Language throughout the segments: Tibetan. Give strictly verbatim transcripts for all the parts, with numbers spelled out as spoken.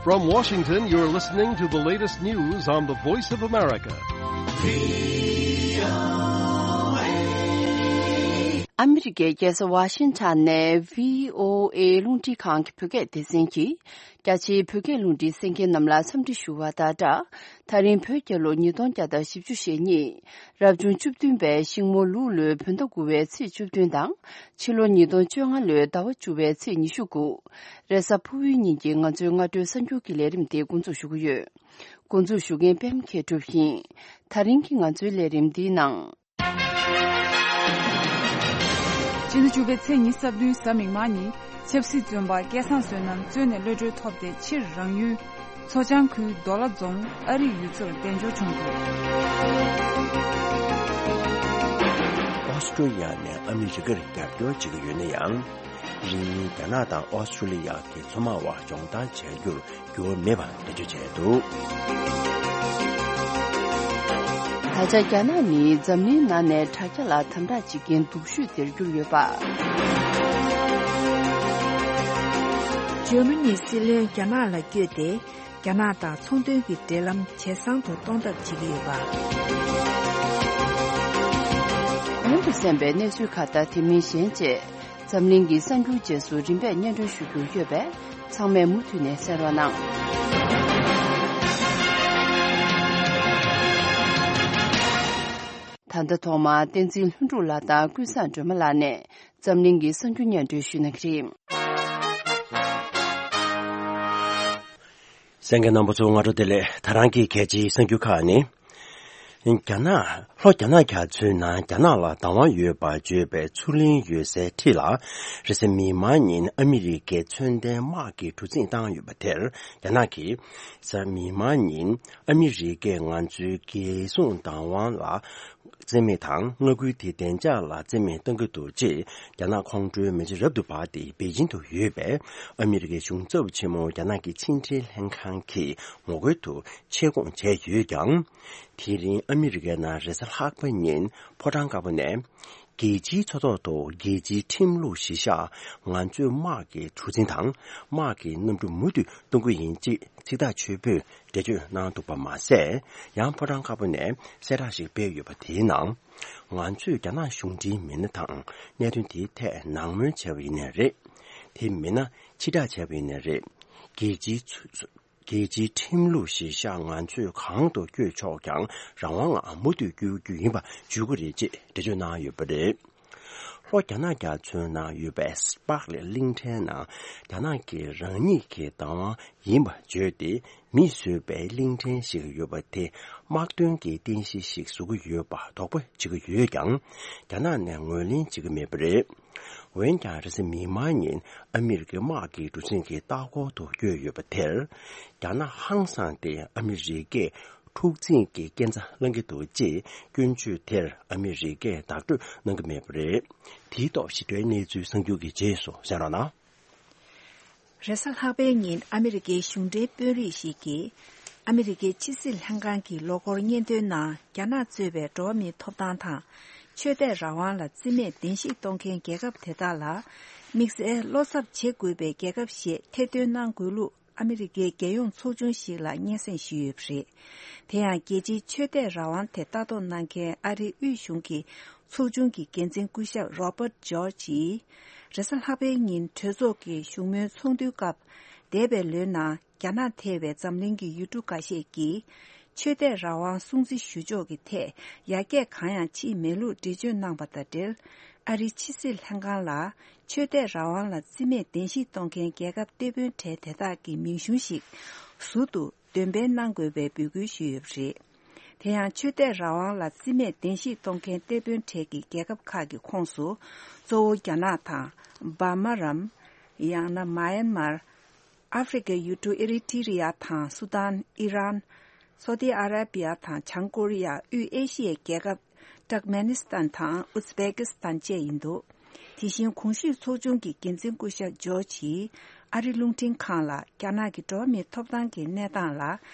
From Washington, you're listening to the latest news on the Voice of America. ཨ་མི་རི་ཀའི་རྒྱལ་ས་ཝ་ཤིང་ཊོན་ནས་བྷི་ཨོ་ཨེ་རླུང་འཕྲིན་ཁང་གི་བོད་སྐད་སྡེ་ཚན་གྱིས། རྒྱ་ཆེའི་བོད་སྐད་རླུང་འཕྲིན་གསན་མཁན་རྣམས་ལ་འཚམས་འདྲི་ཞུ་བ་དང་སྦྲགས། ད་རིང་བོད་རྒྱལ་ལོ་ཉིས་སྟོང་བརྒྱ་དང་བཞི་བཅུ་ཞེ་གཉིས། རབ་བྱུང་བཅུ་བདུན་པའི་ཤིང་མོ་ལུག་ལོའི་བོད་ཟླ་དགུ་བའི་ཚེས་བཅུ་བདུན་དང་། ཕྱི་ལོ་ཉིས་སྟོང་བཅོ་ལྔ་ལོའི་ཟླ་བ་བཅུ་བའི་ཚེས་ཉི་ཤུ་དགུ། རེས་གཟའ་ཕུར་བུའི་ཉིན་གྱི་ང་ཚོའི་སྔ་དྲོའི་གསར་འགྱུར་གྱི་ལས་རིམ་དེ་འགོ་འཛུགས་ཞུ་གི་ཡོད། འགོ་འཛུགས་ཞུ་མཁན་པད་མ་མཁས་གྲུབ་ཡིན། ད་རིང་གི་ང་ཚོའི་ལས་རིམ་འདིའི་ནང་། སྤྱི་ཟླ་བཅུ་པའི་ཚེས་ཉི་ཤུ་རྩ་བདུན་གཟའ་མིག་དམར་ཉིན་ཆབ་སྲིད་བཙོན་པ་སྐལ་བཟང་བསོད་ནམས་བཙོན་ནས་གློད་གྲོལ་ཐོབ་སྟེ། ཕྱིར་རང་ཡུལ་མཚོ་བྱང་ཁུལ་མདོ་ལ་རྫོང་ཨ་རིག་ཡུལ་ཚོར་གདན་འབྱོར་བྱུང་འདུག་ཨོ་སི་ཀྲོ་ལི་ཡ་ནས་ཨ་མི་རི་ཀར་རྒྱབ་སྐྱོར་བྱེད་ཀྱི་ཡོད་ན་ཡང་། རིང་མིན་རྒྱ་ནག་དང་ཨོ་སི་ཀྲོ་ལི་ཡ་གི་མཚོ་དམག་དབར་སྦྱོང་བརྡར་བྱ་རྒྱུར་འགྱུར་བ་མེད་པ་འགྲེལ་བརྗོད་བྱས་འདུག་ད་ཆ་རྒྱ་ནག་ནི་འཛམ་གླིང་ནང་ནས་དྲ་རྒྱ་ལ་དམ་དྲག་བྱེད་མཁན་སྡུག་ཤོས་དེར་གྱུར་ཡོད་པ། འཇར་མ་ནིའི་སྲིད་བློན་རྒྱ་ནག་ལ་བསྐྱོད་དེ། རྒྱ་ནག་དང་ཚོང་དོན་གྱི་འབྲེལ་ལམ་ཇེ་བཟང་དུ་གཏོང་ཐབས་བྱེད་ཀྱི་ཡོད་པ། གོང་དུ་གསན་པའི་གནས་ཚུལ་ཁག་དང་དེ་མིན་གཞན་བཅས། འཛམ་གླིང་གི་གསར་འགྱུར་རྗེས་སུ་རིམ་པས་སྙན་སྒྲོན་ཞུ་རྒྱུ་ཡོད་པས། ཚང་མས་མུ་མཐུད་ནས་གསན་རོགས་གནང་། ད་ལྟ་ཐོག་མར་བསྟན་འཛིན་ལྷུན་གྲུབ་ལགས་དང་ཀུན་བཟང་སྒྲོལ་མ་ལགས་ནས་འཛམ་གླིང་གི་གསར་འགྱུར་སྙན་སྒྲོན་ཞུ་གནང་གི་རེད། གསན་མཁན་རྣམ་པ་ཚོ་སྔ་དྲོ་བདེ་ལེགས། ད་རང་གི་གལ་ཆེའི་གསར་འགྱུར་ཁག་ནི། རྒྱ་ནག་ལྷོ་རྒྱ་ནག་རྒྱ་མཚོའི་ནང་རྒྱ་ནག་ལ་བདག་དབང་ཡོད་པར་བརྗོད་པའི་མཚོ་གླིང་ཡོད་སའི་འཁྲིས་ལ། རེས་གཟའ་མིག་དམར་ཉིན་ཨ་མི་རི་ཀའི་མཚོན་ལྡན་དམག་གིས་གྲུ་གཟིངས་བཏང་ཡོད་པ་དེར། རྒྱ་ནག་གིས་གཟའ་མིག་དམར་ཉིན་ཨ་མི་རི་ཀས་ང་ཚོའི་རྒྱལ་སྲུང་བདག་དབང་ལ་བརྩི་མེད་དང་། མངའ་ཁུལ་དེའི་བདེ་འཇགས་ལ་བརྩི་མེད་གཏང་གི་འདུག་ཅེས་རྒྱ་ནག་ཁོང་ཁྲོའི་མེ་ལྕེ་རབ་ཏུ་འབར་ཏེ་པེ་ཅིང་དུ་ཡོད་པའི་ཨ་མི་རི་ཀའི་གཞུང་ཚབ་ཆེན་མོ་རྒྱ་ནག་གི་ཕྱི་འབྲེལ་ལྷན་ཁང་གི་ངོ་རྒོལ་དུ་ཆེད་བསྐོང་བྱས་ཡོད་ཀྱང་། དེ་རིང་ཨ་མི་རི་ཀའི་ནང་རེས་གཟའ་ལྷག་པ་ཉིན་ཕོ་བྲང་དཀར་པོ་ནས། རྒྱལ་སྤྱིའི་མཚོ་ཐོག་ཏུ་རྒྱལ་སྤྱིའི་ཁྲིམས་ལུགས་གཞིར་བཞག་ང་ཚོས་དམག་གི་གྲུ་གཟིངས་དང་དམག་གི་གནམ་གྲུ་མུ་མཐུད་གཏོང་གི་ཡིན་ཅེས་ཚིག་ཐག་ཆོད་པོས་འགྲེལ་བརྗོད་གནང་འདུག་པ་མ་ཟད། ཡང་ཕོ་བྲང་དཀར་པོ་ནས་གསལ་བསྒྲགས་ཤིག་སྤེལ་ཡོད་པ་དེའི་ནང་། ང་ཚོས་རྒྱ་ནག་གཞུང་འབྲེལ་མི་སྣ་དང་གནད་དོན་དེའི་ཐད་ནན་སྨོན་བྱས་པ་ཡིན་ནའི་རེད། དེ་མིན་ན་ཕྱིར་བསྒྲགས་བྱས་པ་ཡིན་ནའི་རེད། རྒྱལ་སྤྱིའི་ཚུ་རྒྱལ་སྤྱིའི་ཁྲིམས་ལུགས་གཞིར་བཞག་ང་ཚོས་གང་དུ་བསྐྱོད་ཆོག་ཀྱང་རང་དབང་ངང་མུ་མཐུད་བསྐྱོད་རྒྱུ་ཡིན་པ་བརྗོད་ཀྱི་རེད་ཅེས་འགྲེལ་བརྗོད་གནང་ཡོད་པ་རེད། ལྷོ་རྒྱ་ནག་རྒྱ་མཚོའི་ནང་ཡོད་པའི་སི་པག་ལེ་གླིང་ཕྲན་ནང་རྒྱ་ནག་གིས་རང་ཉིད་ཀྱི་བདག་དབང་ཡིན་པ་བརྗོད་དེ། མིས་བཟོས་པའི་གླིང་ཕྲན་ཞིག་ཡོད་པ་དེ་དམག་དོན་གྱི་རྟེན་གཞི་ཞིག་བཟོ་གི་ཡོད་པ་དོགས་པ་བྱེད་ཀྱི་ཡོད་ཀྱང་། རྒྱ་ནག་ནས་ངོས་ལེན་བྱེད་ཀྱི་མེད་པ་རེད། འོན་ཀྱང་། རེས་གཟའ་མིག་དམར་ཉིན་ཨ་མི་རི་ཀའི་དམག་གི་གྲུ་གཟིངས་ཀྱི་ལྟ་སྐོར་དུ་བསྐྱོད་ཡོད་པ་དེར། རྒྱ་ནག་ཧང་སངས་ཏེ་ཨ་མི་རི་ཀས་འཁྲུག་འཛིང་གི་སྐས་འཛེག་བསླང་གི་འདུག་ཅེས་སྐྱོན་བརྗོད་དེར་ཨ་མི་རི་ཀས་བདག་སྤྲོད་གནང་གི་མེད་པ་རེད། དེའི་ཐོག་ཞིབ་ཕྲའི་གནས་ཚུལ་གསར་འགྱུར་གྱི་རྗེས་སུ་གསན་རོགས་གནང་། རེས་གཟའ་ལྷག་པའི་ཉིན་ཨ་མི་རི་ཀའི་གཞུང་འབྲེལ་དཔོན་རིགས་ཤིག་གིས། ཨ་མི་རི་ཀའི་ཕྱི་སྲིད་ལྷན་ཁང་གི་ལོ་འཁོར་སྙན་ཐོའི་ནང་། རྒྱ་ནག་གཙོས་པའི་འགྲོ་བ་མིའི་ཐོབ་ཐང་དང་། ཆོས་དད་རང་དབང་ལ་བརྩི་མེད་བདེན་བཞི་གཏོང་མཁན་རྒྱལ་ཁབ་དེ་དག་ལ། དམིགས་བསལ་བློ་འཚབ་བྱེད་དགོས་པའི་རྒྱལ་ཁབ་ཞེས་ཐེར་འདོན་གནང་དགོས་ལུགས། ཨ་མི་རི་ཀའི་རྒྱལ་ཡོངས་ཚོགས་ཆུང་ཞིག་ལ་སྙན་སེང་ཞུས་ཡོད་པ་རེད། དེ་ཡང་རྒྱལ་སྤྱིའི་ཆོས་དད་རང་དབང་དེ་ལྟ་རྟོག་གནང་མཁན་ཨ་རིའི་དབུས་གཞུང་གི་ཚོགས་ཆུང་གི་འགན་འཛིན་སྐུ་ཞབས་Robert George ཡིས། རེས་གཟའ་ལྷག་པའི་ཉིན་གྲོས་ཚོགས་ཀྱི་བཞུགས་མོལ་ཚོགས་འདུའི་སྐབས། འདས་པའི་ལོའི་ནང་རྒྱ་ནག་ཐེ་བའི་འཛམ་གླིང་གི་ཡུལ་གྲུ་འགའ་ཤས་ཀྱིས། ཆོས་དད་རང་དབང་སྲུང་བརྩི་ཞུ་ཕྱོགས་ཀྱི་ཐད་ཡར་རྒྱས་གང་ཡང་ཕྱིན་མེད་ལུགས་འགྲེལ་བརྗོད་གནང་པ་དང་འབྲེལ། ཨ་རིའི་ཕྱི་སྲིད་ལྷན་ཁང་ལ་ཆོས་དད་རང་དབང་ལ་བརྩི་མེད་གདན་ཞིག་གཏོང་མཁན་རྒྱལ་ཁབ་གཏེ་དཔོན་གྲས་དེ་དག་གི་མིང་གཞུང་ཞིག་ཟུར་དུ་འདོན་སྤེལ་གནང་དགོས་པའི་འབོད་སྐུལ་ཞུས་ཡོད་པ་རེད། དེ་ཡང་ཆོས་དད་རང་དབང་ལ་བརྩི་མེད་གདན་ཞིག་གཏོང་མཁན་གཏེ་དཔོན་གྲས་ཀྱི་རྒྱལ་ཁབ་ཁག་གི་ཁོངས་སུ་གཙོ་བོ་རྒྱ་ནག་དང་། འབར་མ་རམ། ཡང་ན་མཱ་ཡན་མར། ཨ་ཧྥེ་རི་ཁའི་ཡུལ་གྲུ་ཨེ་རི་ཐི་རི་ཡ་དང་སུ་དཱན། ཨི་རན། སོ་ཏི་ཨ་ར་བི་ཡ་དང་བྱང་ཀོ་རི་ཡ། དབུས་ཨེ་ཤི་ཡའི་རྒྱལ་ཁབ་ཏུར་ཀ་མེ་ནི་སི་ཐན་དང་ཨུ་ཛི་བེ་ཀི་སི་ཐན་བཅས་ཡིན་འདུག་དེ་བཞིན་གོང་ཞུས་ཚོགས་ཆུང་གི་འགན་འཛིན་སྐུ་ཞབས་ཇོར་ཇི་ཡིས་ཨ་རི་རླུང་འཕྲིན་ཁང་ལ་རྒྱ་ནག་གི་འགྲོ་བ་མིའི་ཐོབ་ཐང་གི་གནས་སྟངས་ལ་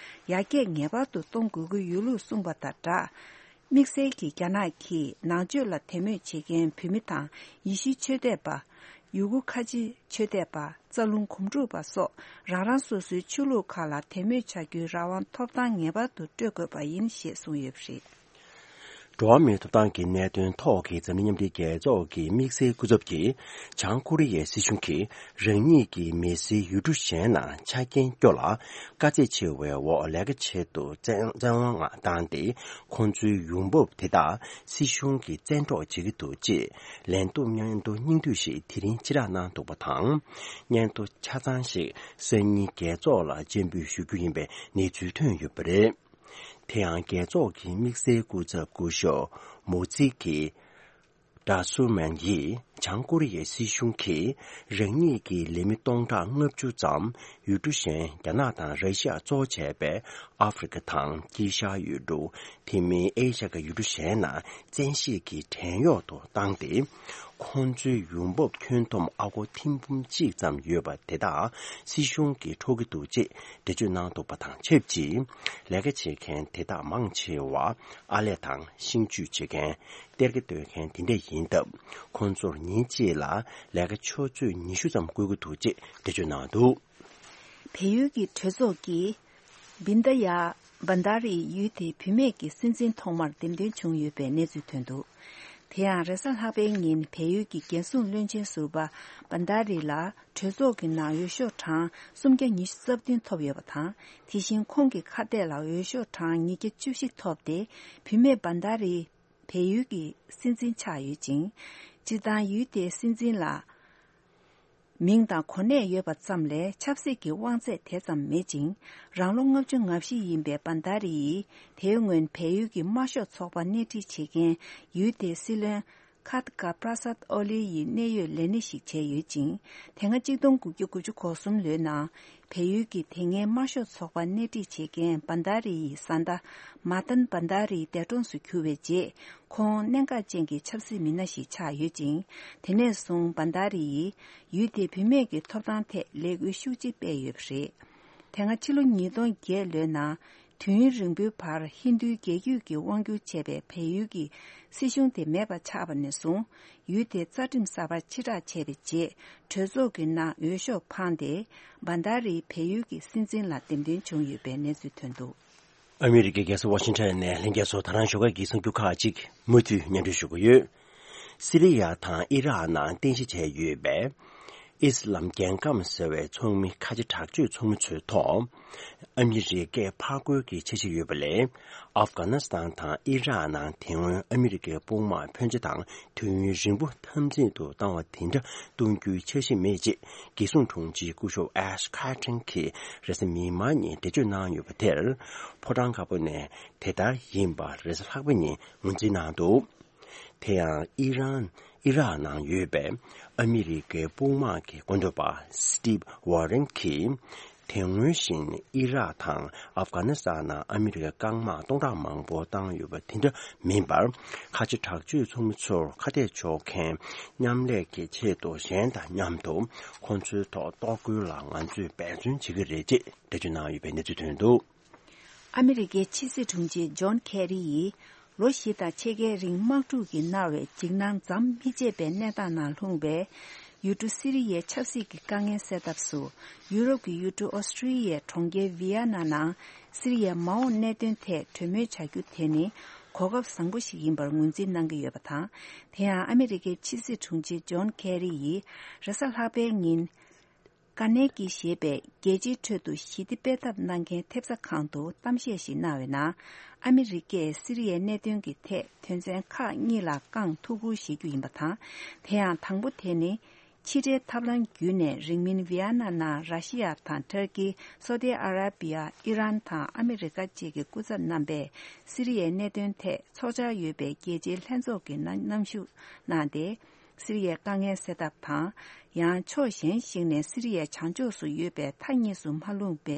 ཡར་རྒྱས་ངེས་པར་དུ་གཏོང་དགོས་ཀྱི་ཡོད་ལུགས་གསུངས་པ་དང་སྦྲགས། དམིགས་བསལ་གྱིས་རྒྱ་ནག་གིས་ནང་ཆོས་ལ་དད་མོས་བྱེད་མཁན་བོད་མི་དང་ཡེ་ཤུའི་ཆོས་དད་པ། ཡུ་གུར་ཁ་ཆེ་ཆོས་དད་པ། རྩ་རླུང་གོམ་འགྲོས་པ་སོགས་རང་རང་སོ་སོའི་ཆོས་ལུགས་ཁག་ལ་དད་མོས་བྱ་རྒྱུའི་རང་དབང་ཐོབ་ཐང་ངེས་པར་དུ་སྤྲོད་དགོས་པ་ཡིན་ཞེས་གསུངས་ཡོད་པ་རེད། འགྲོ་བ་མིའི་ཐོབ་ཐང་གི་གནད་དོན་ཐོག་གི་འཛམ་གླིང་མཉམ་འབྲེལ་རྒྱལ་ཚོགས་ཀྱི་དམིགས་བསལ་སྐུ་ཚབ་ཀྱིས་བྱང་ཀོ་རི་ཡའི་སྲིད་གཞུང་གིས་རང་ཉིད་ཀྱི་མི་སེར་ཡུལ་གྲུ་གཞན་ནང་ཆ་རྐྱེན་སྐྱོ་ལ་དཀའ་ཚེགས་ཆེ་བའི་འོག་ལས་ཀ་ཆེད་དུ་བཙན་བཙན་དབང་བཏང་སྟེ། ཁོང་ཚོའི་ཡོང་འབབ་དེ་དག་སྲིད་གཞུང་གིས་བཙན་འཕྲོག་བྱེད་ཀྱི་འདུག་ཅེས་ལན་ཏུ་མཉམ་དུ་སྙིང་བསྡུས་ཤིག་དེ་རིང་ཕྱི་བསྒྲགས་གནང་འདུག་པ་དང་། སྙན་ཐོ་ཆ་ཚང་ཞིག་སང་ཉིན་རྒྱལ་ཚོགས་ལ་སྤྱན་འབུལ་ཞུ་རྒྱུ་ཡིན་པའི་གནས་ཚུལ་ཐོན་ཡོད་པ་རེད། དེ་ཡང་རྒྱལ་ཚོགས་ཀྱི་དམིགས་བསལ་སྐུ་ཚབ་སྐུ་ཞབས་མོ་ཙི་ཀི་ཌ་སུ་མན་ཡིས་བྱང་ཀོ་རི་ཡའི་སྲིད་གཞུང་གིས་རང་ཉིད་ཀྱི་ལས་མི་སྟོང་ཕྲག་ལྔ་བཅུ་ཙམ་ཡུལ་གྲུ་གཞན་རྒྱ་ནག་དང་ར་ཤི་ཡ་གཙོ་བྱས་པའི་ཨ་ཧྥེ་རི་ཁ་དང་དཀྱིལ་ཤར་ཡུལ་གྲུ། དེ་མིན་ཨེ་ཤ་ཁའི་ཡུལ་གྲུ་གཞན་ནང་བཙན་ཤེད་ཀྱིས་བྲན་གཡོག་ཏུ་བཏང་སྟེ། ཁོང་ཚོའི་ཡོང་འབབ་ཁྱོན་བསྡོམས་ཨ་སྒོར་ཐེར་འབུམ་གཅིག་ཙམ་ཡོད་པ་དེ་དག་སྲིད་གཞུང་གིས་འཕྲོག་གི་འདུག་ཅེས་འགྲེལ་བརྗོད་གནང་འདུག་པ་དང་ཆབས་ཅིག་ལས་ཀ་བྱེད་མཁན་དེ་དག་མང་ཆེ་བ་ཨར་ལས་དང་ཤིང་གཅུས་བྱེད་མཁན། གཏེར་ཁ་གཏོད་མཁན་དེ་འདྲ་ཡིན་སྟབས། ཁོང་ཚོར་ཉིན་གཅིག་ལ་ལས་ཀ་ཆུ་ཚོད་ཉི་ཤུ་ཙམ་བསྐུལ་གྱི་འདུག་ཅེས་འགྲེལ་བརྗོད་གནང་འདུག་བལ་ཡུལ་གྱི་གྲོས་ཚོགས་ཀྱིས་བིན་ད་ཡ་བན་ད་རི་ཡུལ་དེའི་བུད་མེད་ཀྱི་སྲིད་འཛིན་ཐོག་མར་འདེམས་ཐོན་བྱུང་ཡོད་པའི་གནས་ཚུལ་ཐོན་འདུག་དེ་ཡང་རེས་གཟའ་ལྷག་པའི་ཉིན་བལ་ཡུལ་གྱི་རྒྱལ་སྲུང་བློན་ཆེན་ཟུར་པ་བན་ད་རི་ལ་གྲོས་ཚོགས་ཀྱི་ནང་འོས་ཤོག་གྲངས་སུམ་བརྒྱ་ཉི་ཤུ་རྩ་བདུན་ཐོབ་ཡོད་པ་དང་། དེ་བཞིན་ཁོང་གི་ཁ་གཏད་ལ་འོས་ཤོག་གྲངས་ཉིས་བརྒྱ་བཅུ་བཞི་ཐོབ་སྟེ། བུད་མེད་བན་ད་རི་བལ་ཡུལ་གྱི་སྲིད་འཛིན་ཆགས་ཡོད་ཅིང་། སྤྱིར་བཏང་ཡུལ་དེའི་སྲིད་འཛིན་ལ་མིང་དང་གོ་གནས་ཡོད་པ་ཙམ་ལས་ཆབ་སྲིད་ཀྱི་དབང་ཚད་དེ་ཙམ་མེད་ཅིང་། རང་ལོ་ལྔ་བཅུ་ང་བཞི་ཡིན་པའི་བན་ད་རི་ཡིས་དེའི་སྔོན་བལ་ཡུལ་གྱི་དམར་ཤོག་ཚོགས་པ་སྣེ་ཁྲིད་བྱེད་མཁན་ཡུལ་དེའི་སྲིད་བློན་ཁཱ་ཏི་ཀ་པྲ་སཱད་ཨོ་ལི་ཡི་གནད་ཡོད་ལས་སྣེ་ཞིག་བྱས་ཡོད་ཅིང་། དེ་སྔ་གཅིག་སྟོང་དགུ་བརྒྱ་དགུ་བཅུ་གོ་གསུམ་ལོའི་ནང་བལ་ཡུལ་གྱི་དེ་སྔའི་དམར་ཤོག་ཚོགས་པ་སྣེ་ཁྲིད་བྱེད་མཁན་བན་ད་རི་ཡི་བཟའ་ཟླ་མཱ་ཏན་བན་ད་རི་འདས་གྲོངས་སུ་གྱུར་བའི་རྗེས། ཁོང་གནད་འགག་ཅན་གྱི་ཆབ་སྲིད་མི་སྣ་ཞིག་ཆགས་ཡོད་ཅིང་། དེ་ནས་བཟུང་བན་ད་རི་ཡིས་ཡུལ་དེའི་བུད་མེད་ཀྱི་ཐོབ་ཐང་ཐད་ལས་འགུལ་ཤུགས་ཆེ་སྤེལ་ཡོད་པ་རེད། དེ་སྔ་ཕྱི་ལོ་ཉིས་སྟོང་བརྒྱད་ལོའི་ནང་དུས་ཡུན་རིང་པོའི་བར་ཧིན་རྡུའི་རྒྱལ་རྒྱུད་ཀྱིས་དབང་བསྒྱུར་བྱས་པའི་བལ་ཡུལ་གྱི་སྲིད་གཞུང་དེ་མེད་པ་ཆགས་པ་ནས་བཟུང་། ཡུལ་དེའི་རྩ་ཁྲིམས་གསར་པ་ཕྱིར་བསྒྲགས་བྱས་པའི་རྗེས། གྲོས་ཚོགས་ཀྱི་ནང་འོས་ཤོག་འཕངས་ཏེ། བན་ད་རི་བལ་ཡུལ་གྱི་སྲིད་འཛིན་ལ་འདེམས་ཐོན་བྱུང་ཡོད་པའི་གནས་ཚུལ་ཐོན་འདུག་ཨ་མི་རི་ཀའི་རྒྱལ་ས་ཝ་ཤིང་ཊོན་ནས་ལྷན་རྒྱས་ཚོ་ད་རང་ཞོགས་ཀས་ཀྱི་གསར་འགྱུར་ཁག་ཅིག་མུ་མཐུད་སྙན་སྒྲོན་ཞུ་གི་ཡོད། སི་རི་ཡ་དང་ཨི་རག་ནང་རྟེན་གཞི་བྱས་ཡོད་པའི་ཨི་སི་ལམ་རྒྱལ་ཁམས་ཟེར་བའི་ཚོགས་མི་ཁ་ཆེ་དྲག་སྤྱོད་ཚོགས་མི་ཚོའི་ཐོག་ཨ་མི་རི་ཀས་ཕར་རྒོལ་གྱི་འཆར་གཞི་ཡོད་པ་ལས། ཨབ་གྷ་ནི་སི་ཐན་དང་ཨི་རག་ནང་དེ་སྔོན་ཨ་མི་རི་ཀའི་དཔུང་དམག་ཕོན་ཆེ་དང་དུས་ཡུན་རིང་པོ་འཐབ་འཛིང་དུ་བཏང་བ་དེ་འདྲ་གཏོང་རྒྱུའི་འཆར་གཞི་མེད་ཅེས་རྒྱལ་སྲུང་དྲུང་ཆེ་སྐུ་ཞབས་ཨེཤ་ཁ་ཏྲིན་གྱིས་རེས་གཟའ་མིག་དམར་ཉིན་འགྲེལ་བརྗོད་གནང་ཡོད་པ་དེར། ཕོ་བྲང་དཀར་པོ་ནས་དེ་ལྟར་ཡིན་པ་རེས་གཟའ་ལྷག་པ་ཉིན་ངོས་འཛིན་གནང་འདུག་དེ་ཡང་ཨི་རན། ཨི་རག་ནང་ཡོད་པའི་ཨ་མི་རི་ཀའི་དཔུང་དམག་གི་སྐུ་མགྲོན་པ་སི་ཊིབ་ཝོ་རན་གྱིས། དེ་སྔོན་བཞིན་ཨི་རག་དང་ཨབ་གྷ་ནི་སི་ཐན་ནང་ཨ་མི་རི་ཀའི་རྐང་དམག་སྟོང་ཕྲག་མང་པོ་བཏང་ཡོད་པ་དེ་འདྲ་མིན་པར། ཁ་ཆེ་དྲག་སྤྱོད་ཚོགས་མི་ཚོར་ཁ་གཏད་གཅོག་མཁན་མཉམ་ལས་ཀྱི་ཆེད་དུ་གཞན་དང་མཉམ་དུ་ཁོང་ཚོའི་ཐོག་གཏོར་རྒོལ་ལ་ང་ཚོས་འབད་བརྩོན་བྱེད་ཀྱི་རེད་ཅེས་འགྲེལ་བརྗོད་གནང་ཡོད་པའི་གནས་ཚུལ་ཐོན་འདུག་ཨ་མི་རི་ཀའི་ཕྱི་སྲིད་དྲུང་ཆེ་ཇོན་ཁེ་རི་ཡིས་ལོ་བཞི་དང་ཕྱེད་ཀའི་རིང་དམག་འཁྲུག་གིས་མནར་བའི་འཇིགས་སྣང་མཚམས་མི་ཆད་པའི་གནས་སྟངས་ནང་ལྷུང་བའི་ཡུལ་གྲུ་སི་རི་ཡའི་ཆབ་སྲིད་ཀྱི་དཀའ་ངལ་སེལ་ཐབས་སུ། ཡུ་རོབ་ཀྱི་ཡུལ་གྲུ་ཨོ་སི་ཀྲི་ཡའི་གྲོང་ཁྱེར་ཝི་ཡ་ན་ནང་སི་རི་ཡའི་མ་འོངས་གནད་དོན་ཐད་གྲོས་མོལ་བྱ་རྒྱུ་དེ་ནི་གོ་སྐབས་བཟང་པོ་ཞིག་ཡིན་པར་ངོས་འཛིན་གནང་གི་ཡོད་པ་དང་། དེ་ཡང་ཨ་མི་རི་ཀའི་ཕྱི་སྲིད་དྲུང་ཆེ་ཇོན་ཁེ་རི་ཡིས་རེས་གཟའ་ལྷག་པའི་ཉིན། ཀ་ནེ་ཀི་ཞེས་པའི་རྒྱལ་སྤྱིའི་ཁྲོད་དུ་ཞི་བདེ་སྤེལ་ཐབས་གནང་མཁན་ཐེབས་རྩ་ཁང་དུ་གཏམ་བཤད་ཞིག་གནང་བའི་ནང་། ཨ་མི་རི་ཀས་སི་རི་ཡའི་གནད་དོན་གྱི་ཐད་དོན་ཚན་ཁག་གཉིས་ལ་བསྐང་ཐུགས་ཁུར་བཞེས་རྒྱུ་ཡིན་པ་དང་། དེ་ཡང་དང་པོ་དེ་ནི། ཕྱི་འབྲེལ་ཐབས་ལམ་བརྒྱུད་ནས་རིང་མིན་ཝི་ཡ་ན་ནང་ར་ཤི་ཡ་དང་ཏུར་ཀི། སོ་ཏི་ཨ་ར་བི་ཡ། ཨི་རན་དང་ཨ་མི་རི་ཀ་བཅས་ཀྱི་སྐུ་ཚབ་རྣམ་པས་སི་རི་ཡའི་གནད་དོན་ཐད་ཚོགས་བཅར་ཡོད་པའི་རྒྱལ་སྤྱིའི་ལྷན་ཚོགས་ཀྱི་ནང་མཉམ་ཞུགས་གནང་སྟེ། སི་རི་ཡའི་དཀའ་ངལ་སེལ་ཐབས་དང་། ཡང་ཕྱོགས་གཞན་ཞིག་ནས་སི་རི་ཡའི་བྱང་ཕྱོགས་སུ་ཡོད་པའི་མཐའ་གཉིས་སུ་མ་ལྷུང་པའི་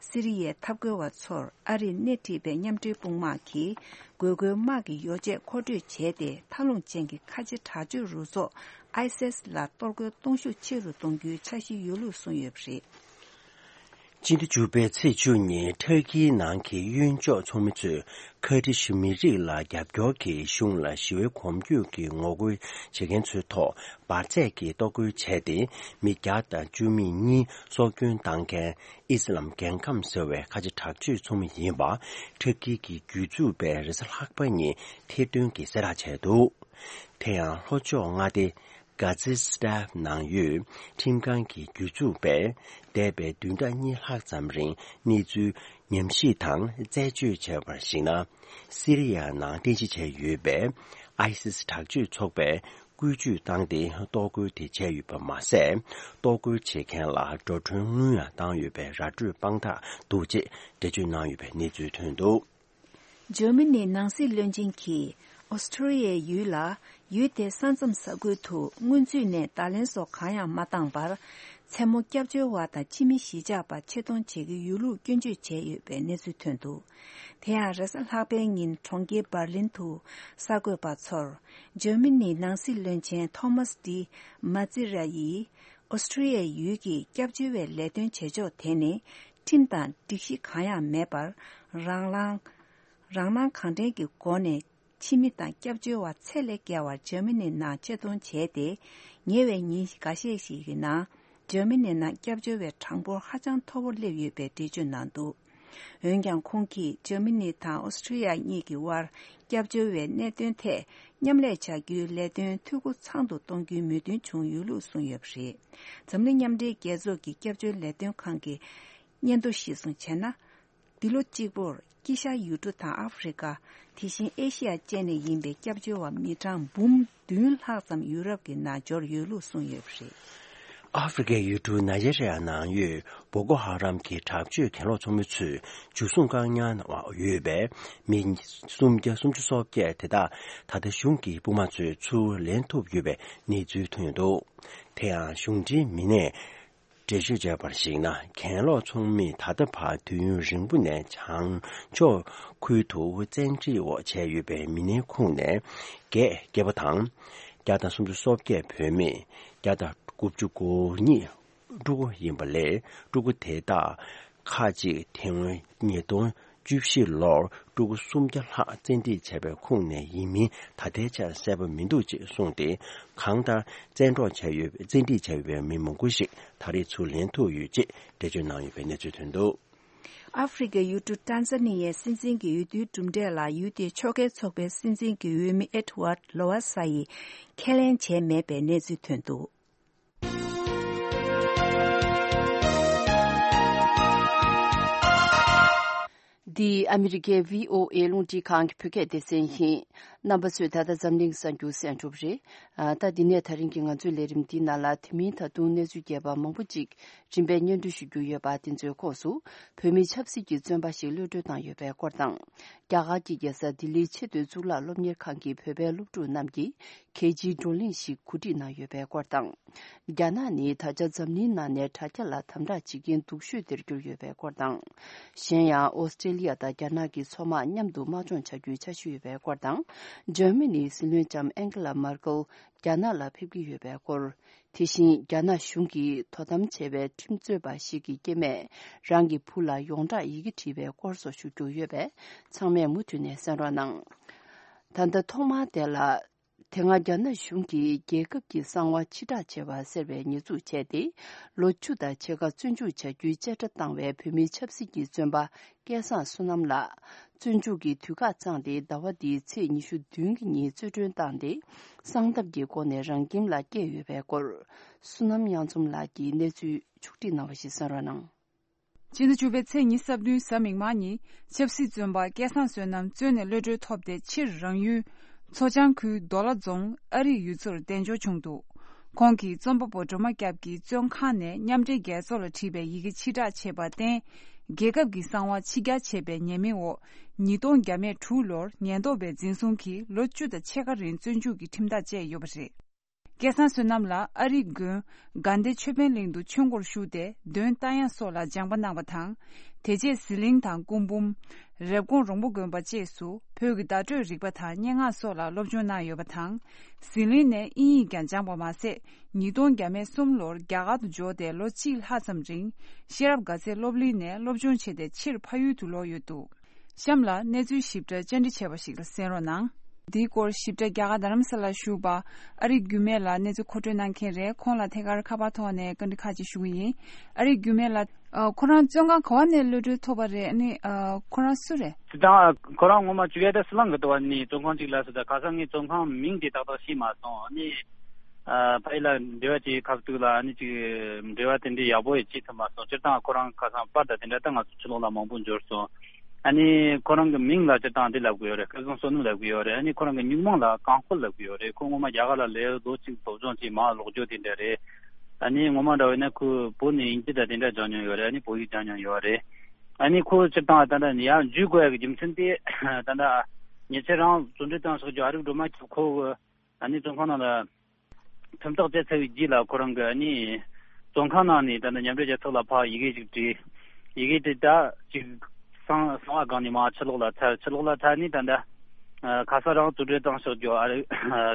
སི་རི་ཡའི་འཐབ་རྒོལ་བ་ཚོར་ཨ་རིས་སྣེ་ཁྲིད་པའི་མཉམ་འབྲེལ་དཔུང་དམག་གིས་དགོས་མཁོའི་དམག་གི་ཡོ་བྱད་མཁོ་སྤྲོད་བྱས་ཏེ། མཐའ་ལྷུང་ཅན་གྱི་ཁ་ཆེ་དྲག་སྤྱོད་རུ་ཚོགས་ཨའི་སིས་ལ་གཏོར་རྒོལ་གཏོང་ཤུགས་ཆེ་རུ་གཏོང་རྒྱུའི་འཆར་གཞི་ཡོད་ལུགས་གསུངས་ཡོད་པ་རེད། སྤྱི་ཟླ་བཅུ་པའི་ཚེས་བཅུ་ཉིན་ཐར་ཀིའི་ནང་གི་གཡོན་ཕྱོགས་ཚོགས་མི་ཚོས་ཁ་ཏི་ཤུ་མི་རིགས་ལ་རྒྱབ་སྐྱོར་གྱིས་གཞུང་ལ་ཞི་བའི་གོམ་བགྲོད་ཀྱི་ངོ་རྒོལ་བྱེད་མཁན་ཚོའི་ཐོག་འབར་རྫས་ཀྱི་གཏོར་རྒོལ་བྱས་ཏེ། མི་བརྒྱ་དང་བཅུ་མེད་གཉིས་སྲོག་སྐྱོན་བཏང་མཁན་ཨི་སི་ལམ་རྒྱལ་ཁམས་ཟེར་བའི་ཁ་ཆེ་དྲག་སྤྱོད་ཚོགས་མི་ཡིན་པ་ཐར་ཀི་གི་སྒེར་ཚུགས་པས་རེས་གཟའ་ལྷག་པ་ཉིན་ཐེར་འདོན་གྱིས་གསལ་བསྒྲགས་བྱས་འདུག་དེ་ཡང་ལྷོ་ཕྱོགས་མངའ་སྡེ་གྷ་ཛི་སི་ཐན་ནང་ཡོད་ཁྲིམས་ཁང་གི་སྒེར་ཚུགས་པས་འདས་པའི་བདུན་ཕྲག་གཉིས་ལྷག་ཙམ་རིང་གནས་ཚུལ་ཉམས་ཞིབ་དང་རྩད་གཅོད་བྱས་པར་གཞིགས་ན། སི་རི་ཡ་ནང་རྟེན་གཞི་བྱས་ཡོད་པའི་ཨའི་སི་སི་དྲག་སྤྱོད་ཚོགས་པས་བཀོལ་སྤྱོད་བཏང་སྟེ་གཏོར་རྒོལ་དེ་བྱས་ཡོད་པ་མ་ཟད། གཏོར་རྒོལ་བྱེད་མཁན་ལ་འགྲོ་གྲོན་དངུལ་ཡང་བཏང་ཡོད་པའི་ར་སྤྲོད་དཔང་རྟགས་འདུག་ཅེས་འགྲེལ་བརྗོད་གནང་ཡོད་པའི་གནས་ཚུལ་ཐོན་འདུག་འཇར་མ་ནིའི་ནང་སྲིད་བློན་ཆེན་གྱིས་ཨོ་སི་ཁྲུ་ལི་ཡའི་ཡུལ་ལ། ཡུལ་དེའི་ས་མཚམས་ས་ཁུལ་དུ་སྔོན་ཚུད་ནས་བརྡ་ལན་སོགས་གང་ཡང་མ་བཏང་བར། མཚན་མོ་སྐྱབས་བཅོལ་བ་དང་ཕྱི་མི་གཞིས་ཆགས་པ་ཆེད་གཏོང་བྱེད་ཀྱི་ཡོད་ལུགས་སྐྱོན་བརྗོད་བྱས་ཡོད་པའི་གནས་ཚུལ་ཐོན་འདུག་དེ་ཡང་རེས་གཟའ་ལྷག་པའི་ཉིན་གྲོང་ཁྱེར་འབར་ལིན་དུ་གསར་འགོད་པ་ཚོར། འཇར་མ་ནིའི་ནང་སྲིད་བློན་ཆེན་ཐོ་མཱས་ཏི་མཱ་ཙི་ར་ཡིས། ཨོ་སི་ཁྲུ་ལི་ཡའི་ཡུལ་གྱི་སྐྱབས་བཅོལ་བའི་ལས་དོན་བྱེད་ཕྱོགས་དེ་ནི། ཁྲིམས་དང་སྒྲིག་གཞི་གང་ཡང་མེད་པར། རང་ལངས། རང་སྣང་གང་དྲན་གྱི་སྒོ་ནས་ཕྱི་མི་དང་སྐྱབས་བཅོལ་བ་ཚད་ལས་བརྒལ་བར་འཇར་མ་ནིའི་ནང་ཆེད་གཏོང་བྱས་ཏེ། ཉེ་བའི་ཉིན་འགའ་ཤས་ཤིག་གི་ནང་འཇར་མ་ནིའི་ནང་སྐྱབས་བཅོལ་བའི་གྲངས་འབོར་ཧ་ཅང་མཐོ་བོར་སླེབས་ཡོད་པའི་འགྲེལ་བརྗོད་གནང་འདུག་འོན་ཀྱང་ཁོང་གིས་འཇར་མ་ནི་དང་ཨོ་སི་ཁྲུ་ལི་ཡ་གཉིས་ཀྱི་དབར་སྐྱབས་བཅོལ་བའི་གནད་དོན་ཐད་མཉམ་ལས་བྱ་རྒྱུའི་ལས་དོན་འཐུས་སྒོ་ཚང་དུ་གཏོང་རྒྱུའི་མོས་མཐུན་བྱུང་ཡོད་ལུགས་གསུངས་ཡོད་པ་རེད། འཛམ་གླིང་མཉམ་འབྲེལ་རྒྱལ་ཚོགས་ཀྱི་སྐྱབས་བཅོལ་ལས་དོན་ཁང་གི་སྙན་ཐོ་གཞིར་བཟུང་བྱས་ན། འདི་ལོ་གཅིག་པོར་དཀྱིལ་ཤར་ཡུལ་གྲུ་དང་ཨ་ཧྥེ་རི་ཀ། དེ་བཞིན་ཨེ་ཤི་ཡ་བཅས་ནས་ཡིན་པའི་སྐྱབས་བཅོལ་བ་མི་གྲངས་འབུམ་བདུན་ལྷག་ཙམ་ཡུ་རོབ་ཀྱི་ནང་འབྱོར་ཡོད་ལུགས་གསུངས་ཡོད་པ་རེད། ཨ་ཧྥེ་རི་ཀའི་ཡུལ་གྲུ་ནཱི་ཇེ་རི་ཡ་ནང་ཡོད་བོ་ཀོ་ཧ་རམ་གྱི་དྲག་སྤྱོད་གྱེན་ལོག་ཚོགས་མི་ཚོས་འཇུ་བཟུང་བཀག་ཉར་གནང་བ་ཡོད་པས། མི་སུམ་བརྒྱ་སུམ་ཅུ་སོ་བརྒྱད་དེ་དག་ད་ལྟ་གཞུང་གི་དཔུང་དམག་ཚོས་ཚུར་ལེན་ཐུབ་ཡོད་པའི་གནས་ཚུལ་ཐོན་ཡོད་འདུག་དེ་ཡང་གཞུང་འབྲེལ་མི་སྣས། འགྲེལ་བརྗོད་བྱས་པར་གཞིགས་ན། གྱེན་ལོག་ཚོགས་མིས་ད་ལྟ་བར་དུས་ཡུན་རིང་པོ་ནས་བྱང་ཕྱོགས་ཁུལ་དུ་བཙན་ཁྲིད་འོག་བྱས་ཡོད་པའི་མི་སྣའི་ཁོངས་ནས་བརྒྱད་སྐྱེས་པ་དང་། བརྒྱ་དང་སུམ་ཅུ་སོ་བརྒྱད་བུད་མེད། བརྒྱ་དང་དགུ་བཅུ་གོ་གཉིས་ཕྲུ་གུ་ཡིན་པ་ལས། ཕྲུ་གུ་དེ་དག་ཁག་ཅིག་ཐེ་ཝན་ཉིས་སྟོང་བཅུ་བཞི་ལོར་ཕྲུ་གུ་སུམ་བརྒྱ་ལྷག་བཙན་ཁྲིད་བྱས་པའི་ཁོངས་ནས་ཡིན་མིན་ད་ལྟའི་ཆར་གསལ་པོ་མི་འདུག་ཅེས་གསུངས་ཏེ། གང་ལྟར་བཙན་འཕྲོག་བྱས་ཡོད། བཙན་ཁྲིད་བྱས་ཡོད་པའི་མི་མང་པོ་ཞིག་ད་རེས་ཚུར་ལེན་ཐུབ་ཡོད་ཅེས་འགྲེལ་བརྗོད་གནང་ཡོད་པའི་གནས་ཚུལ་ཐོན་འདུག་ཨ་ཧྥེ་རི་ཀའི་ཡུལ་གྲུ་ཏན་ཟ་ནི་ཡའི་སྲིད་འཛིན་གྱི་འོས་བསྡུའི་གྲུབ་འབྲས་ལ་ཡུལ་དེའི་ཕྱོགས་འགལ་ཚོགས་པའི་སྲིད་འཛིན་གྱི་འོས་མི་ཨེ་ཌི་ཝར་ལོ་ཝ་ས་ཡིས་ཁས་ལེན་བྱས་མེད་པའི་གནས་ཚུལ་ཐོན་འདུག་འདི་ཨ་མི་རི་ཀའི་བྷི་ཨོ་ཨེ་རླུང་འཕྲིན་ཁང་གི་བོད་སྐད་སྡེ་ཚན་ཡིན། རྣམ་པ་ཚོས་ད་ལྟ་འཛམ་གླིང་གསར་འགྱུར་གསན་གྲུབ་རེད། ཨ། ད་འདི་ནས་ད་རིང་གི་ང་ཚོའི་ལས་རིམ་འདིའི་ནང་ལ། དེ་མིན་ད་དུང་གནས་ཚུལ་རྒྱས་པ་མང་པོ་ཅིག་རིམ་པས་སྙན་སྒྲོན་ཞུ་རྒྱུ་ཡོད་པ། དེ་ཚོའི་ཁོངས་སུ། བོད་མི་ཆབ་སྲིད་ཀྱི་བཙོན་པ་ཞིག་གློད་གྲོལ་བཏང་ཡོད་པའི་སྐོར་དང་། རྒྱ་གར་གྱི་རྒྱལ་ས་ལྡི་ལིའི་ཆེས་མཐོའི་གཙུག་ལག་སློབ་གཉེར་ཁང་གི་བོད་པའི་སློབ་ཕྲུག་རྣམས་ཀྱིས་གལ་ཆེའི་བགྲོ་གླེང་ཞིག་གོ་སྒྲིག་གནང་ཡོད་པའི་སྐོར་དང་། རྒྱ་ནག་ནི་ད་ཆ་འཛམ་གླིང་ནང་ནས་དྲ་རྒྱ་ལ་དམ་དྲག་བྱེད་མཁན་སྡུག་ཤོས་དེར་གྱུར་ཡོད་པའི་སྐོར་དང་། གཞན་ཡང་ཨོ་སི་ཀྲེ་ལི་ཡ་དང་རྒྱ་ནག་གི་མཚོ་དམག་མཉམ་དུ་དམག་སྦྱོང་བྱ་རྒྱུའི་འཆར་གཞི་ཡོད་པའི་སྐོར་དང་། འཇར་མ་ནིའི་སྲིད་བློན་ལྕམ་ཨན་ཀེ་ལ་མར་ཀེལ་རྒྱ་ནག་ལ་ཕེབས་ཀྱི་ཡོད་པའི་སྐོར། དེ་བཞིན་རྒྱ་ནག་གཞུང་གིས་དོ་དམ་བྱས་པའི་ཁྲིམས་རྩོད་པ་ཞིག་གི་སྐྱེ་དམན་རང་གི་བུ་ལ་ཡོངས་གྲགས་ཡི་གེ་བྲིས་པའི་སྐོར་སོགས་ཞུ་རྒྱུ་ཡོད་པས། ཚང་མས་མུ་མཐུད་ནས་གསན་རོགས་གནང་། ད་ལྟ་ཐོག་མར་དེ་ལ། དེ་སྔ་རྒྱ་ནག་གཞུང་གིས་རྒྱལ་ཁབ་ཀྱི་གསང་བ་ཕྱིར་བསྒྲགས་བྱས་པ་ཟེར་བའི་ཉེས་འཛུགས་བྱས་ཏེ། ལོ་བཅུ་དང་ཕྱེད་ཀ་བཙོན་འཇུག་བྱ་རྒྱུའི་བཅད་ཁྲ་བཏང་བའི་བོད་མིའི་ཆབ་སྲིད་ཀྱི་བཙོན་པ་སྐལ་བཟང་བསོད་ནམས་ལགས། བཙོན་འཇུག་གི་དུས་བཀག་བཅངས་ཏེ། ཟླ་བ་འདིའི་ཚེས་ཉི་ཤུ་བདུན་གྱི་ཉིན་རྩོད་གྲོན་བཏང་སྟེ། གསང་ཐབས་ཀྱི་སྒོ་ནས་རང་ཁྱིམ་ལ་བསྐྱལ་ཡོད་པའི་སྐོར། བསོད་ནམས་གཡང་འཛོམས་ལགས་ཀྱིས་གནས་ཚུལ་ཕྱོགས་སྒྲིག་གནང་བ་ཞིག་གསན་རོགས་གནང་། ཕྱི་ཟླ་བཅུ་པའི་ཚེས་ཉི་ཤུ་རྩ་བདུན་གཟའ་མིག་དམར་ཉིན། ཆབ་སྲིད་བཙོན་པ་སྐལ་བཟང་བསོད་ནམས་བཙོན་ནས་གློད་གྲོལ་ཐོབ་སྟེ། ཕྱིར་རང་ཡུལ་མཚོ་བྱང་ཁུལ་རྡོ་ལ་རྫོང་ཨ་རིག་ཡུལ་ཚོར་གདན་འབྱོར་བྱུང་འདུག་ཁོང་གིས་རྩོམ་པ་པོ་སྒྲོལ་མ་སྐྱབས་ཀྱི་བཙོན་ཁང་ནས་མཉམ་འབྲེལ་རྒྱལ་ཚོགས་ལ་བྲིས་པའི་ཡི་གེ་ཕྱིར་བསྒྲགས་བྱས་པར་བརྟེན། རྒྱལ་ཁབ་ཀྱི་གསང་བ་ཕྱིར་གྱར་བྱས་པའི་ཉེས་མིང་འོག་ཉིས་སྟོང་བརྒྱ་མེད་དྲུག་ལོར་ཉེན་རྟོག་པས་འཛིན་བཟུང་གིས་ལོ་བཅུ་དང་ཕྱེད་ཀ་རིང་བཙོན་འཇུག་གི་ཁྲིམས་ཐག་བཅད་ཡོད་པ་རེད། སྐལ་བཟང་བསོད་ནམས་ལགས་ཨ་རིའི་དགོན་དགའ་ལྡན་ཆོས་འཕེལ་གླིང་དུ་ཆོས་སྒོར་ཞུགས་ཏེ་འདོན་རྟ་དབྱངས་སོགས་ལ་སྦྱངས་པ་གནང་བ་དང་། དེ་རྗེས་ཟི་ལིང་དང་སྐུ་འབུམ། རེབ་གོང་རོང་པོ་དགོན་པ་བཅས་སུ་བོད་ཀྱི་བརྡ་སྤྲོད་རིག་པ་དང་སྙན་ངག་སོགས་ལ་སློབ་སྦྱོང་གནང་ཡོད་པ་དང་། ཟི་ལིང་ནས་དབྱིན་ཡིག་ཀྱང་སྦྱངས་པ་མ་ཟད། ཉིས་སྟོང་བརྒྱ་མེད་གསུམ་ལོར་རྒྱ་གར་དུ་འབྱོར་ཏེ་ལོ་གཅིག་ལྷག་ཙམ་རིང་ཤེས་རབ་དགའ་ཚལ་སློབ་གླིང་ནས་སློབ་སྦྱོང་བྱས་ཏེ་ཕྱིར་ཕ་ཡུལ་དུ་ལོག་ཡོད་འདུག་གཤམ་ལ་གནས་ཚུལ་ཞིབ་ཕྲ་བཅར་འདྲི་བྱས་པ་ཞིག་ལ་གསན་རོགས་གནང་། འདིའི་སྐོར་ཞིབ་ཕྲ་རྒྱ་གར་རྡ་རམ་ས་ལར་བཞུགས་པ་ཨ་རིག་རྒྱུད་སྨད་ལགས་གནས་ཚུལ་མཁོ་སྤྲོད་གནང་མཁན་རེད། ཁོང་ལ་ཐད་ཀར་ཁ་པར་ཐོག་ནས་བཀའ་འདྲི་ཁག་ཅིག་ཞུ་གི་ཡིན། ཨ་རིག་རྒྱུད་སྨད་ལགས། ཨ། ཁོ་རང་བཙོན་ཁང་ག་བ་ནས་གློད་གྲོལ་ཐོབ་པ་རེད། ཨ་ནི་ཨ། ཁོ་རང་སུ་རེད། དེ་དང་ཁོ་རང་ངོ་མ་བཅུག་ཡ་ད་སི་ལང་གི་དུ་བ་ནི་བཙོན་ཁང་ཅིག་ལ་སི་ད་ག་ས་ངའི་བཙོན་ཁང་མིང་དེ་ཏག་ཏག་ཤེས་མ་སོང་། ཨ་ནི་ཨ། ཕ་ཡུལ་ལ་འབྲེལ་བ་བྱེད་ཁ་ཐུག་ལ་ཨ་ནི་ཅིག་འབྲེལ་བ་དེ་འདྲའི་ཡག་པོ་ཡི་བྱེད་ཐུབ་མ་སོང་། སྤྱིར་བཏང་ཁོ་རང་ཁ་སང་པར་དང་དེ་འདྲ་ད་ང་ཚོ་ཕྱི་ལོགས་ལ་མང་པོ་འབྱོར་སོང་། ཨ་ནི་ཁོ་རང་གི་མིང་ལ་སྤྱིར་བཏང་འདི་ལབ་གི་ཡོད་རེད། སྐལ་བཟང་བསོད་ནམས་ལབ་གི་ཡོད་རེད། ཨ་ནི་ཁོ་རང་གི་སྨྱུག་མིང་ལ་རྐང་སྤོལ་ལབ་གི་ཡོད་རེད། ཁོ་ངོ་མ་རྒྱ་གར་ལ་སླེབས་ལོ་གཅིག་སློབ་སྦྱོང་བྱས་མ་ལོག་རྒྱུ་དེ་འདྲ་རེད། ཨ་ནི་ངོ་མ་འདྲ་བས་ན་ཁོས་བོད་ནས་དབྱིན་ཇི་དང་དེ་འདྲ་སྦྱངས་མྱོང་ཡོད་རེད། ཨ་ནི་བོད་ཡིག་སྦྱངས་མྱོང་ཡོད་རེད། ཨ་ནི་ཁོ་སྤྱིར་བཏང་ད་ལྟ་ནི་ཡར་འཇུས་དགོས་ཡ་གི་རྒྱུ་མཚན་དེ་ད་ལྟ་ཉེ་ཆར་རང་བཙོན་འགྲོལ་བཏང་ཕྱོགས་ཀྱི་ཨ་རིག་སྒྲོལ་མ་ཁྱོད་ཁོ་གི་ཨ་ནི་བཙོན་ཁང་ནང་ལ་ཁྲིམས་ཐག་བཅད་ཚར་བའི་རྗེས་ལ་ཁོ་རང་གི་ཨ་ནི་བཙོན་ཁང་ནང་ནས་ད་ལྟ་མཉམ་འབྲེལ་རྒྱལ་ཚོགས་ལ་ཕར་ཡི་གེ་ཞིག་བྲིས། ཡི་གེ་དེ་ད་ཅིག་གསང་གསང་བ་སྒང་ནས་མར་ཕྱི་ལོགས་ལ་ཚར། ཕྱི་ལོགས་ལ་ཚར་ནས་ད་ལྟ་ཨ། ཁ་སང་རང་བཙོན་འགྲོལ་བཏང་ཕྱོགས་ཀྱི་ཨ་རིག་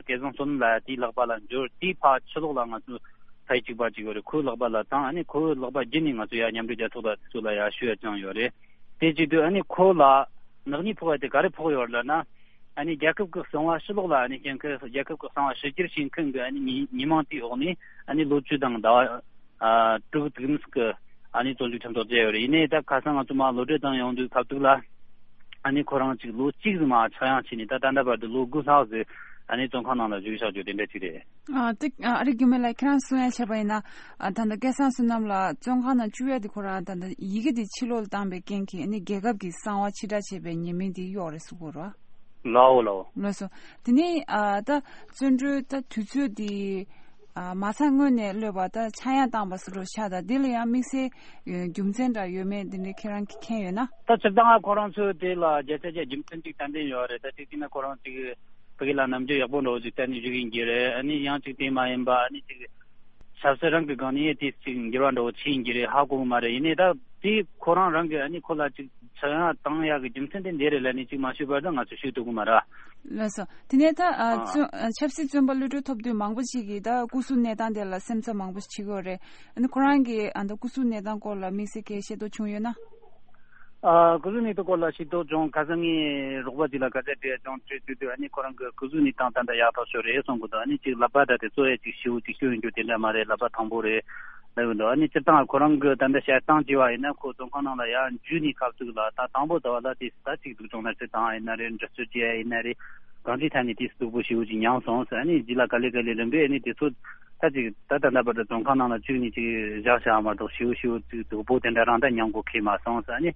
སྐལ་བཟང་བསོད་ནམས་ལགས་དེའི་ལག་པ་ལ་འབྱོར། དེའི་ཕར་ཕྱི་ལོགས་ལ་ང་ཚོ་ཕ་ཡུལ་གཅིག་པ་གཅིག་ཡོད་རེད། ཁོའི་ལག་པ་ལ་བཏང་། ཨ་ནི་ཁོའི་ལག་པ་བརྒྱུད་ནས་ང་ཚོ་ཡར་མཉམ་འབྲེལ་རྒྱལ་ཚོགས་ལ་དེ་ཚོ་ལ་ཡར་ཞུ་ཡ་བཅངས་ཡོད་རེད། དེ་བྱེད་དུས་ཨ་ནི་ཁོ་ལ་ནག་ཉེས་ཕོག་པ་དེ་ག་རེ་ཕོག་ཡོད་རེད་ལབ་ན། ཨ་ནི་རྒྱལ་ཁབ་ཀྱི་གསང་བ་ཕྱི་ལོགས་ལ་ཨ་ནི་བཤད་མཁན། རྒྱལ་ཁབ་ཀྱི་གསང་བ་ཕྱི་འགྱུར་བྱེད་མཁན་གྱི་ཨ་ནི་ཉེས་ཉེས་མིང་དེའི་འོག་ནས་ཨ་ནི་ལོ་བཅུ་དང་ཟླ་བ་ཨ་དྲུག་དུམ་གྱི་ཨ་ནི་བཙོན་འཇུག་ཁྲིམས་ཐག་བཅད་ཡོད་རེད། ཡིན་ནའི་ད་ཁ་སང་ང་ཚོ་མར་གློད་གྲོལ་བཏང་ཡོང་དུས་ཁ་ཐུག་ལ་ཨ་ནི་ཁོ་རང་ཅིག་ལོ་གཅིག་ཙམ་མར་ཆག་ཡང་བྱས་ནས་ད་ད་ལྟ་བར་དུ་ལོ་དགུ་ལྷག་ཙམ་ཨ་ནི་བཙོན་ཁང་ནང་ལ་བཞུགས་བཞག་རྒྱུ་དེ་འདྲ་ཅིག་རེད། ཨ་དེ་ཨ་རིག་རྒྱུད་སྨད་ལགས་ཁྱེད་རང་གསུང་ཡ་བྱས་པ་ཡིན་ན། ཨ་ད་ལྟ་སྐལ་བཟང་བསོད་ནམས་ལགས་བཙོན་ཁང་ནང་བཅུག་ཡ་དེ་ཁོ་རང་ད་ལྟ་ཡི་གེ་དེ་ཕྱི་ལོགས་ལ་བཏང་པའི་རྐྱེན་གྱིས་ཨ་ནི་རྒྱལ་ཁབ་ཀྱི་གསང་བ་ཕྱིར་བསྒྲགས་བྱས་པའི་ཉེས་མིང་དེ་གཡོག་རེད་གསུང་གི་རེད་བ། ལའོ་ལའོ། ལགས་སོ། དེ་ནས་ཨ་ད་བཙོན་གྲོལ་ད་དུས་ཚོད་དེ་ཨ་མ་ཚང་སྔོན་ནས་གློད་པ་ད་ཆག་ཡང་བཏང་པ་སོགས་འགྲོ་ཤག་ད་དེ་ལ་ཡང་དམིགས་བསལ་རྒྱུ་མཚན་འདྲ་ཡོད་མེད་དེ་འདྲ་ཁྱེད་རང་གིས་མཁྱེན་ཡོད་ན། ད་སྤྱིར་བཏང་ཁོ་རང་ཚོས་དེ་ལ་བརྒྱ་ཆ་བརྒྱ་རྒྱུ་མཚན་གཅིག་ཏན་ཏན་ཡོད་རེད། ད་གཅིག་བྱས་ན་ཁོ་རང་གཅིག་ཕ་གི་ལ་ནམ་རྒྱུན་ཡག་པོ་འདྲ་བོ་ཅིག་བསྟན་ནས་བཞུགས་ཡིན་གྱི་རེད། ཨ་ནི་ཡང་ཅིག་དེ་མ་ཡིན་པ་ཨ་ནི་ཅིག་ཆབ་སྲིད་རང་གི་སྒང་ནས་དེ་ཅིག་འགྱུར་བ་འདྲ་བོ་ཕྱིན་ཡིན་གྱི་རེད། ཧ་གོ་གི་མ་རེད། ཡིན་ནའི་ད་དེ་ཁོ་རང་རང་གི་ཨ་ནི་ཁོ་ལ་ཅིག་ཆག་ཡང་བཏང་ཡག་གི་རྒྱུ་མཚན་དེ་འདི་རེད་ལབ་ནས་ཅིག་མ་ཤོད་བར་ད་ང་ཚོ་ཤོད་ཐུབ་གི་མ་རེད། ལགས་སོ། དེ་ནས་ད་ཨ། ཨ། བཙོན་ཨ། ཆབ་སྲིད་བཙོན་པ་གློད་གྲོལ་ཐོབ་དུས་མང་པོ་ཞིག་གིས་ད་སྐུ་གཟུགས་གནས་སྟངས་དེ་ལ་སེམས་འཚབ་མང་པོ་ཞིག་བྱེད་ཀྱི་ཡོད་རེད། ཨ་ནི་ཁོ་རང་གིས་ཨ་ད་སྐུ་གཟུགས་གནས་སྟངས་སྐོར་ལ་དམིགས་བསལ་གྱི་ཤེས་རྟོགས་བྱུང་ཡོད་ན། ཨ། སྐུ་གཟུགས་གནས་སྟངས་སྐོར་ལ་ཤེས་རྟོགས་བྱུང་། ཁ་སང་ངས་རོགས་པ་ཅིག་ལ་སྐད་ཆ་དྲིས་ཡ་བྱུང་། དྲིས་དུས་དུས་ཨ་ནི་ཁོ་རང་གི་སྐུ་གཟུགས་གནས་སྟངས་ད་ལྟ་ཡག་ཐག་ཆོད་རེད་གསུང་གི་འདུག་ཨ་ནི་ཅིག་ལག་པ་ད་དེ་གཙོ་ཡ་ཅིག་ཞེ་པོ་ཅིག་སྐྱོན་ཡོང་རྒྱུ་དེ་འདྲ་མ་རེད། ལག་པ་ཐང་པོ་རེད་ལབ་ཀྱི་འདུག་ཨ་ནི་སྤྱིར་བཏང་ཁོ་རང་གི་ད་ལྟ་བཤད་སྟངས་བྱས་པ་ཡིན་ན་ཁོ་བཙོན་ཁང་ནང་ལ་ཡར་འཇུས་ནས་སྐབས་དུས་ལ་ད་དང་པོ་ད་བ་ལ་དེ་ད་ཅིག་སྡུག་སྦྱོང་ན་ཅི་བཏང་ཡིན་ན་རེད། འདྲི་གཅོད་བྱས་ཡིན་ན་རེད། གང་ཅིའི་ཐད་ནས་དེ་སྡུག་པོ་ཞེ་པོ་ཅིག་མྱངས་སོང་ཟེར། ཨ་ནི་རྗེས་ལ་ག་ལེ་ག་ལེ་རིམ་པས་ཨ་ནི་དེ་ཚོ་ད་ཅིག་ད་ད་ལྟ་བར་དུ་བཙོན་ཁང་ནང་ལ་བཅུག་ནས་ཅིག་བཞག་བཞག་མ་གཏོགས་ཞེ་པོ་ཞེ་པོ་ཅིག་སྡུག་པོ་དེ་འདྲ་རང་ད་མྱངས་དགོས་ཁེལ་མ་སོང་ཟེར། ཨ་ནི་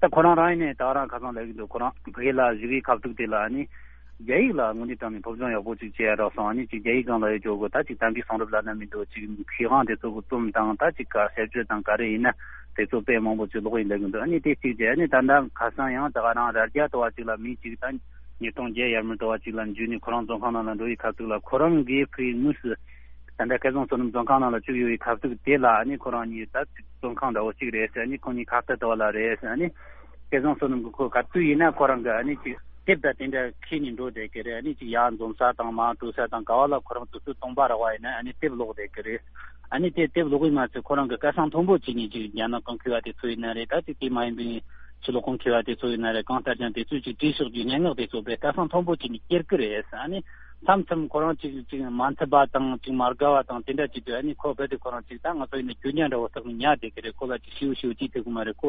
ད་ཁོ་རང་རང་ཡིན་ནའི་ད་རང་ཁ་སང་ལབ་ཀྱི་འདུག་ཁོ་རང་ཕ་གི་ལ་བཞུགས་ཀྱི་སྐབས་དུས་དེ་ལ་ཨ་ནི་རྒྱ་ཡིག་ལ་དངོས་གནས་དྲང་ནས་སློབ་སྦྱོང་ཡག་པོ་ཅིག་བྱས་ཡ་རག་སོང་། ཨ་ནི་ཅིག་རྒྱ་ཡིག་སྒང་ལ་ཡོད་ཆོག་གོ། ད་ཅིག་དམ་པའི་གསུང་རབ་ལབ་ན་མི་འདུག་ཅིག་མཁས་དབང་དེ་ཚོ་གི་རྩོམ་དང་ད་ཅིག་ག་ཞིབ་དཔྱོད་དང་ག་རེ་ཡིན་ན་དེ་ཚོ་དཔེ་མང་པོ་ཅིག་ཀློག་ཡིན་ལབ་ཀྱི་འདུག་ཨ་ནི་དེ་གཅིག་བྱས། ཨ་ནི་ད་ལྟ་ཁ་སང་ཡང་ད་ག་རང་རྭ་རྒྱ་ལྟ་བ་ཅིག་ལ་མི་གཅིག་ད་ཉིས་སྟོང་བརྒྱད་ཡར་མར་ལྟ་བ་ཅིག་ལ་འཇུས་ནས་ཁོ་རང་བཙོན་ཁང་ནང་ལ་འགྲོ་ཡི་ཁ་ཐུག་ལ་ཁོ་རང་གིས་ཕ་གིའི་དངོས་སུ་ད་ལྟ་སྐལ་བཟང་བསོད་ནམས་བཙོན་ཁང་ནང་ལ་བཅུག་ཡོད་པའི་ཁ་ཐུག་དེ་ལ་ཨ་ནི་ཁོ་རང་གཉིས་ད་བཙོན་ཁང་འདྲ་བོ་གཅིག་རེད་ཟེར། ཨ་ནི་ཁོ་གཉིས་ཁ་གཏད་ལྟ་བ་ལ་རེད་ཟེར། ཨ་ནི་སྐལ་བཟང་བསོད་ནམས་ཀྱིས་ཁོ་ག་དུས་ཡིན་ན་ཁོ་རང་གི་ཨ་ནི་ཅིག་དེབ་དང་དེ་འདྲ་འཁྱེར་ནས་འགྲོ་བསྡད་ཀྱི་རེད། ཨ་ནི་ཅིག་ཡར་འཛོམས་ས་དང་མར་འགྲོ་ས་དང་ག་བ་ལ་ཁོ་རང་དུས་ཚོད་སྟོང་པ་རག་པ་ཡིན་ན་ཨ་ནི་དེབ་ཀློག་བསྡད་ཀྱི་རེད། ཨ་ནི་དེ་དེབ་ཀློག་གི་མ་ཚད་ཁོ་རང་གི་སྐད་གསང་མཐོན་པོ་བྱས་ནས་ཅིག་རྒྱ་ནག་གི་མཁས་པ་དེ་ཚོ་ཡིན་ན་རེད། ད་ཅིག་དེ་མ་ཡིན་པའི་ཕྱི་ལོགས་གི་མཁས་པ་དེ་ཚོ་ཡིན་ན་རེད། གང་ལྟར་ཀྱང་དེ་ཚོས་ཅིག་བྲིས་ཕྱོགས་ཀྱི་སྙན་ངག་དེ་ཚོ་དཔེ་སྐད་གསང་མཐོན་པོ་བྱས་ནས་སྐྱེལ་གི་རེད། ཨ་ནི་མཚམས་མཚམས་ཁོ་རང་ཅིག་ཅིག་མ་འཐད་པ་དང་ཅིག་མ་དགའ་བ་དང་དེ་འདྲ་ཅིག་འདུག་ཨ་ནི་ཁོ་རྦད་དེ་ཁོ་རང་ཅིག་ད་ང་ཚོ་ཡིན་ན་རྒྱུ་ཉག་འདྲ་བོ་བཏགས་ནས་ཉར་བསྡད་ཀྱི་རེད། ཁོ་ལ་ཅིག་ཞེ་པོ་ཞེ་པོ་ཅིག་ཐེབས་ཀྱི་མ་རེད། ཁོ་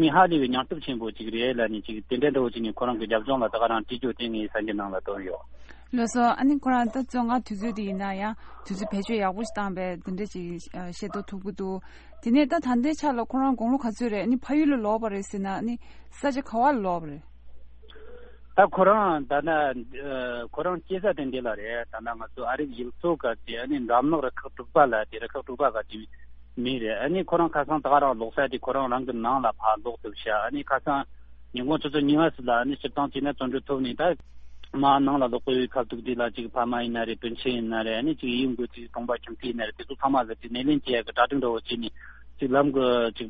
མི་ཧ་ལས་པའི་མྱོང་སྟོབས་ཆེན་པོ་ཅིག་རེད་ལབ་ནས་ཅིག་དེ་འདྲ་འདྲ་བོ་ཅིག་ནས་ཁོ་རང་གི་རྒྱབ་ལྗོངས་ལ་ད་ག་རང་བྲིས་རྒྱུ་དེ་ངས་གསར་འགྱུར་ནང་ལ་བཏོན་ཡོད། ལགས་སོ། ཨ་ནི་ཁོ་རང་ད་བཙོན་ཁང་དུས་ཚོད་དེ་ཡིན་ན་ཡང་དུས་ཚོད་བེད་སྤྱོད་ཡག་པོ་ཞིག་བཏང་བས་དེ་འདྲ་ཅིག་ཤེས་རྟོགས་ཐུབ་ཀྱི་འདུག་དེ་ནས་ད་ད་ལྟའི་ཆ་ལ་ཁོ་རང་དགུང་ལོ་ག་ཚོད་རེད། ཨ་ནི་ཕ་ཡུལ་ལ་ལོག་པ་རེད་ཟེར་ན་ཨ་ནི་ས་ཆ་ག་བ་ལ་ལོག་པ་རེད། ད་ཁོ་རང་ད་ལྟ་ཁོ་རང་སྐྱེས་ས་དེ་འདི་ལ་རེད། ད་ལྟ་ང་ཚོ་ཨ་རིག་ཡུལ་ཚོ་ག་དེ་ཨ་ནི་འགྲམ་ནག་རུ་ཁག་དྲུག་པ་ལ་དེ་རུ་ཁག་དྲུག་པ་ག་དེ་མི་རེད། ཨ་ནི་ཁོ་རང་ཁ་སང་ད་ག་རང་ལོག་ས་དེ་ཁོ་རང་རང་གི་ནང་ལ་ཕར་ལོག་ཐུབ་ཤག་ཨ་ནི་ཁ་སང་ཉིན་གུང་ཆུ་ཚོད་གཉིས་པ་ཙམ་ལ་ཨ་ནི་སྤྱིར་བཏང་བྱས་ན་བཙོན་གྲོལ་ཐོབ་ནས་ད་ མ་ནང་ལ་ལོག་པའི་ཁ་ཐུག་དེ་ལ་ཅིག་ཕ་མ་ཡིན་ན་རེད། སྤུན་མཆེད་ཡིན་ན་རེད། ཨ་ནི་ཅིག་ཡུལ་དངོས་ཀྱི་གྲོང་པ་ཁྱིམ་མཚེས་ཡིན་ན་རེད། དེ་ཚོ་ཚང་མ་ལ་ཅིག་སྣེ་ལེན་བྱེད་ཡ་གི་གྲ་སྒྲིག་འདྲ་བོ་བྱས་ནས། ཅིག་ལམ་གི་ཅིག་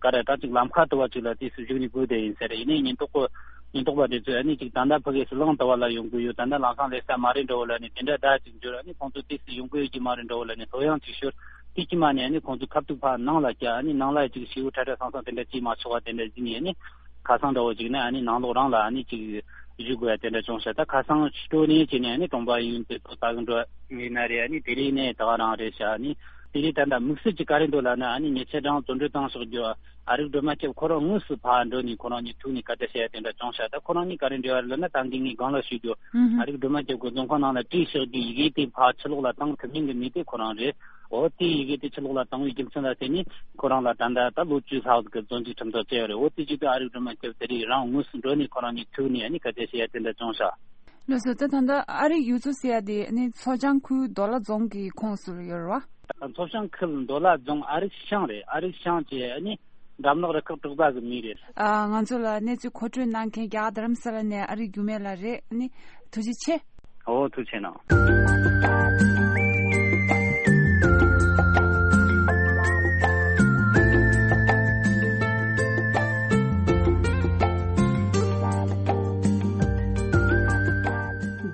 ག་རེ་ད་ཅིག་ལམ་ཁ་དུ་བ་ཅིག་ལ་དུས་སུ་བཞུགས་ནས་སྒུག་བསྡད་ཡིན་ཟེར། ཡིན་ནའི་ཉེན་རྟོག་པ་ཉེན་རྟོག་པ་དེ་ཚོས་ཨ་ནི་ཅིག་ད་ལྟ་ཕ་གི་སུ་ལང་དུ་བ་ལ་ཡོང་གི་ཡོད། ད་ལྟ་ལམ་སང་སླེབས་ས་མ་རེད་འདྲ་བོ་ལ་ནི་དེ་འདྲ་ད་ཅིག་འབྱོར། ཨ་ནི་ཁོང་ཚོ་དུས་སུ་ཡོང་གི་ཡོད་ཀྱི་མ་རེད་འདྲ་བོ་ལ་ནི་ལྷོད་ཡངས་ཅིག་ཤོར། དེ་ཀྱི་མ་ནས་ཨ་ནི་ཁོང་ཚོ་ཁ་ཐུག་ཕར་ནང་ལ་བསྐྱལ། ཨ་ནི་ནང་ལ་ཅིག་ཤེའུ་ཁྲ་ཁྲ་སང་སང་དེ་འདྲ་ཅིག་མ་ཆོག་པ་དེ་འདྲ་ཟིན་ནས། ཨ་ནི་ཁ་སང་འདྲ་བོ་ཅིག་ནི་ཨ་ནི་ནང་ལོགས་རང་ལ་ཨ་ནི་ཅིག་བཞུགས་དགོས་ཡ་དེ་འདྲ་བྱུང་ཤག་ད་ཁ་སང་སྤྲོ་ནས་བྱས་ནས་ཨ་ནི་གྲོང་པ་ཡུལ་དེ་ཚོ་ད་གི་འགྲོ་ཡིན་ན་རེད། ཨ་ནི་དེ་རིང་ནས་ད་ག་རང་རེད་ཤག་ཨ་ནི་དེ་རིང་ད་ལྟ་དམིགས་བསལ་གྱི་ག་རེ་འདུག་ལབ་ན། ཨ་ནི་ཉེ་ཆར་རང་བཙོན་གྲོལ་བཏང་ཕྱོགས་རྒྱུ་ཨ་རིག་སྒྲོལ་མ་སྐྱབས་ཁོ་རང་དངོས་སུ་ཕར་འགྲོ་ནས་ཁོ་རང་གཉིས་ཐུག་ནས་སྐད་ཆ་བཤད་ཡ་དེ་འདྲ་བྱུང་ཤག་ད་ཁོ་རང་གཉིས་ག་རེ་འབྲེལ་བ་རེད་ལབ་ན། ད་གིན་ངས་སྒང་ལ་ཞུས་རྒྱུ་ཨ་རིག་སྒྲོལ་མ་སྐྱབས་ཀྱི་རྫོང་ཁོངས་ནང་ལ་བྲིས་བཞག་རྒྱུ་ཡི་གེ་དེ་ཕར་ཕྱི་ལོགས་ལ་བཏང་ཐུབ་མིན་གྱི་མི་དེ་ཁོ་རང་རེད། འོ་དེ་ཡི་གེ་དེ་ཕྱི་ལོགས་ལ་བཏང་བའི་རྒྱུ་མཚན་ལ་བརྟེན་ནས་ཁོ་རང་ལ་ད་ལྟ་ད་ལོ་བཅུ་ལྷག་གི་བཙོན་འཇུག་ཁྲིམས་ཐག་བཅད་ཡོད་རེད། འོ་དེ་བྱེད་དུས་ཨ་རིག་སྒྲོལ་མ་སྐྱབས་དེ་རིང་རང་དངོས་སུ་འགྲོ་ནས་ཁོ་རང་གཉིས་ཐུག་ནས་ཨ་ནི་སྐད་ཆ་བཤད་ཡ་དེ་འདྲ་བྱུང་ཤག་ལགས་སོ། ད་ད་ལྟ་ཨ་རིག་ཡུལ་ཚོ་ཟེར་ཡ་དེ་ཨ་ནི་མཚོ་བྱང་ཁུལ་མདོ་ལ་རྫོང་གི་ཁོངས་སུ་ཡོད་རེད་བ། མཚོ་བྱང་ཁུལ་མདོ་ལ་རྫོང་ཨ་རིག་ཤང་རེད། ཨ་རིག་ཤང་བཅས་ཨ་ནི་འགྲམ་ལག་རུ་ཁག་དྲུག་པ་གི་མི་རེད། ཨ། ང་ཚོ་ལ་གནས་ཚུལ་མཁོ་སྤྲོད་གནང་མཁན་རྒྱ་གར་རྡ་རམ་ས་ལ་ནས་ཨ་རིག་འགྱུར་མེད་ལགས་རེད། ཨ་ནི་ཐུགས་རྗེ་ཆེ། ཨོ་ཐུགས་རྗེ་གནང་།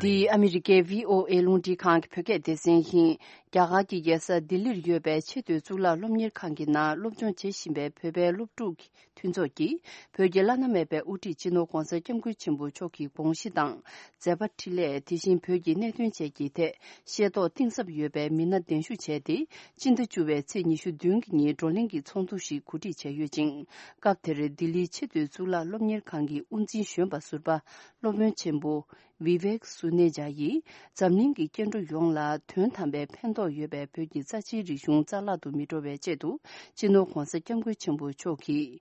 འདི་ཨ་མི་རི་ཀའི་བྷི་ཨོ་ཨེ་རླུང་འཕྲིན་ཁང་གི་བོད་སྐད་སྡེ་ཚན་ཡིན། རྒྱ་གར་གྱི་རྒྱལ་ས་ལྡི་ལིར་ཡོད་པའི་ཆེས་མཐོའི་གཙུག་ལག་སློབ་གཉེར་ཁང་གི་ནང་སློབ་སྦྱོང་བྱེད་བཞིན་པའི་བོད་པའི་སློབ་ཕྲུག་མཐུན་ཚོགས་ཀྱིས་བོད་ཀྱི་བླ་ན་མེད་པའི་དབུ་ཁྲིད་སྤྱི་ནོར་༧གོང་ས་༧སྐྱབས་མགོན་ཆེན་པོ་མཆོག་གི་དགོངས་གཞི་དང་མཛད་པ་འཕྲིན་ལས། དེ་བཞིན་བོད་ཀྱི་གནད་དོན་བཅས་ཀྱི་ཐད་ཤེས་རྟོགས་གཏིང་ཟབ་ཡོད་པའི་མི་སྣ་གདན་ཞུ་བྱས་ཏེ། སྤྱི་ཟླ་བཅུ་པའི་ཚེས་ཉི་ཤུ་བདུན་གྱི་ཉིན་བགྲོ་གླེང་གི་ཚོགས་འདུ་ཞིག་གོ་སྒྲིག་བྱས་ཡོད་ཅིང་། སྐབས་དེར་ལྡི་ལིའི་ཆེས་མཐོའི་གཙུག་ལག་སློབ་གཉེར་ཁང་གི་དབུ་འཛིན་གཞོན་པ་ཟུར་པ་སློབ་དཔོན་ཆེན་པོ་བི་བེག་སུ་ནེ་ཇཱ་ཡིས། འཛམ་གླིང་གི་སྐྱེ་འགྲོ་ཡོངས་ལ་དོན་དམ་པའི་ཕན་ཐོགས་ཡོད་པའི་བོད་ཀྱི་རྩ་ཆེའི་རིག་གཞུང་རྩ་བརླག་ཏུ་མི་འགྲོ་བའི་ཆེད་དུ། སྤྱི་ནོར་༧གོང་ས་༧སྐྱབས་མགོན་ཆེན་པོ་མཆོག་གིས་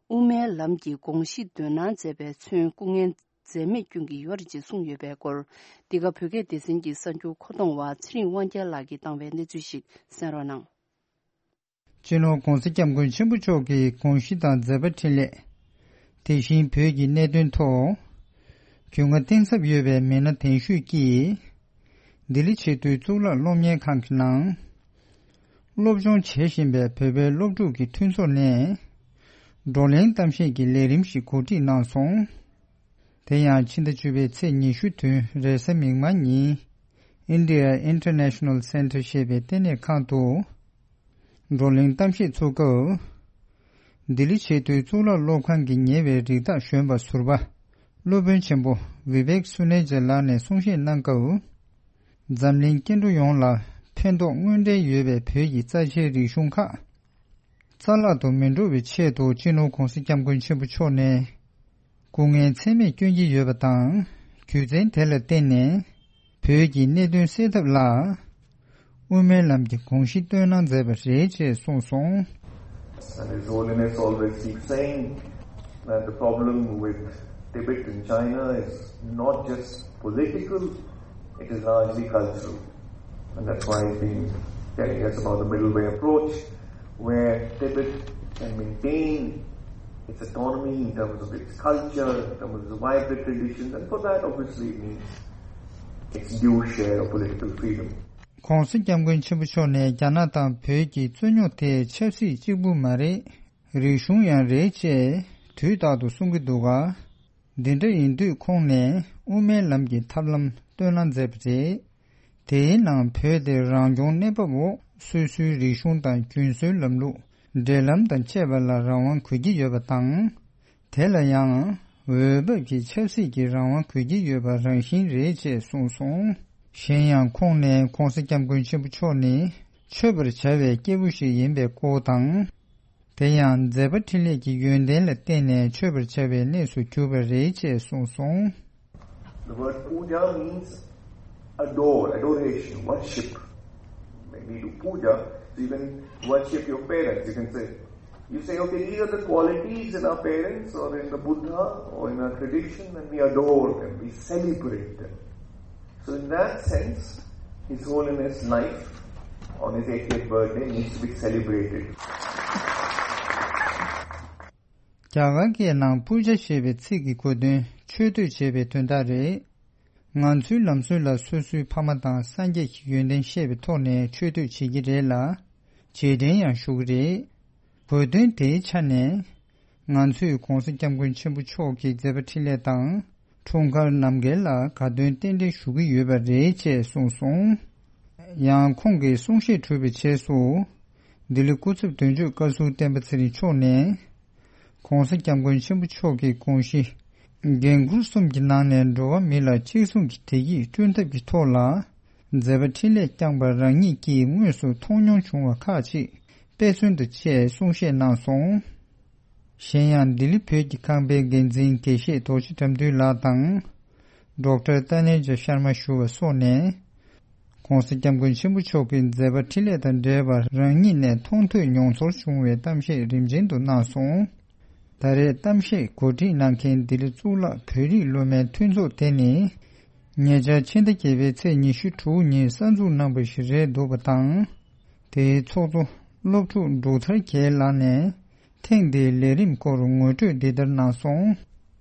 དབུ་མའི་ལམ་གྱི་དགོངས་གཞི་འདོན་གནང་མཛད་པས་མཚོན་སྐུ་ངལ་འཛེམས་མེད་སྐྱོན་གྱི་ཡོད་རེད་ཅེས་གསུངས་ཡོད་པའི་སྐོར། འདི་ག་བོད་སྐད་སྡེ་ཚན་གྱི་གསར་འགྱུར་མཁོ་གཏོང་བ་ཚེ་རིང་དབང་རྒྱལ་ལགས་ཀྱིས་བཏང་བའི་གནས་ཚུལ་ཞིག་གསན་རོགས་གནང་། སྤྱི་ནོར་༧གོང་ས་༧སྐྱབས་མགོན་ཆེན་པོ་མཆོག་གི་དགོངས་གཞི་དང་མཛད་པ་འཕྲིན་ལས། དེ་བཞིན་བོད་ཀྱི་གནད་དོན་ཐོག་རྒྱུས་མངའ་གཏིང་ཟབ་ཡོད་པའི་མི་སྣ་གདན་ཞུས་ཀྱིས། ལྡི་ལི་ཆེས་མཐོའི་གཙུག་ལག་སློབ་གཉེར་ཁང་གི་ནང་། སློབ་སྦྱོང་བྱེད་བཞིན་པའི་བོད་པའི་སློབ་ཕྲུག་གི་མཐུན་ཚོགས་ནས། བགྲོ་གླེང་གཏམ་བཤད་ཀྱི་ལས་རིམ་ཞིག་གོ་སྒྲིག་གནང་སོང་། དེ་ཡང་ཕྱི་ཟླ་བཅུ་པའི་ཚེས་ཉི་ཤུ་བདུན་རེས་གཟའ་མིག་དམར་ཉིན། India International Center ཞེས་པའི་ལྟེ་གནས་ཁང་དུ། བགྲོ་གླེང་གཏམ་བཤད་ཚུགས་སྐབས། ལྡི་ལི་ཆེས་མཐོའི་གཙུག་ལག་སློབ་ཁང་གི་ཉེ་བའི་རིགས་བདག་གཞོན་པ་ཟུར་པ། སློབ་དཔོན་ཆེན་པོ་བི་བེག་སུ་ནེ་ཇ་ལགས་ནས་གསུང་བཤད་གནང་སྐབས། འཛམ་གླིང་སྐྱེ་འགྲོ་ཡོངས་ལ་ཕན་ཐོགས་དངོས་འབྲེལ་ཡོད་པའི་བོད་ཀྱི་རྩ་ཆེའི་རིག་གཞུང་ཁག་རྩ་བརླག་ཏུ་མི་འགྲོ་བའི་ཆེད་དུ་སྤྱི་ནོར་༧གོང་ས་༧སྐྱབས་མགོན་ཆེན་པོ་མཆོག་ནས་སྐུ་ངལ་ཚད་མེད་བསྐྱོན་གྱི་ཡོད་པ་དང་། རྒྱུ་མཚན་དེ་ལ་བརྟེན་ནས་བོད་ཀྱི་གནད་དོན་སེལ་ཐབས་ལ་དབུ་མའི་ལམ་གྱི་དགོངས་གཞི་བཏོན་གནང་མཛད་པ་རེད་ཅེས་གསུངས་སོང་། And His Holiness always keeps saying that the problem with Tibet in China is not just political, it is largely cultural. And that's why he's been telling us about the middle way approach, where Tibet can maintain its autonomy in terms of its culture, in terms of its vibrant traditions, and for that, obviously, it needs its due share of political freedom. ༸གོང་ས་༸སྐྱབས་མགོན་ཆེན་པོ་མཆོག་ནས་རྒྱ་ནག་དང་བོད་ཀྱི་རྩོད་རྙོག་དེ་ཆབ་སྲིད་གཅིག་པུ་མ་རེད། རིག་གཞུང་ཡང་རེད་ཅེས་དུས་རྟག་ཏུ་གསུང་གི་འདུག་ག་འདི་འདྲ་ཡིན་དུས་ཁོང་ནས་དབུ་མའི་ལམ་གྱི་ཐབས་ལམ་བཏོན་གནང་མཛད་པ་རེད། དེའི་ནང་བོད་དེ་རང་སྐྱོང་གནས་བབ་འོག་སོ་སོའི་རིག་གཞུང་དང་རྒྱུན་སྲོལ་ལམ་ལུགས། འབྲེལ་ལམ་དང་བཅས་པ་ལ་རང་དབང་དགོས་ཀྱི་ཡོད་པ་དང་། དེ་ལ་ཡང་འོས་བབ་ཀྱི་ཆབ་སྲིད་ཀྱི་རང་དབང་དགོས་ཀྱི་ཡོད་པ་རང་བཞིན་རེད་ཅེས་གསུངས་སོང་། གཞན་ཡང་ཁོང་ནས་༸གོང་ས་༸སྐྱབས་མགོན་ཆེན་པོ་མཆོག་ནི་མཆོད་པར་བྱ་བའི་སྐྱེས་བུ་ཞིག་ཡིན་པའི་སྐོར་དང་། དེ་ཡང་མཛད་པ་འཕྲིན་ལས་ཀྱི་ཡོན་ཏན་ལ་བརྟེན་ནས་མཆོད་པར་བྱ་བའི་གནས་སུ་གྱུར་པ་རེད་ཅེས་གསུངས་སོང་། The word puja means adore, adoration, worship. When we do puja, so you can worship your parents, you can say, you say, okay, these are the qualities in our parents or in the Buddha or in our tradition, and we adore them, we celebrate them. So in that sense, His Holiness' life on his eightieth birthday needs to be celebrated. རྒྱ་གར་སྐད་ནང་པུ་ཇ་ཞེས་པའི་ཚིག་གི་གོ་དོན་མཆོད་བསྟོད་བྱེད་པའི་དོན་དག་རེད། ང་ཚོའི་ལམ་སྲོལ་ལ་སོ་སོའི་ཕ་མ་དང་སངས་རྒྱས་ཀྱི་ཡོན་ཏན་ཤེས་པའི་ཐོག་ནས་མཆོད་བསྟོད་བྱེད་ཀྱི་རེད་ལ། རྗེས་དྲན་ཡང་ཞུ་གི་རེད། དགོས་དོན་དེའི་ཆ་ནས། ང་ཚོས་༧གོང་ས་༧སྐྱབས་མགོན་ཆེན་པོ་མཆོག་གི་མཛད་པ་འཕྲིན་ལས་དང་། འཁྲུངས་སྐར་རྣམ་རྒྱལ་ལ་དགའ་སྟོན་རྟེན་འབྲེལ་ཞུ་གི་ཡོད་པ་རེད་ཅེས་གསུངས་སོང་། ཡང་ཁོང་གིས་གསུང་བཤད་གྲུབ་པའི་རྗེས་སུ། ལྡི་ལི་སྐུ་ཚབ་དོན་གཅོད་བཀའ་ཟུར་བསྟན་པ་ཚེ་རིང་མཆོག་ནས། ༧གོང་ས་༧སྐྱབས་མགོན་ཆེན་པོ་མཆོག་གི་དགོངས་གཞི། འགན་ཁུར་གསུམ་གྱི་ནང་ནས་འགྲོ་བ་མི་ལ་གཅིག་མཚུངས་ཀྱི་བདེ་སྐྱིད་བསྐྲུན་ཐབས་ཀྱི་ཐོག་ལ། མཛད་པ་འཕྲིན་ལས་བསྐྱངས་པ་རང་ཉིད་ཀྱིས་དངོས་སུ་མཐོང་མྱོང་བྱུང་བ་ཁག་ཅིག་དཔེ་མཚོན་དུ་བྱས་གསུང་བཤད་གནང་སོང་། གཞན་ཡང་ལྡི་ལི་བོད་ཀྱི་ཁང་པའི་འགན་འཛིན་དགེ་བཤེས་རྡོ་རྗེ་དགྲ་འདུལ་ལགས་དང་། ཌོག་ཊར་ཏཱ་ནེ་ཇ་ཤར་མ་ཞུ་བ་སོགས་ནས། ༧གོང་ས་༧སྐྱབས་མགོན་ཆེན་པོ་མཆོག་གི་མཛད་པ་འཕྲིན་ལས་དང་འབྲེལ་བར་རང་ཉིད་ནས་མཐོང་ཐོས་མྱོང་ཚོར་བྱུང་བའི་གཏམ་བཤད་རིམ་ཅན་དུ་གནང་སོང་། ད་རེས་གཏམ་བཤད་གོ་སྒྲིག་གནང་མཁན་ལྡི་ལི་གཙུག་ལག་བོད་རིགས་སློབ་མའི་མཐུན་ཚོགས་དེ་ནི། ཉེ་ཆར་ཕྱི་ཟླ་བརྒྱད་པའི་ཚེས་ཉི་ཤུ་དྲུག་ཉིན་གསར་འཛུགས་གནང་པ་ཞིག་རེད་འདུག་པ་དང་། དེའི་ཚོགས་གཙོ་སློབ་ཕྲུག་འབྲུག་ཐར་རྒྱལ་ལགས་ནས། ཐེངས་འདིའི་ལས་རིམ་སྐོར་ངོ་སྤྲོད་འདི་ལྟར་གནང་སོང་།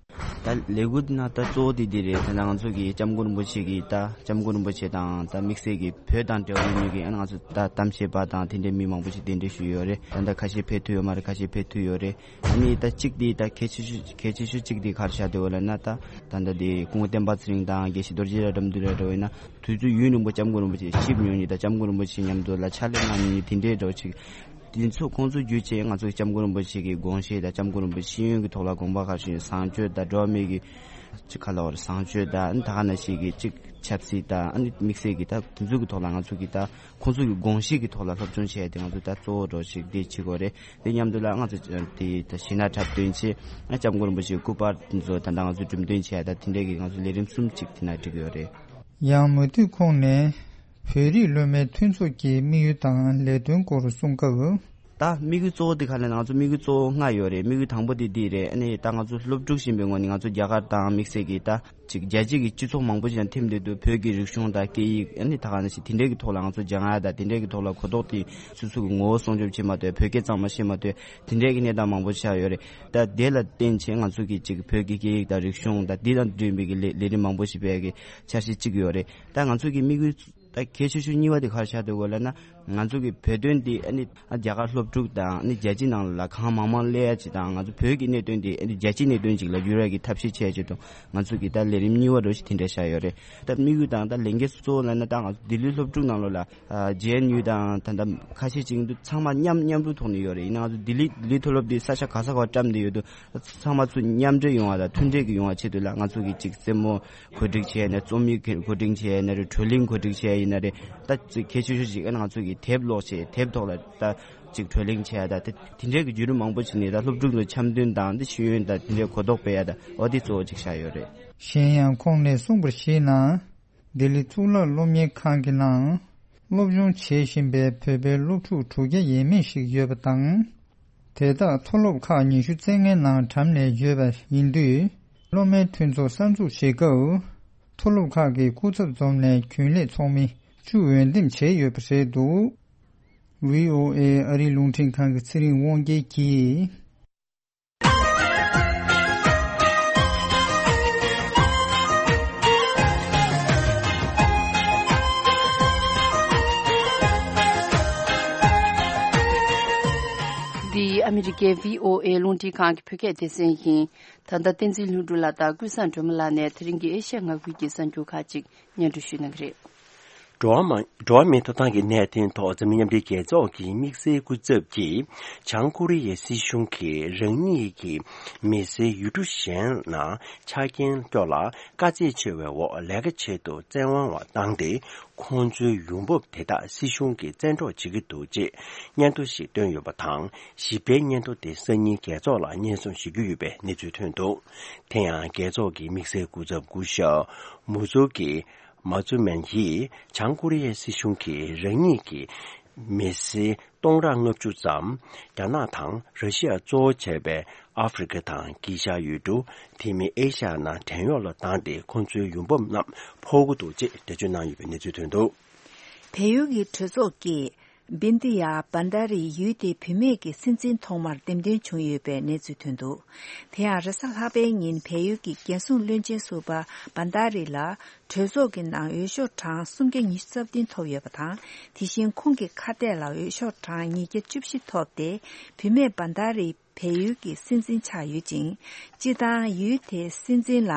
ད་ལས་འགུལ་ནང་ད་གཙོ་བོ་དེ་འདི་རེད། ད་ང་ཚོ་གི་སྐྱབས་མགོན་རིན་པོ་ཆེ་གི་ད་སྐྱབས་མགོན་རིན་པོ་ཆེ་དང་ད་དམིགས་བསལ་གྱི་བོད་དང་འབྲེལ་བ་ཡོད་མཁན་གྱི་ཨ་ང་ཚོ་ད་གཏམ་བཤད་པ་དང་དེ་འདྲའི་མི་མང་པོ་ཞིག་གདན་འདྲེན་ཞུས་ཡོད་རེད། ད་ད་ཁ་ཤས་ཕེབས་ཐུབ་ཡོད་མ་རེད། ཁ་ཤས་ཕེབས་ཐུབ་ཡོད་རེད། ཨ་ནི་ད་གཅིག་དེ་ད་གལ་ཆེ་ཤོས་གལ་ཆེ་ཤོས་གཅིག་དེ་ག་རེ་ཆགས་བསྡད་ཡོད་ལབ་ན། ད་ད་ད་དེ་སྐུ་ངོ་བསྟན་པ་ཚེ་རིང་དང་དགེ་བཤེས་རྡོ་རྗེ་ལགས་འགྲམ་དུ་ར་འགྲོ་བས་ན། དུས་ཚོད་ཡུན་རིང་པོ་སྐྱབས་མགོན་རིན་པོ་ཆེ་གཤིབས་མྱོང་མཁན་དང་སྐྱབས་མགོན་རིན་པོ་ཆེ་མཉམ་དུ་ལ་ཕྱག་ལས་གནང་མྱོང་མཁན་དེ་འདྲའི་འདྲ་བོ་ཅིག་དེ་ཚོ་ཁོང་ཚོ་བརྒྱུད་བྱས་ང་ཚོ་སྐྱབས་མགོན་རིན་པོ་ཆེ་གི་དགོངས་བཞེད་དང་སྐྱབས་མགོན་རིན་པོ་ཆེ་ཤེས་ཡོན་གྱི་ཐོག་ལ་དགོངས་པ་ག་རེ་ཞུ་ཡོད། བཟང་སྤྱོད་དང་འགྲོ་བ་མི་གི་ཅིག་ག་ལབ་དགོས་རེད། བཟང་སྤྱོད་དང་ཨ་ནི་ད་ག་ནང་བཞིན་གྱི་ཅིག་ཆབ་སྲིད་དང་ཨ་ནི་དམིགས་བསལ་གྱི་ད་དེ་ཚོ་གི་ཐོག་ལ་ང་ཚོ་གི་ད་ཁོང་ཚོ་གི་དགོངས་བཞེད་ཀྱི་ཐོག་ལ་སློབ་སྦྱོང་བྱས་ཏེ་ང་ཚོ་ད་གཙོ་བོ་འདྲ་བོ་ཅིག་དེ་བྱེད་དགོས་རེད། དེ་མཉམ་དུ་ལ་ང་ཚོ་དེ་ད་གཞས་སྣ་འཁྲབ་སྟོན་བྱས། ཨ་སྐྱབས་མགོན་རིན་པོ་ཆེའི་སྐུ་པར་དེ་ཚོ་ད་ལྟ་ང་ཚོ་འགྲེམས་སྟོན་བྱས། ད་དེ་འདྲའི་གི་ང་ཚོ་ལས་རིམ་གསུམ་ཅིག་དེ་ན་བསྒྲིགས་ཡོད་རེད། ཡང་མུ་མཐུད་ཁོང་ནས་བོད་རིགས་སློབ་མའི་མཐུན་ཚོགས་ཀྱི་དམིགས་ཡུལ་དང་ལས་དོན་སྐོར་གསུང་སྐབས། ད་དམིགས་ཡུལ་གཙོ་བོ་དེ་ག་ལ་ང་ཚོ་དམིགས་ཡུལ་གཙོ་བོ་ལྔ་ཡོད་རེད། དམིགས་ཡུལ་དང་པོ་དེ་འདི་རེད། ཨ་ནི་ད་ང་ཚོ་སློབ་ཕྲུག་ཡིན་པའི་ངོས་ནས་ང་ཚོ་རྒྱ་གར་དང་དམིགས་བསལ་གྱི་ད་ཅིག་རྒྱལ་སྤྱི་གི་སྤྱི་ཚོགས་མང་པོ་ཞིག་ལ་འཐིམ་བསྡད་དུས་བོད་ཀྱི་རིག་གཞུང་དང་སྐད་ཡིག་ཨ་ནི་ད་ག་ནང་བཞིན་དེ་འདྲའི་གི་ཐོག་ལ་ང་ཚོ་སྦྱང་ཡ་དང་དེ་འདྲའི་གི་ཐོག་ལ་གོ་རྟོགས་དེ་སོ་སོ་གི་ངོ་བོ་སྲུང་སྐྱོབ་བྱེད་མ་ཐུབ། བོད་སྐད་གཙང་མ་ཤེས་མ་ཐུབ། དེ་འདྲའི་གི་གནས་སྟངས་མང་པོ་ཆགས་ཡོད་རེད། ད་དེ་ལ་བརྟེན་བྱས་ང་ཚོ་གི་ཅིག་བོད་ཀྱི་སྐད་ཡིག་དང་རིག་གཞུང་དང་དེ་དང་འབྲེལ་བའི་གི་ལས་ལས་རིམ་མང་པོ་ཞིག་སྤེལ་གི་འཆར་གཞི་གཅིག་ཡོད་རེད། ད་ང་ཚོ་གི་དམིགས་ཡུལ་ད་གལ་ཆེ་ཤོས་གཉིས་པ་དེ་ག་རེ་ཆགས་འདུག་གོ་ལབ་ན། ང་ཚོ་གི་བོད་དོན་འདི་ཨ་ནི་ཨ་རྒྱ་གར་སློབ་ཕྲུག་དང་ཨ་ནི་རྒྱལ་སྤྱི་ནང་ལ་གང་མང་མང་སླེབས་ཡ་ཅིག་དང་། ང་ཚོ་བོད་ཀྱི་གནད་དོན་འདི་ཨ་ནི་རྒྱལ་སྤྱིའི་གནད་དོན་ཅིག་ལ་འགྱུར་ཡ་གི་ཐབས་ཤེས་བྱས་ཅིག་དང་། ང་ཚོ་གི་ད་ལས་རིམ་གཉིས་པ་འདྲ་ཞིག་དེ་འདྲ་བཞག་ཡོད་རེད། ད་དམིགས་ཡུལ་དང་ད་ལས་འགན་གཙོ་བོ་ལབ་ན། ད་ང་ཚོ་ལྡི་ལི་སློབ་ཕྲུག་ནང་ལོགས་ལ་ཨ་ཇེ་ཨེན་ཡུ་དང་ད་ད་ཁ་ཤས་ཅིག་འདུག་ཚང་མ་མཉམ་མཉམ་རུབ་ཐོག་ནས་ཡོད་རེད། ཡིན་ནའང་ང་ཚོ་ལྡི་ལི་ལྡི་ལི་མཐོ་སློབ་འདི་ས་ཆ་ག་ས་ག་བཀྲམ་བསྡད་ཡོད་དུས། ཚང་མ་ཚུར་མཉམ་འབྲེལ་ཡོང་བ་དང་མཐུན་འབྲེལ་གྱི་ཡོང་བ་ཆེད་དུ་ལ་ང་ཚོ་གི་ཅིག་རྩེད་མོ་གོ་སྒྲིག་བྱས་ནས། རྩོམ་ཡིག་གོ་སྒྲིག་བྱས་ན་རེད། བགྲོ་གླེང་གོ་སྒྲིག་བྱས་ཡིན་ན་རེད། ད་ཅིག་གལ་ཆེ་ཤོས་ཤིག་ཨ་ནི་ང་ཚོ་གི་དེབ་ཀློག་བྱས། དེབ་ཐོག་ལ་ད་ཅིག་བགྲོ་གླེང་བྱས། ད་དེ་དེ་འདྲའི་གི་བརྒྱུད་རིམ་མང་པོ་ཞིག་ནས་ད་སློབ་ཕྲུག་ཚོ་འཆམ་མཐུན་དང་འདི་ཤེས་ཡོན་དང་དེ་འདྲའི་གོ་རྟོགས་སྤེལ་ཡ་ད་འོ་དེ་གཙོ་བོ་ཅིག་བཞག་ཡོད་རེད། གཞན་ཡང་ཁོང་ནས་གསུངས་པར་གཞིགས་ན། ལྡི་ལི་གཙུག་ལག་སློབ་གཉེར་ཁང་གི་ནང་སློབ་སྦྱོང་བྱེད་བཞིན་པའི་བོད་པའི་སློབ་ཕྲུག་དྲུག་བརྒྱ་ཡས་མས་ཤིག་ཡོད་པ་དང་། དེ་དག་མཐོ་སློབ་ཁག་ཉི་ཤུ་རྩ་ལྔའི་ནང་གྲམ་ནས་ཡོད་པ་ཡིན་དུས། སློབ་མའི་མཐུན་ཚོགས་གསར་འཛུགས་བྱེད་སྐབས། མཐོ་སློབ་ཁག་གི་སྐུ་ཚབ་འཛོམས་ནས་རྒྱུན་ལས་ཚོགས་མི་བཅུ་འོས་འདེམས་བྱས་ཡོད་པ་རེད་འདུག། ཝི་ཨོ་ཨེ་ཨ་རིའི་རླུང་འཕྲིན་ཁང་གི་ཚེ་རིང་དབང་རྒྱལ་གྱིས། འདི་ཨ་མི་རི་ཀའི་ཝི་ཨོ་ཨེ་རླུང་འཕྲིན་ཁང་གི་བོད་སྐད་སྡེ་ཚན་ཡིན། ད་ལྟ་བསྟན་འཛིན་ལྷུན་གྲུབ་ལགས་དང་ཀུན་བཟང་སྒྲོལ་མ་ལགས་ནས་དེ་རིང་གི་ཨེ་ཤ་ཡ་མངའ་ཁུལ་གྱི་གསར་འགྱུར་ཁག་ཅིག་སྙན་སྒྲོན་ཞུ་གནང་གི་རེད། འགྲོ་བ་མང་འགྲོ་བ་མིའི་ཐོབ་ཐང་གི་གནད་དོན་ཐོག་འཛམ་གླིང་མཉམ་འབྲེལ་རྒྱལ་ཚོགས་ཀྱི་དམིགས་བསལ་སྐུ་ཚབ་ཀྱིས་བྱང་ཀོ་རི་ཡའི་སྲིད་གཞུང་གིས་རང་ཉིད་ཀྱི་མི་སེར་ཡུལ་གྲུ་གཞན་ནང་ཆ་རྐྱེན་སྐྱོ་ལ་དཀའ་ཚེགས་ཆེ་བའི་འོག་ལས་ཀ་བྱེད་དུ་བཙན་དབང་བ་བཏང་སྟེ། ཁོང་ཚོའི་ཡོང་འབབ་དེ་དག་སྲིད་གཞུང་གིས་བཙན་འཕྲོག་བྱེད་ཀྱི་འདུག་ཅེས་སྙན་ཐོ་ཞིག་བཏོན་ཡོད་པ་དང་། ཞིབ་ཕྲའི་སྙན་ཐོ་དེ་སང་ཉིན་རྒྱལ་ཚོགས་ལ་སྙན་སེང་ཞུ་རྒྱུ་ཡོད་པའི་གནས་ཚུལ་ཐོན་འདུག། དེ་ཡང་རྒྱལ་ཚོགས་ཀྱི་དམིགས་བསལ་སྐུ་ཚབ་སྐུ་ཞབས་མུ་ཛུ་ཀི་མཱ་ཛུ་མན་ཡིས་བྱང་ཀོ་རི་ཡའི་སྲིད་གཞུང་གིས་རང་ཉིད་ཀྱི་མི་སེར་སྟོང་ཕྲག་ལྔ་བཅུ་ཙམ་རྒྱ་ནག་དང་ར་ཤི་ཡ་གཙོ་བོ་བྱས་པའི་ཨ་ཧྥེ་རི་ཁ་དང་དཀྱིལ་ཤར་ཡུལ་གྲུ། དེ་མིན་ཨེ་ཤ་ཡ་ནང་བྲན་གཡོག་ལ་བཏང་སྟེ་ཁོང་ཚོའི་ཡོང་འབབ་རྣམས་འཕོག་གི་འདུག་ཅེས་འགྲེལ་བརྗོད་གནང་ཡོད་པའི་གནས་ཚུལ་ཐོན་འདུག། བལ་ཡུལ་གྱི་གྲོས་ཚོགས་ཀྱིས་ བིན་དི་ཡ་བན་དྷ་རིས་ཡུལ་དེའི་བུད་མེད་ཀྱི་སྲིད་འཛིན་ཐོག་མར་འདེམས་ཐོན་བྱུང་ཡོད་པའི་གནས་ཚུལ་ཐོན་འདུག་དེ་ཡང་རེས་གཟའ་ལྷག་པའི་ཉིན་བལ་ཡུལ་གྱི་རྒྱལ་སྲུང་བློན་ཆེན་ཟུར་པ་བན་དྷ་རི་ལ་གྲོས་ཚོགས་ཀྱི་ནང་འོས་ཤོག་གྲངས་སུམ་བརྒྱ་ཉི་ཤུ་རྩ་བདུན་ཐོབ་ཡོད་པ་དང་། དེ་བཞིན་ཁོང་གི་ཁ་གཏད་ལ་འོས་ཤོག་གྲངས་ཉིས་བརྒྱ་བཅུ་བཞི་ཐོབ་སྟེ། བུད་མེད་བན་དྷ་རི་བལ་ཡུལ་གྱི་སྲིད་འཛིན་ཆགས་ཡོད་ཅིང་། སྤྱིར་བཏང་ཡུལ་དེའི་སྲིད་འཛིན་ལ་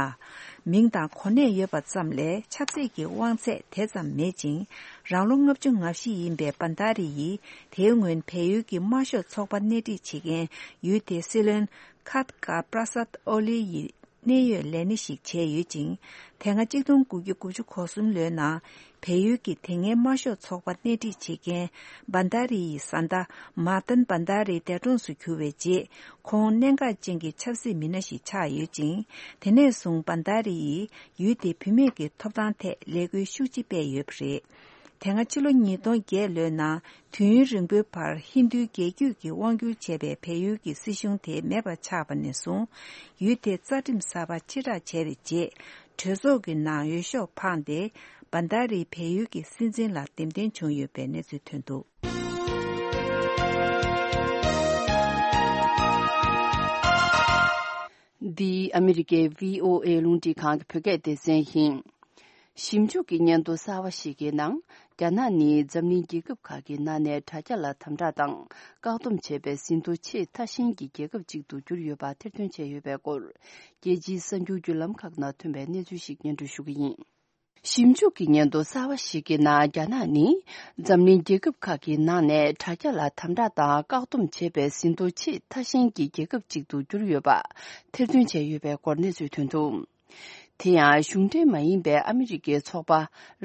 མིང་དང་གོ་གནས་ཡོད་པ་ཙམ་ལས་ཆབ་སྲིད་ཀྱི་དབང་ཚད་དེ་ཙམ་མེད་ཅིང་། རང་ལོ་ལྔ་བཅུ་ང་བཞི་ཡིན་པའི་བན་དྷ་རི་ཡིས་དེའི་སྔོན་བལ་ཡུལ་གྱི་དམར་ཤོག་ཚོགས་པ་སྣེ་ཁྲིད་བྱེད་མཁན་ཡུལ་དེའི་སྲིད་བློན་ཁཱད་ཀ་པྲ་སཱད་ཨོ་ལི་ཡི་གནད་ཡོད་ལས་སྣེ་ཞིག་བྱས་ཡོད་ཅིང་། དེ་སྔ་གཅིག་སྟོང་དགུ་བརྒྱ་དགུ་བཅུ་གོ་གསུམ་ལོའི་ནང་བལ་ཡུལ་གྱི་དེ་སྔའི་དམར་ཤོག་ཚོགས་པ་སྣེ་ཁྲིད་བྱེད་མཁན་བན་དྷ་རི་ཡི་བཟའ་ཟླ་མཱ་ཏན་བན་དྷ་རི་འདས་གྲོངས་སུ་གྱུར་བའི་རྗེས། ཁོང་གནད་འགག་ཅན་གྱི་ཆབ་སྲིད་མི་སྣ་ཞིག་ཆགས་ཡོད་ཅིང་། དེ་ནས་བཟུང་བན་དྷ་རི་ཡིས་ཡུལ་དེའི་བུད་མེད་ཀྱི་ཐོབ་ཐང་ཐད་ལས་འགུལ་ཤུགས་ཆེ་སྤེལ་ཡོད་པ་རེད། དེ་སྔ་ཕྱི་ལོ་ཉིས་སྟོང་བརྒྱད་ལོའི་ནང་དུས་ཡུན་རིང་པོའི་བར་ཧིན་རྡུའི་རྒྱལ་རྒྱུད་ཀྱིས་དབང་བསྒྱུར་བྱས་པའི་བལ་ཡུལ་གྱི་སྲིད་གཞུང་དེ་མེད་པ་ཆགས་པ་ནས་བཟུང་། ཡུལ་དེའི་རྩ་ཁྲིམས་གསར་པ་ཕྱིར་བསྒྲགས་བྱས་པའི་རྗེས། གྲོས་ཚོགས་ཀྱི་ནང་འོས་ཤོག་འཕངས་ཏེ། བན་དྷ་རི་བལ་ཡུལ་གྱི་སྲིད་འཛིན་ལ་འདེམས་ཐོན་བྱུང་ཡོད་པའི་གནས་ཚུལ་ཐོན་འདུག་འདི་ཨ་མི་རི་ཀའི་བྷི་ཨོ་ཨེ་རླུང་འཕྲིན་ཁང་གི་བོད་སྐད་སྡེ་ཚན་ཡིན། ཞིབ་འཇུག་གི་སྙན་ཐོ་གསར་བ་ཞིག་གི་ནང་། རྒྱ་ནག་ནི་འཛམ་གླིང་རྒྱལ་ཁབ་ཁག་གི་ནང་ནས་དྲ་རྒྱ་ལ་དམ་དྲག་དང་བཀག་སྡོམ་བྱས་པའི་ཟིན་ཐོ་ཆེས་མཐའ་ཤན་གྱི་རྒྱལ་ཁབ་ཅིག་ཏུ་གྱུར་ཡོད་པ་ཐེར་འདོན་བྱས་ཡོད་པའི་སྐོར། རྒྱལ་སྤྱིའི་གསར་འགྱུར་བརྒྱུད་ལམ་ཁག་ནང་ཐོན་པའི་གནས་ཚུལ་ཞིག་སྙན་སྒྲོན་ཞུ་གི་ཡིན། ཞིབ་འཇུག་གི་སྙན་ཐོ་གསར་བ་ཞིག་གི་ནང་། རྒྱ་ནག་ནི་འཛམ་གླིང་རྒྱལ་ཁབ་ཁག་གི་ནང་ནས་དྲ་རྒྱ་ལ་དམ་དྲག་དང་བཀག་སྡོམ་བྱས་པའི་ཟིན་ཐོ་ཆེས་མཐའ་ཤན་གྱི་རྒྱལ་ཁབ་ཅིག་ཏུ་གྱུར་ཡོད་པ་ཐེར་འདོན་བྱས་ཡོད་པའི་སྐོར་གནས་ཚུལ་ཐོན་འདུག་དེ་ཡང་གཞུང་འབྲེལ་མ་ཡིན་པའི་ཨ་མི་རི་ཀའི་ཚོགས་པ་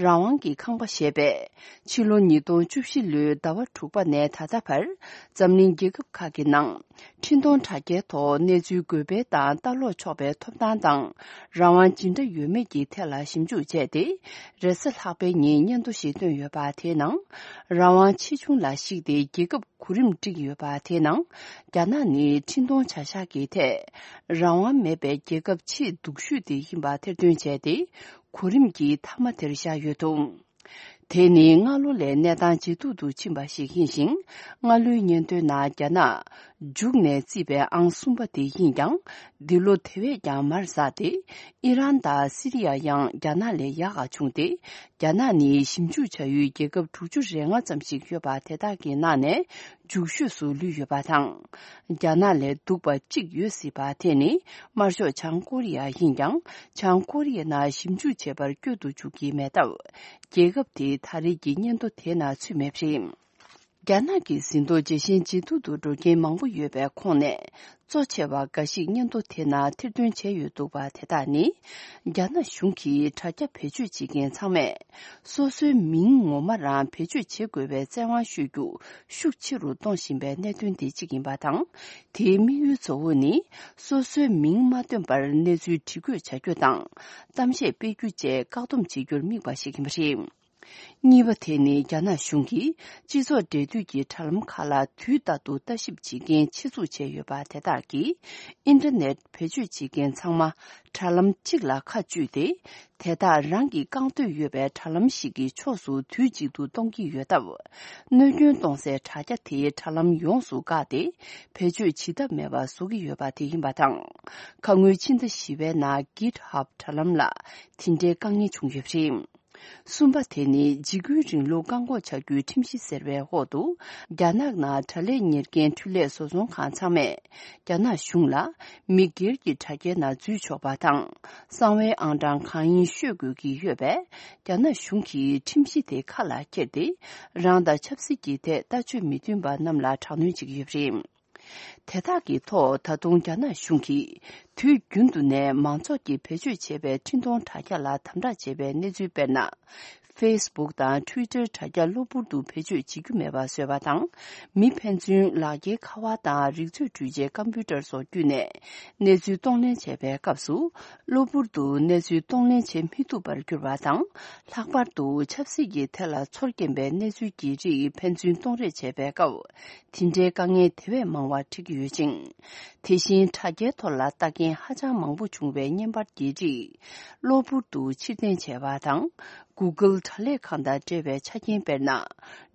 རང་དབང་གི་ཁང་པ་ཞེས་པས། ཕྱི་ལོ་ཉིས་སྟོང་བཅུ་བཞི་ལོའི་ཟླ་བ་དྲུག་པ་ནས་ད་ལྟ་བར། འཛམ་གླིང་རྒྱལ་ཁབ་ཁག་གི་ནང་། འཕྲིན་གཏོང་དྲ་རྒྱའི་ཐོག་གནས་ཚུལ་འགོད་སྤེལ་དང་ལྟ་ཀློག་ཆོག་པའི་ཐོབ་ཐང་དང་། རང་དབང་ཇི་འདྲ་ཡོད་མེད་ཀྱི་ཐད་ལ་ཞིབ་འཇུག་བྱས་ཏེ། རེས་གཟའ་ལྷག་པའི་ཉིན་སྙན་ཐོ་ཞིག་བཏོན་ཡོད་པ་དེའི་ནང་། རང་དབང་ཆེ་ཆུང་ལ་གཞིགས་ཏེ་རྒྱལ་ཁབ་གོ་རིམ་བསྒྲིགས་ཡོད་པ་དེའི་ནང་། རྒྱ་ནག་ནི་འཕྲིན་གཏོང་བྱ་གཞག་གི་ཐད། རང་དབང་མེད་པའི་རྒྱལ་ཁབ་ཆེས་སྡུག་ཤོས་དེ་ཡིན་པ་ཐེར་འདོན་བྱས་ཏེ། གོ་རིམ་གྱི་མཐའ་མ་དེར་བཞག་ཡོད་འདུག་དེ་ནི་སྔ་ལོ་ལས་གནས་སྟངས་ཇེ་སྡུག་ཏུ་ཕྱིན་པ་ཞིག་ཡིན་ཞིང་། སྔ་ལོའི་སྙན་ཐོའི་ནང་། རྒྱ་ནག་མཇུག་ནས་རྩིས་པའི་ཨང་གསུམ་པ་དེ་ཡིན་ཀྱང་། འདི་ལོ་དེ་བས་ཀྱང་མར་ཟགས་ཏེ། ཨི་རན་དང་སི་རི་ཡ་ཡང་རྒྱ་ནག་ལས་ཡག་ག་བྱུང་སྟེ། རྒྱ་ནག་ནི་ཞིབ་འཇུག་བྱ་ཡུལ་རྒྱལ་ཁབ་དྲུག་ཅུ་རེ་ལྔ་ཙམ་ཞིག་ཡོད་པ་དེ་དག་གི་ནང་ནས་མཇུག་ཤོས་སུ་ལུས་ཡོད་པ་དང་། རྒྱ་ནག་ལས་སྡུག་པ་གཅིག་ཡོད་སྲིད་པ་དེ་ནི་དམར་ཤོག་བྱང་ཀོ་རི་ཡ་ཡིན་ཀྱང་། བྱང་ཀོ་རི་ཡའི་ནང་ཞིབ་འཇུག་བྱེད་པར་བསྐྱོད་དུ་འཇུག་གི་མེད་སྟབས། རྒྱལ་ཁབ་དེའི་ད་རེས་ཀྱི་སྙན་ཐོ་དེའི་ནང་ཚུད་མེད་པ་རེད། རྒྱ་ནག་གི་ཟིན་ཐོ་ཇེ་ཞན་ཇེ་སྡུག་ཏུ་འགྲོ་རྐྱེན་མང་པོ་ཡོད་པའི་ཁོངས་ནས། གཙོ་ཆེ་བ་འགའ་ཞིག་སྙན་ཐོ་དེ་ནང་ཐེར་འདོན་བྱས་ཡོད་འདུག་པ་དེ་དག་ནི། རྒྱ་ནག་གཞུང་གིས་དྲ་རྒྱ་བེད་སྤྱོད་བྱེད་མཁན་ཚང་མས། སོ་སོའི་མིང་ངོ་མ་རང་བེད་སྤྱོད་བྱེད་དགོས་པའི་བཙན་དབང་གཞོལ་རྒྱུ་ཤུགས་ཆེ་རུ་གཏོང་བཞིན་པའི་གནད་དོན་དེ་གཅིག་ཡིན་པ་དང་། དེའི་དམིགས་ཡུལ་གཙོ་བོ་ནི། སོ་སོའི་མིང་མ་བཏོན་པར་གནས་ཚུལ་སྒྲིག་འགོད་བྱ་རྒྱུ་དང་། གཏམ་བཤད་སྤེལ་རྒྱུ་བཅས་བཀག་སྡོམ་བྱེད་རྒྱུར་དམིགས་པ་ཞིག་ཡིན་པ་རེད། གཉིས་པ་དེ་ནི་རྒྱ་ནག་གཞུང་གིས་སྤྱི་ཚོགས་འབྲེལ་མཐུད་ཀྱི་དྲ་ལམ་ཁག་ལ་དུས་རྟག་ཏུ་ལྟ་ཞིབ་བྱེད་མཁན་ཆེད་འཛུགས་བྱས་ཡོད་པ་དེ་དག་གིས། ཨིན་ཊར་ནེཊ་བེད་སྤྱོད་བྱེད་མཁན་ཚང་མ་དྲ་ལམ་གཅིག་ལ་ཁ་གཅུས་ཏེ། དེ་དག་རང་གིས་བཀང་འདོད་ཡོད་པའི་དྲ་ལམ་ཞིག་གི་ཕྱོགས་སུ་དུས་གཅིག་ཏུ་གཏོང་གི་ཡོད་སྟབས། གནོད་སྐྱོན་གཏོང་སའི་དྲ་རྒྱ་དེའི་དྲ་ལམ་ཡོངས་སུ་བཀག་སྟེ། བེད་སྤྱོད་བྱེད་ཐབས་མེད་པ་བཟོ་གི་ཡོད་པ་དེ་ཡིན་པ་དང་། ཁ་སྔོན་ཕྱི་ཟླ་བཞི་པའི་ནང་GitHub་དྲ་ལམ་ལ་དེ་འདྲའི་དཀའ་ངལ་བྱུང་ཡོད་པ་རེད། གསུམ་པ་དེ་ནི་འཇིགས་སྐུལ་རིང་ལུགས་བཀག་འགོག་བྱ་རྒྱུའི་ཁྲིམས་གཞི་ཟེར་བའི་འོག་ཏུ། རྒྱ་ནག་ནང་དྲ་ལས་གཉེར་མཁན་འཕྲུལ་ལས་བཟོ་ཚོང་ཁང་ཚང་མས། རྒྱ་ནག་གཞུང་ལ་མི་སྒེར་གྱི་དྲ་རྒྱའི་ནང་འཛུལ་ཆོག་པ་དང་། གསང་བའི་ཨང་གྲངས་གང་ཡིན་ཤོད་དགོས་ཀྱི་ཡོད་པས། རྒྱ་ནག་གཞུང་གིས་ཁྲིམས་གཞི་དེ་ཁ་ལ་འཁྱེར་ཏེ། རང་དང་ཆབ་སྲིད་ཀྱི་ཐད་ལྟ་སྤྱོད་མི་མཐུན་པ་རྣམས་ལ་དྲག་གནོན་བྱེད་ཀྱི་ཡོད་པ་རེད། དེ་དག་གི་ཐོག་ད་དུང་རྒྱ་ནག་གཞུང་གིས་དུས་རྒྱུན་དུ་ནས་མང་ཚོགས་ཀྱིས་བེད་སྤྱོད་བྱེད་པའི་འཕྲིན་གཏོང་དྲ་རྒྱ་ལ་དམ་དྲག་བྱེད་པའི་གནས་ཚུལ། དཔེར་ན། Facebook་དང་Twitter་དྲ་རྒྱ་གློ་བུར་དུ་བེད་སྤྱོད་བྱེད་རྒྱུ་མེད་པ་བཟོས་པ་དང་། མི་ཕན་ཚུན་ལག་འཁྱེར་ཁ་པར་དང་རིག་མཛོད་འཕྲུལ་ཆས་ཀམ་པུ་ཊར་སོགས་བརྒྱུད་ནས་གནས་ཚུལ་གཏོང་ལེན་བྱས་པའི་སྐབས་སུ། གློ་བུར་དུ་གནས་ཚུལ་གཏོང་ལེན་བྱེད་མི་ཐུབ་པར་གྱུར་པ་དང་། ལྷག་པར་དུ་ཆབ་སྲིད་ཀྱི་ཐད་ལ་ཚོར་སྐྱེན་པའི་གནས་ཚུལ་གྱི་རིགས་ཕན་ཚུན་གཏོང་རེས་བྱས་པའི་སྐབས། དེ་འདྲའི་དཀའ་ངལ་དེ་བས་མང་བ་འཕྲད་ཀྱི་ཡོད་ཅིང་། དེ་བཞིན་དྲ་རྒྱའི་ཐོག་ལ་ལྟ་མཁན་ཧ་ཅང་མང་པོ་བྱུང་བའི་བརྙན་པར་གྱི་རིགས། གློ་བུར་དུ་ཕྱིར་འཐེན་བྱས་པ་དང་། Google་དྲ་ལས་ཁང་དང་འབྲེལ་བའི་ཆ་རྐྱེན། དཔེར་ན།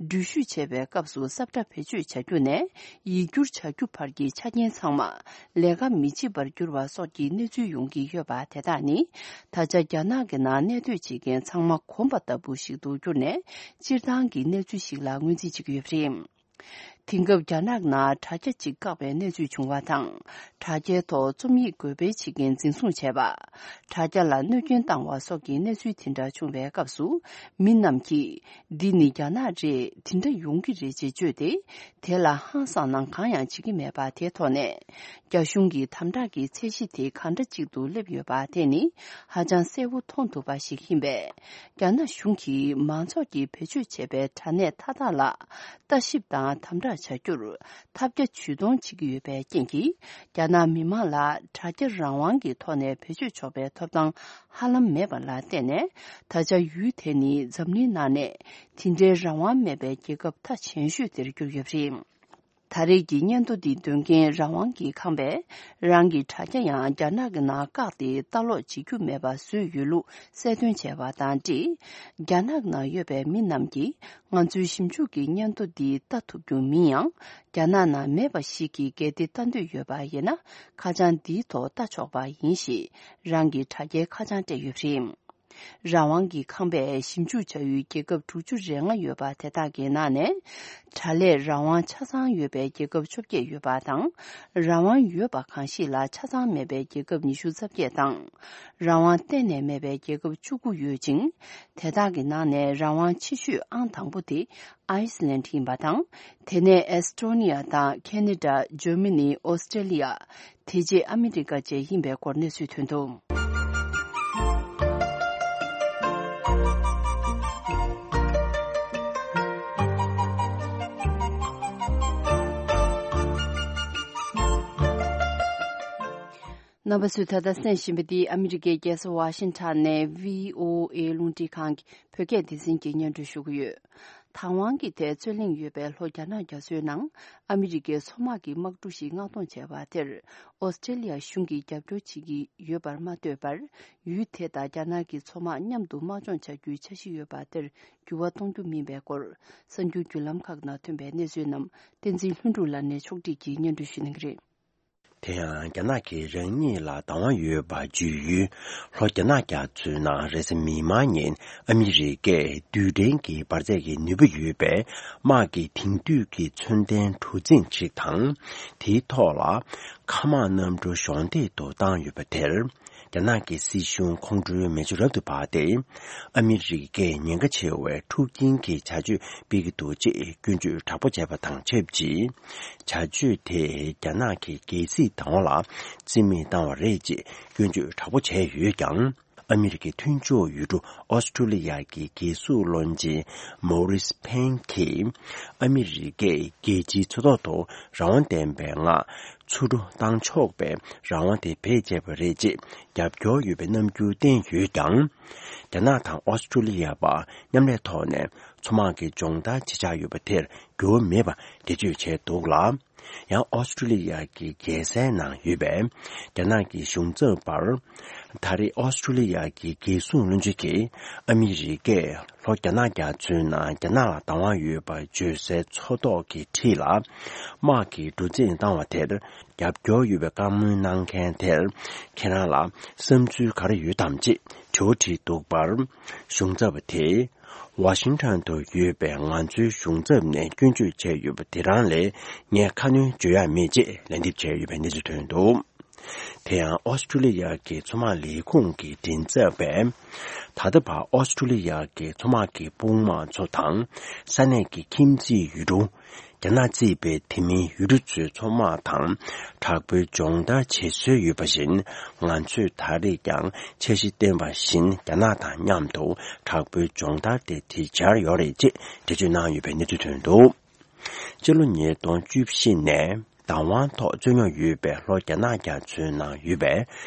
འགྲུལ་བཞུད་བྱས་པའི་སྐབས་སུ་ས་བཀྲ་བེད་སྤྱོད་བྱ་རྒྱུ་ནས་ཡིག་སྒྱུར་བྱ་རྒྱུ་བར་གྱི་ཆ་རྐྱེན་ཚང་མ་ལས་ཀ་མི་བྱེད་པར་འགྱུར་བ་སོགས་ཀྱི་གནས་ཚུལ་ཡོང་གི་ཡོད་པ་དེ་དག་ནི། ད་ཆ་རྒྱ་ནག་གི་ནང་གནས་སྡོད་བྱེད་མཁན་ཚང་མ་གོམས་པ་ལྟ་བུ་ཞིག་ཏུ་གྱུར་ནས། སྤྱིར་བཏང་གི་གནས་ཚུལ་ཞིག་ལ་ངོས་འཛིན་བྱེད་ཀྱི་ཡོད་པ་རེད། དེང་སྐབས་རྒྱ་ནག་ནང་དྲ་རྒྱ་གཅིག་བཀག་པའི་གནས་ཚུལ་བྱུང་བ་དང་། དྲ་རྒྱའི་ཐོག་རྩོམ་ཡིག་འགོད་སྤེལ་བྱེད་མཁན་འཛིན་བཟུང་བྱས་པ། དྲ་རྒྱ་ལ་གནོད་སྐྱོན་བཏང་བ་སོགས་ཀྱི་གནས་ཚུལ་དེ་འདྲ་བྱུང་བའི་སྐབས་སུ། མི་རྣམས་ཀྱིས། འདི་ནི་རྒྱ་ནག་རེད། དེ་འདྲ་ཡོང་གི་རེད་ཅེས་བརྗོད་དེ། དེ་ལ་ཧང་སང་གནང་གང་ཡང་བྱེད་ཀྱི་མེད་པ་དེའི་ཐོག་ནས། རྒྱ་གཞུང་གིས་དམ་དྲག་གི་ཚད་གཞི་དེ་གང་འདྲ་ཅིག་ཏུ་སླེབས་ཡོད་པ་དེ་ནི་ཧ་ཅང་གསལ་བོ་མཐོང་ཐུབ་པ་ཞིག་ཡིན་པས། རྒྱ་ནག་གཞུང་གིས་མང་ཚོགས་ཀྱིས་བེད་སྤྱོད་བྱས་པའི་དྲ་གནས་མཐའ་དག་ལ་ལྟ་ཞིབ་དང་དམ་དྲག་བྱ་རྒྱུར་ཐབས་བརྒྱ་ཇུས་སྟོང་བྱེད་ཀྱི་ཡོད་པའི་རྐྱེན་གྱིས། རྒྱ་ནག་མི་མང་ལ་དྲ་རྒྱ་རང་དབང་གི་ཐོག་ནས་བེད་སྤྱོད་ཆོག་པའི་ཐོབ་ཐང་ཧ་ལམ་མེད་པ་ལ་བརྟེན་ནས། ད་ཆ་ཡུལ་དེ་ནི་འཛམ་གླིང་ནང་ནས་དེ་འདྲའི་རང་དབང་མེད་པའི་རྒྱལ་ཁབ་མཐའ་ཆེན་ཤོས་དེར་གྱུར་ཡོད་པ་རེད། ད་རེས་ཀྱི་སྙན་ཐོ་འདི་འདོན་མཁན་རང་དབང་གི་ཁང་པས། རང་གི་དྲ་རྒྱ་ཡང་རྒྱ་ནག་གི་ནང་བཀག་སྟེ་ལྟ་ཀློག་བྱེད་རྒྱུ་མེད་པ་བཟོས་ཡོད་ལུགས་གསལ་སྟོན་བྱས་པ་དང་འབྲེལ། རྒྱ་ནག་ནང་ཡོད་པའི་མི་རྣམས་ཀྱིས་ང་ཚོའི་ཞིབ་འཇུག་གི་སྙན་ཐོ་འདི་ལྟ་ཐུབ་རྒྱུ་མིན་ཡང་། རྒྱ་ནག་ནང་མེད་པ་ཞིག་གིས་གལ་ཏེ་ལྟ་འདོད་ཡོད་པ་ཡིན་ན། ཁ་བྱང་འདིའི་ཐོག་ལྟ་ཆོག་པ་ཡིན་ཞེས། རང་གི་དྲ་རྒྱའི་ཁ་བྱང་སྤྲད་ཡོད་པ་རེད། རང་དབང་གི་ཁང་པས་ཞིབ་འཇུག་བྱ་ཡུལ་རྒྱལ་ཁབ་དྲུག་ཅུ་རེ་ལྔ་ཡོད་པ་དེ་དག་གི་ནང་ནས། དྲ་ལས་རང་དབང་ཆ་ཚང་ཡོད་པའི་རྒྱལ་ཁབ་བཅོ་བརྒྱད་ཡོད་པ་དང་། རང་དབང་ཡོད་པ་གང་ཞིག་ལ་ཆ་ཚང་མེད་པའི་རྒྱལ་ཁབ་ཉི་ཤུ་རྩ་བརྒྱད་དང་། རང་དབང་གཏན་ནས་མེད་པའི་རྒྱལ་ཁབ་བཅུ་དགུ་ཡོད་ཅིང་། དེ་དག་གི་ནང་ནས་རང་དབང་ཆེ་ཤོས་ཨང་དང་པོ་དེ་ཨའི་སི་ལན་ཡིན་པ་དང་། དེ་ནས་ཨེ་སི་ཊོ་ནི་ཡ་དང་ཁེ་ན་ཌ། ཇར་མ་ནི། ཨོ་སི་ཀྲེ་ལི་ཡ། དེ་རྗེས་ཨ་མི་རི་ཀ་བཅས་ཡིན་པའི་སྐོར་གནས་ཚུལ་ཐོན་འདུག། རྣམ་པ་ཚོས་ད་ལྟ་གསན་བཞིན་པ་འདི་ཨ་མི་རི་ཀའི་རྒྱལ་ས་ཝ་ཤིང་ཊོན་ནས་ཝི་ཨོ་ཨེ་རླུང་འཕྲིན་ཁང་གི་བོད་སྐད་སྡེ་ཚན་གྱིས་སྙན་སྒྲོན་ཞུ་གི་ཡོད། དང་ཝང་གི་ཐད་རྩོད་གླེང་ཡོད་པའི་ལྷོ་རྒྱ་ནག་རྒྱ་མཚོའི་ནང་ཨ་མི་རི་ཀའི་མཚོ་དམག་གི་དམག་གྲུ་ཞིག་མངགས་གཏོང་བྱས་པ་དེར། ཨོ་སི་ཀྲེ་ལི་ཡ་གཞུང་གིས་རྒྱབ་སྐྱོར་བྱེད་ཀྱི་ཡོད་པར་མ་ལྟོས་པར། ཡུལ་དེ་དང་རྒྱ་ནག་གི་མཚོ་དམག་མཉམ་དུ་དམག་སྦྱོང་བྱ་རྒྱུའི་འཆར་གཞི་ཡོད་པ་དེར་འགྱུར་བ་གཏོང་རྒྱུ་མིན་པའི་སྐོར། གསར་འགྱུར་བརྒྱུད་ལམ་ཁག་ནང་ཐོན་པའི་གནས་ཚུལ་རྣམས་བསྟན་འཛིན་ལྷུན་གྲུབ་ལགས་ནས་ཕྱོགས་སྒྲིག་གིས་སྙན་སྒྲོན་ཞུ་གནང་གི་རེད། དེ་ཡང་རྒྱ་ནག་གིས་རང་ཉིད་ལ་བདག་དབང་ཡོད་པ་བརྗོད་ཡུལ་ལྷོ་རྒྱ་ནག་རྒྱ་མཚོའི་ནང་རེས་གཟའ་མིག་དམར་ཉིན་ཨ་མི་རི་ཀས་རྡུལ་ཕྲན་གྱི་འབར་རྫས་ཀྱི་ནུས་པ་ཡོད་པའི་དམག་གི་དེང་དུས་ཀྱི་མཚོན་ལྡན་གྲུ་གཟིངས་ཤིག་དང་། དེའི་ཐོག་ལ་མཁའ་དམག་གནམ་གྲུ་གཞོགས་འདེགས་དུ་བཏང་ཡོད་པ་དེར། རྒྱ་ནག་གི་སྲིད་གཞུང་ཁོང་ཁྲོའི་མེ་མཆོད་རབ་ཏུ་འབར་ཏེ། ཨ་མི་རི་ཀས་ཉེན་ཁ་ཆེ་བའི་འཁྲུག་རྐྱེན་གྱི་བྱ་སྤྱོད་སྤེལ་གྱི་འདུག་ཅེས་སྐྱོན་བརྗོད་དྲག་པོ་བྱས་པ་དང་ཆབས་ཅིག་བྱ་སྤྱོད་དེས་རྒྱ་ནག་གི་རྒྱལ་སྲིད་བདག་དབང་ལ་རྩིས་མེད་བཏང་བ་རེད་ཅེས་སྐྱོན་བརྗོད་དྲག་པོ་བྱས་ཡོད་ཀྱང་། ཨ་མི་རི་ཀའི་མཐུན་ཕྱོགས་ཡུལ་གྲུ་ཨོ་སི་ཀྲུ་ལི་ཡ་གི་རྒྱལ་སྲུང་བློན་ཆེན་མོ་རིས་ཕེན་གྱིས། ཨ་མི་རི་ཀས་རྒྱལ་སྤྱིའི་མཚོ་ཐོག་ཏུ་རང་དབང་ལྡན་པའི་ངང་ཚུར་འགྲོ་བཏང་ཆོག་པའི་རང་དབང་དེ་བེད་སྤྱད་པ་རེད་ཅེས་རྒྱབ་སྐྱོར་ཡོད་པའི་རྣམ་འགྱུར་བསྟན་ཡོད་ཀྱང་། རྒྱ་ནག་དང་ཨོ་སི་ཀྲུ་ལི་ཡ་བར་མཉམ་ལས་ཐོག་ནས་མཚོ་དམག་གི་སྦྱོང་བརྡར་བྱེད་འཆར་ཡོད་པ་དེར་འགྱུར་བ་མེད་པ་འགྲེལ་བརྗོད་བྱས་འདུག་ལ། ཡང་ཨོ་སི་ཀྲུ་ལི་ཡ་གི་རྒྱལ་སའི་ནང་ཡོད་པའི་རྒྱ་ནག་གི་གཞུང་ཚབ་པར། ད་རེས་ཨོ་སི་ཀྲུ་ལི་ཡ་གི་རྒྱལ་སྲུང་བློན་ཆེན་གྱིས་ཨ་མི་རི་ཀས་ལྷོ་རྒྱ་ནག་རྒྱ་མཚོའི་ནང་རྒྱ་ནག་ལ་བདག་དབང་ཡོད་པར་བརྗོད་སའི་མཚོ་ཐོག་གི་འཁྲིས་ལ་དམག་གི་གྲུ་གཟིངས་བཏང་བ་དེར་རྒྱབ་སྐྱོར་ཡོད་པའི་བཀའ་མོལ་གནང་མཁན་དེར་ཁྱེད་རང་ལ་བསམ་ཚུལ་ག་རེ་ཡོད་དམ་ཅེས་དྲི་བ་དྲིས་འདུག་པར། གཞུང་ཚབ་དེས། ཝ་ཤིང་ཊོན་དུ་ཡོད་པའི་ང་ཚོའི་གཞུང་ཚབ་ནས་སྐྱོན་བརྗོད་བྱས་ཡོད་པ་དེ་རང་ལས་ངས་ཁ་སྣོན་བརྗོད་ཡག་མེད་ཅེས་ལན་འདེབས་བྱས་ཡོད་པའི་གནས་ཚུལ་ཐོན་འདུག། དེ་ཡང་ཨོ་སི་ཀྲུ་ལི་ཡ་གི་མཚོ་དམག་ལས་ཁུངས་ཀྱི་མགྲིན་ཚབ་པས། ད་ལྟ་བར་ཨོ་སི་ཀྲུ་ལི་ཡ་གི་མཚོ་དམག་གི་དཔུང་དམག་ཚོ་དང་ས་གནས་ཀྱི་ཁྱིམ་མཚེས་ཡུལ་གྲུ། རྒྱ་ནག་གཙོས་པའི་དེ་མིན་ཡུལ་གྲུ་ཚོའི་མཚོ་དམག་དང་དྲག་པོའི་སྦྱོང་བརྡར་བྱེད་སྲོལ་ཡོད་པ་བཞིན། ང་ཚོས་ད་རེས་ཀྱང་འཆར་གཞི་བཏོན་པ་བཞིན་རྒྱ་ནག་དང་མཉམ་དུ་དྲག་པོའི་སྦྱོང་བརྡར་དེ་བྱེད་འཆར་ཡོད་རེད་ཅེས་འགྲེལ་བརྗོད་གནང་ཡོད་པའི་གནས་ཚུལ་ཐོན་འདུག། སྤྱི་ལོ་ཉིས་སྟོང་བཅུ་བཞི་ནས་བདག་དབང་ཐོག་རྩོད་རྙོག་ཡོད་པའི་ལྷོ་རྒྱ་ནག་རྒྱ་མཚོའི་ནང་ཡོད་པའི་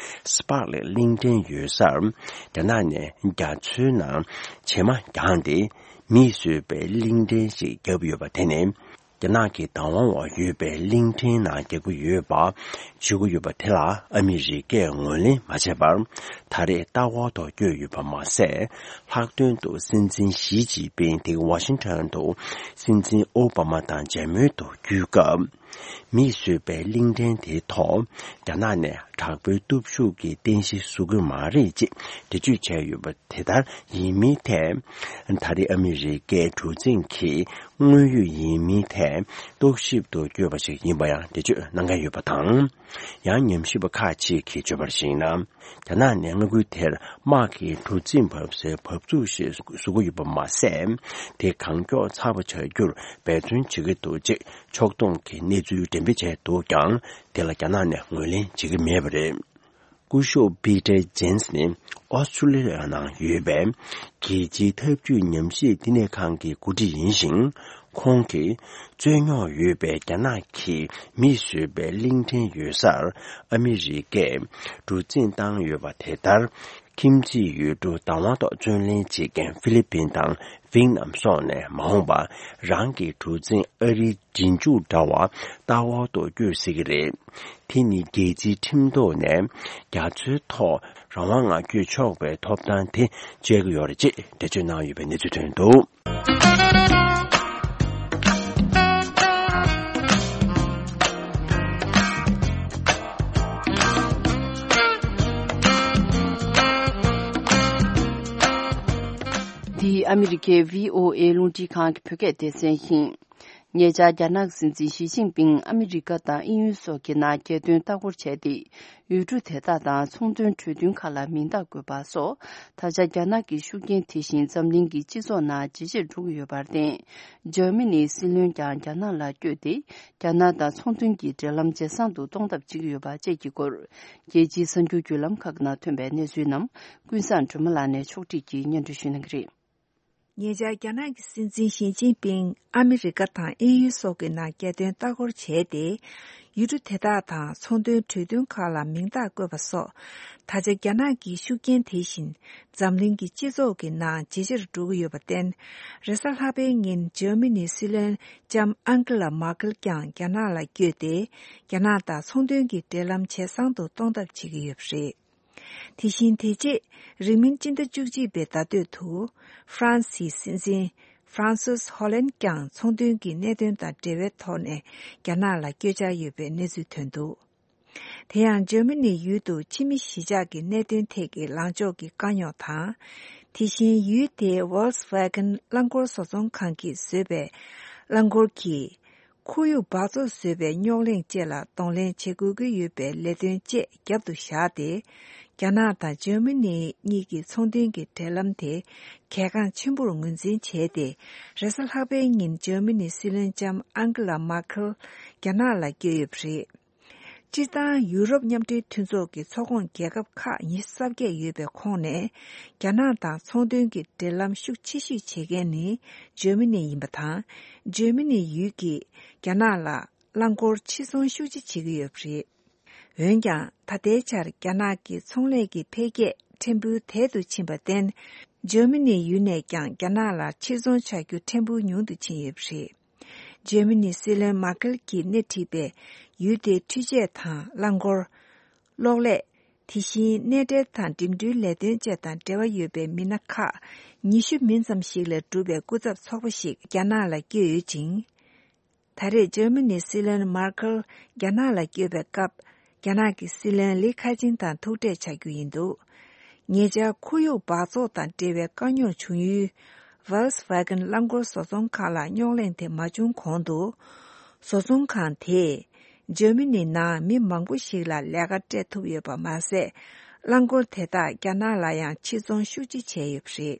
སི་པག་ལེ་གླིང་ཕྲན་ཡོད་སར། རྒྱ་ནག་ནས་རྒྱ་མཚོའི་ནང་བྱེ་མ་བརྒྱངས་ཏེ། མིས་བཟོས་པའི་གླིང་ཕྲན་ཞིག་བརྒྱབ་ཡོད་པ་དེ་ནི། རྒྱ་ རྒྱ་ནག་གི་བདག་དབང་འོག་ཡོད་པའི་གླིང་ཕྲན་ནང་རྒྱག་གི་ཡོད་པ་བརྗོད་ཀྱི་ཡོད་པ་དེ་ལ་ཨ་མི་རི་ཀས་ངོས་ལེན་མ་བྱས་པར། ད་རེས་ལྟ་བ་ཐོག་བསྐྱོད་ཡོད་པ་མ་ཟད། ལྷག་དོན་དུ་སྲིད་འཛིན་ཞི་ཅིན་ཕིང་དེ་ཝ་ཤིང་ཊོན་དུ་སྲིད་འཛིན་ཨོ་བྷ་མ་དང་མཇལ་མོལ་དུ་བརྒྱུད་སྐབས། མིས་བཟོས་པའི་གླིང་ཕྲན་དེའི་ཐོག་རྒྱ་ནག་ནས་དྲག་པོའི་སྟོབས་ཤུགས་ཀྱི་རྟེན་གཞི་བཟོ་གི་མ་རེད་ཅེས་འགྲེལ་བརྗོད་བྱས་ཡོད་པ་དེ་ལྟར་ཡིན་མིན་ཐད། ད་རེས་ཨ་མི་རི་ཀའི་གྲུ་གཟིངས་ཀྱི་དངོས་ཡོད་ཡིན་མིན་ཐད་རྟོག་ཞིབ་ཏུ་བསྐྱོད་པ་ཞིག་ཡིན་པ་ཡང་འགྲེལ་བརྗོད་གནང་མཁན་ཡོད་པ་དང་། ཡང་ཉམས་ཞིབ་པ་ཁག་ཅིག་གིས་བརྗོད་པར་གཞིགས་ན། རྒྱ་ནག་ནས་མངའ་ཁུལ་དེར་དམག་གི་གྲུ་གཟིངས་བབས་སའི་བབས་ཚུགས་ཤིག་བཟོ་གི་ཡོད་པ་མ་ཟད། དེ་གང་མགྱོགས་ཚར་བ་བྱ་རྒྱུར་འབད་བརྩོན་བྱེད་ཀྱི་འདུག་ཅེས་ཕྱོགས་གཏོགས་ཀྱི་གནས་ཚུལ་འགྲེམས་སྤེལ་བྱས་འདུག་ཀྱང་། དེ་ལ་རྒྱ་ནག་ནས་ངོས་ལེན་བྱེད་ཀྱི་མེད་པ་རེད། སྐུ་ཞབས་པི་ཏར་ཇེན་སི་ནི་ཨོ་སི་ཁྲུ་ལི་ཡ་ནང་ཡོད་པའི་རྒྱལ་སྤྱིའི་འཐབ་ཇུས་ཉམས་ཞིབ་བསྟི་གནས་ཁང་གི་འགོ་ཁྲིད་ཡིན་ཞིང་། ཁོང་གིས་རྩོད་རྙོག་ཡོད་པའི་རྒྱ་ནག་གི་མིས་བཟོས་པའི་གླིང་ཕྲན་ཡོད་སར་ཨ་མི་རི་ཀས་གྲུ་གཟིངས་བཏང་ཡོད་པ་དེ་ལྟར། ཁྱིམ་མཚེས་ཡུལ་གྲུ་བདག་དབང་ཐོག་བརྩོན་ལེན་བྱེད་མཁན་ཧྥི་ལི་པིན་དང་ཝེ་ནམ་སོགས་ནས་མ་འོངས་པར་རང་གི་གྲུ་གཟིངས་ཨ་རིའི་རྗེས་འཇུག་འདྲ་བ་ལྟ་བ་ཐོག་བསྐྱོད་སྲིད་ཀྱི་རེད། དེ་ནི་རྒྱལ་སྤྱིའི་ཁྲིམས་ཐོག་ནས་རྒྱ་མཚོའི་ཐོག་རང་དབང་ངང་བསྐྱོད་ཆོག་པའི་ཐོབ་ཐང་དེ་སྤྱད་ཀྱི་ཡོད་རེད་ཅེས་འགྲེལ་བརྗོད་གནང་ཡོད་པའི་གནས་ཚུལ་ཐོན་འདུག། འདི་ཨ་མི་རི་ཀའི་བྷི་ཨོ་ཨེ་རླུང་འཕྲིན་ཁང་གི་བོད་སྐད་སྡེ་ཚན་ཡིན། ཉེ་ཆར་རྒྱ་ནག་སྲིད་འཛིན་ཞི་ཅིན་ཕིང་ཨ་མི་རི་ཀ་དང་དབྱིན་ཡུལ་སོགས་ཀྱི་ནང་རྒྱལ་དོན་ལྟ་སྐོར་བྱས་ཏེ། ཡུལ་གྲུ་དེ་དག་དང་ཚོང་དོན་གྲོས་མཐུན་ཁག་ལ་མིང་རྟགས་བཀོད་པ་སོགས། ད་ཆ་རྒྱ་ནག་གི་ཤུགས་རྐྱེན་དེ་བཞིན་འཛམ་གླིང་གི་སྤྱི་ཚོགས་ནང་ཇེ་ཆེར་འགྲོ་གི་ཡོད་པར་བརྟེན། འཇར་མ་ནིའི་སྲིད་བློན་ཀྱང་རྒྱ་ནག་ལ་བསྐྱོད་དེ། རྒྱ་ནག་དང་ཚོང་དོན་གྱི་འབྲེལ་ལམ་ཇེ་བཟང་དུ་གཏོང་ཐབས་བྱེད་ཀྱི་ཡོད་པ་བཅས་ཀྱི་སྐོར། རྒྱལ་སྤྱིའི་གསར་འགྱུར་བརྒྱུད་ལམ་ཁག་ནང་ཐོན་པའི་གནས་ཚུལ་རྣམས་ཀུན་བཟང་སྒྲོལ་མ་ལགས་ནས་ཕྱོགས་བསྒྲིགས་ཀྱིས་སྙན་སྒྲོན་ཞུ་གནང་གི་རེད། ཉེ་ཆར་རྒྱ་ནག་གི་སྲིད་འཛིན་ཞི་ཅིན་ཕིང་ཨ་མི་རི་ཀ་དང་དབྱིན་ཡུལ་སོགས་ཀྱི་ནང་རྒྱལ་དོན་ལྟ་སྐོར་བྱས་ཏེ། ཡུལ་གྲུ་དེ་དག་དང་ཚོང་དོན་གྲོས་མཐུན་ཁག་ལ་མིང་རྟགས་བཀོད་པ་སོགས། ད་ཆ་རྒྱ་ནག་གི་ཤུགས་རྐྱེན་དེ་བཞིན་འཛམ་གླིང་གི་སྤྱི་ཚོགས་ཀྱི་ནང་ཇེ་ཆེར་འགྲོ་གི་ཡོད་པར་བརྟེན། རེས་གཟའ་ལྷག་པའི་ཉིན་འཇར་མ་ནིའི་སྲིད་བློན་ལྕམ་ཨང་ཀེ་ལ་མར་ཀེལ་ཀྱང་རྒྱ་ནག་ལ་བསྐྱོད་དེ། རྒྱ་ནག་དང་ཚོང་དོན་གྱི་འབྲེལ་ལམ་ཇེ་བཟང་དུ་གཏོང་ཐབས་བྱེད་ཀྱི་ཡོད་པ་རེད། དེ་བཞིན་དེ་རྗེས་རིང་མིན་སྤྱི་ཟླ་བཅུ་གཅིག་པའི་ཟླ་སྟོད་དུ་ཧྥ་རན་སིའི་སྲིད་འཛིན་ཧྥ་རན་སིས་ཧོ་ལན་ཀྱང་ཚོང་དོན་གྱི་གནད་དོན་དང་འབྲེལ་བའི་ཐོག་ནས་རྒྱ་ནག་ལ་བསྐྱོད་འཆར་ཡོད་པའི་གནས་ཚུལ་ཐོན་འདུག། དེ་ཡང་འཇར་མ་ནི་ཡུལ་དུ་ཕྱི་མི་གཞིས་ཆགས་ཀྱི་གནད་དོན་ཐད་ཀྱི་ལངས་ཕྱོགས་ཀྱི་དཀའ་རྙོག་དང་། དེ་བཞིན་ཡུལ་དེའི་Volkswagen་རླངས་འཁོར་བཟོ་ཚོང་ཁང་གིས་བཟོས་པའི་རླངས་འཁོར་གྱིས། ཁོར་ཡུག་འབག་བཙོག་བཟོས་པའི་རྙོག་གླེང་བཅས་ལ་གདོང་ལེན་བྱེད་དགོས་ཀྱི་ཡོད་པའི་ལས་དོན་བཅས་རྒྱབ་ཏུ་བཞག་སྟེ། རྒྱ་ནག་དང་འཇར་མ་ནི་གཉིས་ཀྱི་ཚོང་དོན་གྱི་འབྲེལ་ལམ་དེ་གལ་འགངས་ཆེན་པོར་ངོས་འཛིན་བྱས་ཏེ། རེས་གཟའ་ལྷག་པའི་ཉིན་འཇར་མ་ནིའི་སྲིད་བློན་ལྕམ་ཨང་ཀེ་ལ་མར་ཁེལ་རྒྱ་ནག་ལ་བསྐྱོད་ཡོད་པ་རེད། སྤྱིར་བཏང་ཡུ་རོབ་མཉམ་འབྲེལ་མཐུན་ཚོགས་ཀྱི་ཚོགས་ཁོངས་རྒྱལ་ཁབ་ཁག་ཉི་ཤུ་རྩ་བརྒྱད་ཡོད་པའི་ཁོངས་ནས། རྒྱ་ནག་དང་ཚོང་དོན་གྱི་འབྲེལ་ལམ་ཤུགས་ཆེ་ཤོས་བྱེད་མཁན་ནི་འཇར་མ་ནི་ཡིན་པ་དང་། འཇར་མ་ནི་ཡུལ་གྱིས་རྒྱ་ནག་ལ་རླངས་འཁོར་ཕྱིར་ཚོང་ཤུགས་ཆེ་བྱེད་ཀྱི་ཡོད་པ་རེད། འོན་ཀྱང་། ད་ལྟའི་ཆར་རྒྱ་ནག་གི་ཚོང་ལས་ཀྱི་འཕེལ་རྒྱས་ཕྲན་བུ་དལ་དུ་ཕྱིན་པར་བརྟེན། འཇར་མ་ནི་ཡུལ་ནས་ཀྱང་རྒྱ་ནག་ལ་ཕྱིར་ཚོང་བྱ་རྒྱུ་ཕྲན་བུ་ཉུང་དུ་ཕྱིན་ཡོད་པ་རེད། འཇར་མ་ནིའི་སྲིད་བློན་མར་ཀེལ་གྱིས་སྣེ་ཁྲིད་པའི་ཡུལ་དེའི་འཕྲུལ་ཆས་དང་རླངས་འཁོར། གློག་ཀླད། དེ་བཞིན་གནས་འབྲེལ་དང་འགྲིམ་འགྲུལ་ལས་དོན་བཅས་དང་འབྲེལ་བ་ཡོད་པའི་མི་སྣ་ཁག་ཉི་ཤུ་མིན་ཙམ་ཞིག་ལས་གྲུབ་པའི་སྐུ་ཚབ་ཚོགས་པ་ཞིག་རྒྱ་ནག་ལ་བསྐྱོད་ཡོད་ཅིང་། ད་རེས་འཇར་མ་ནིའི་སྲིད་བློན་མར་ཁེལ་རྒྱ་ནག་ལ་བསྐྱོད་པའི་སྐབས། རྒྱ་ནག་གི་སྲིད་བློན་ལི་ཁེ་ཆིང་དང་ཐུག་འཕྲད་བྱ་རྒྱུ་ཡིན་འདུག། ཉེ་ཆར་ཁོར་ཡུག་འབག་བཙོག་དང་འབྲེལ་བའི་དཀའ་རྙོག་བྱུང་ཡུལ། Volkswagen་རླངས་འཁོར་བཟོ་ཚོང་ཁང་ལ་རྙོག་གླེང་དེ་མ་བྱུང་གོང་དུ། བཟོ་ཚོང་ཁང་དེས་འཇར་མ་ནི་ནང་མི་མང་པོ་ཞིག་ལ་ལས་ཀ་སྤྲད་ཐུབ་ཡོད་པ་མ་ཟད། རླངས་འཁོར་དེ་དག་རྒྱ་ནག་ལ་ཡང་ཕྱིར་ཚོང་ཤུགས་ཆེ་བྱས་ཡོད་པ་རེད།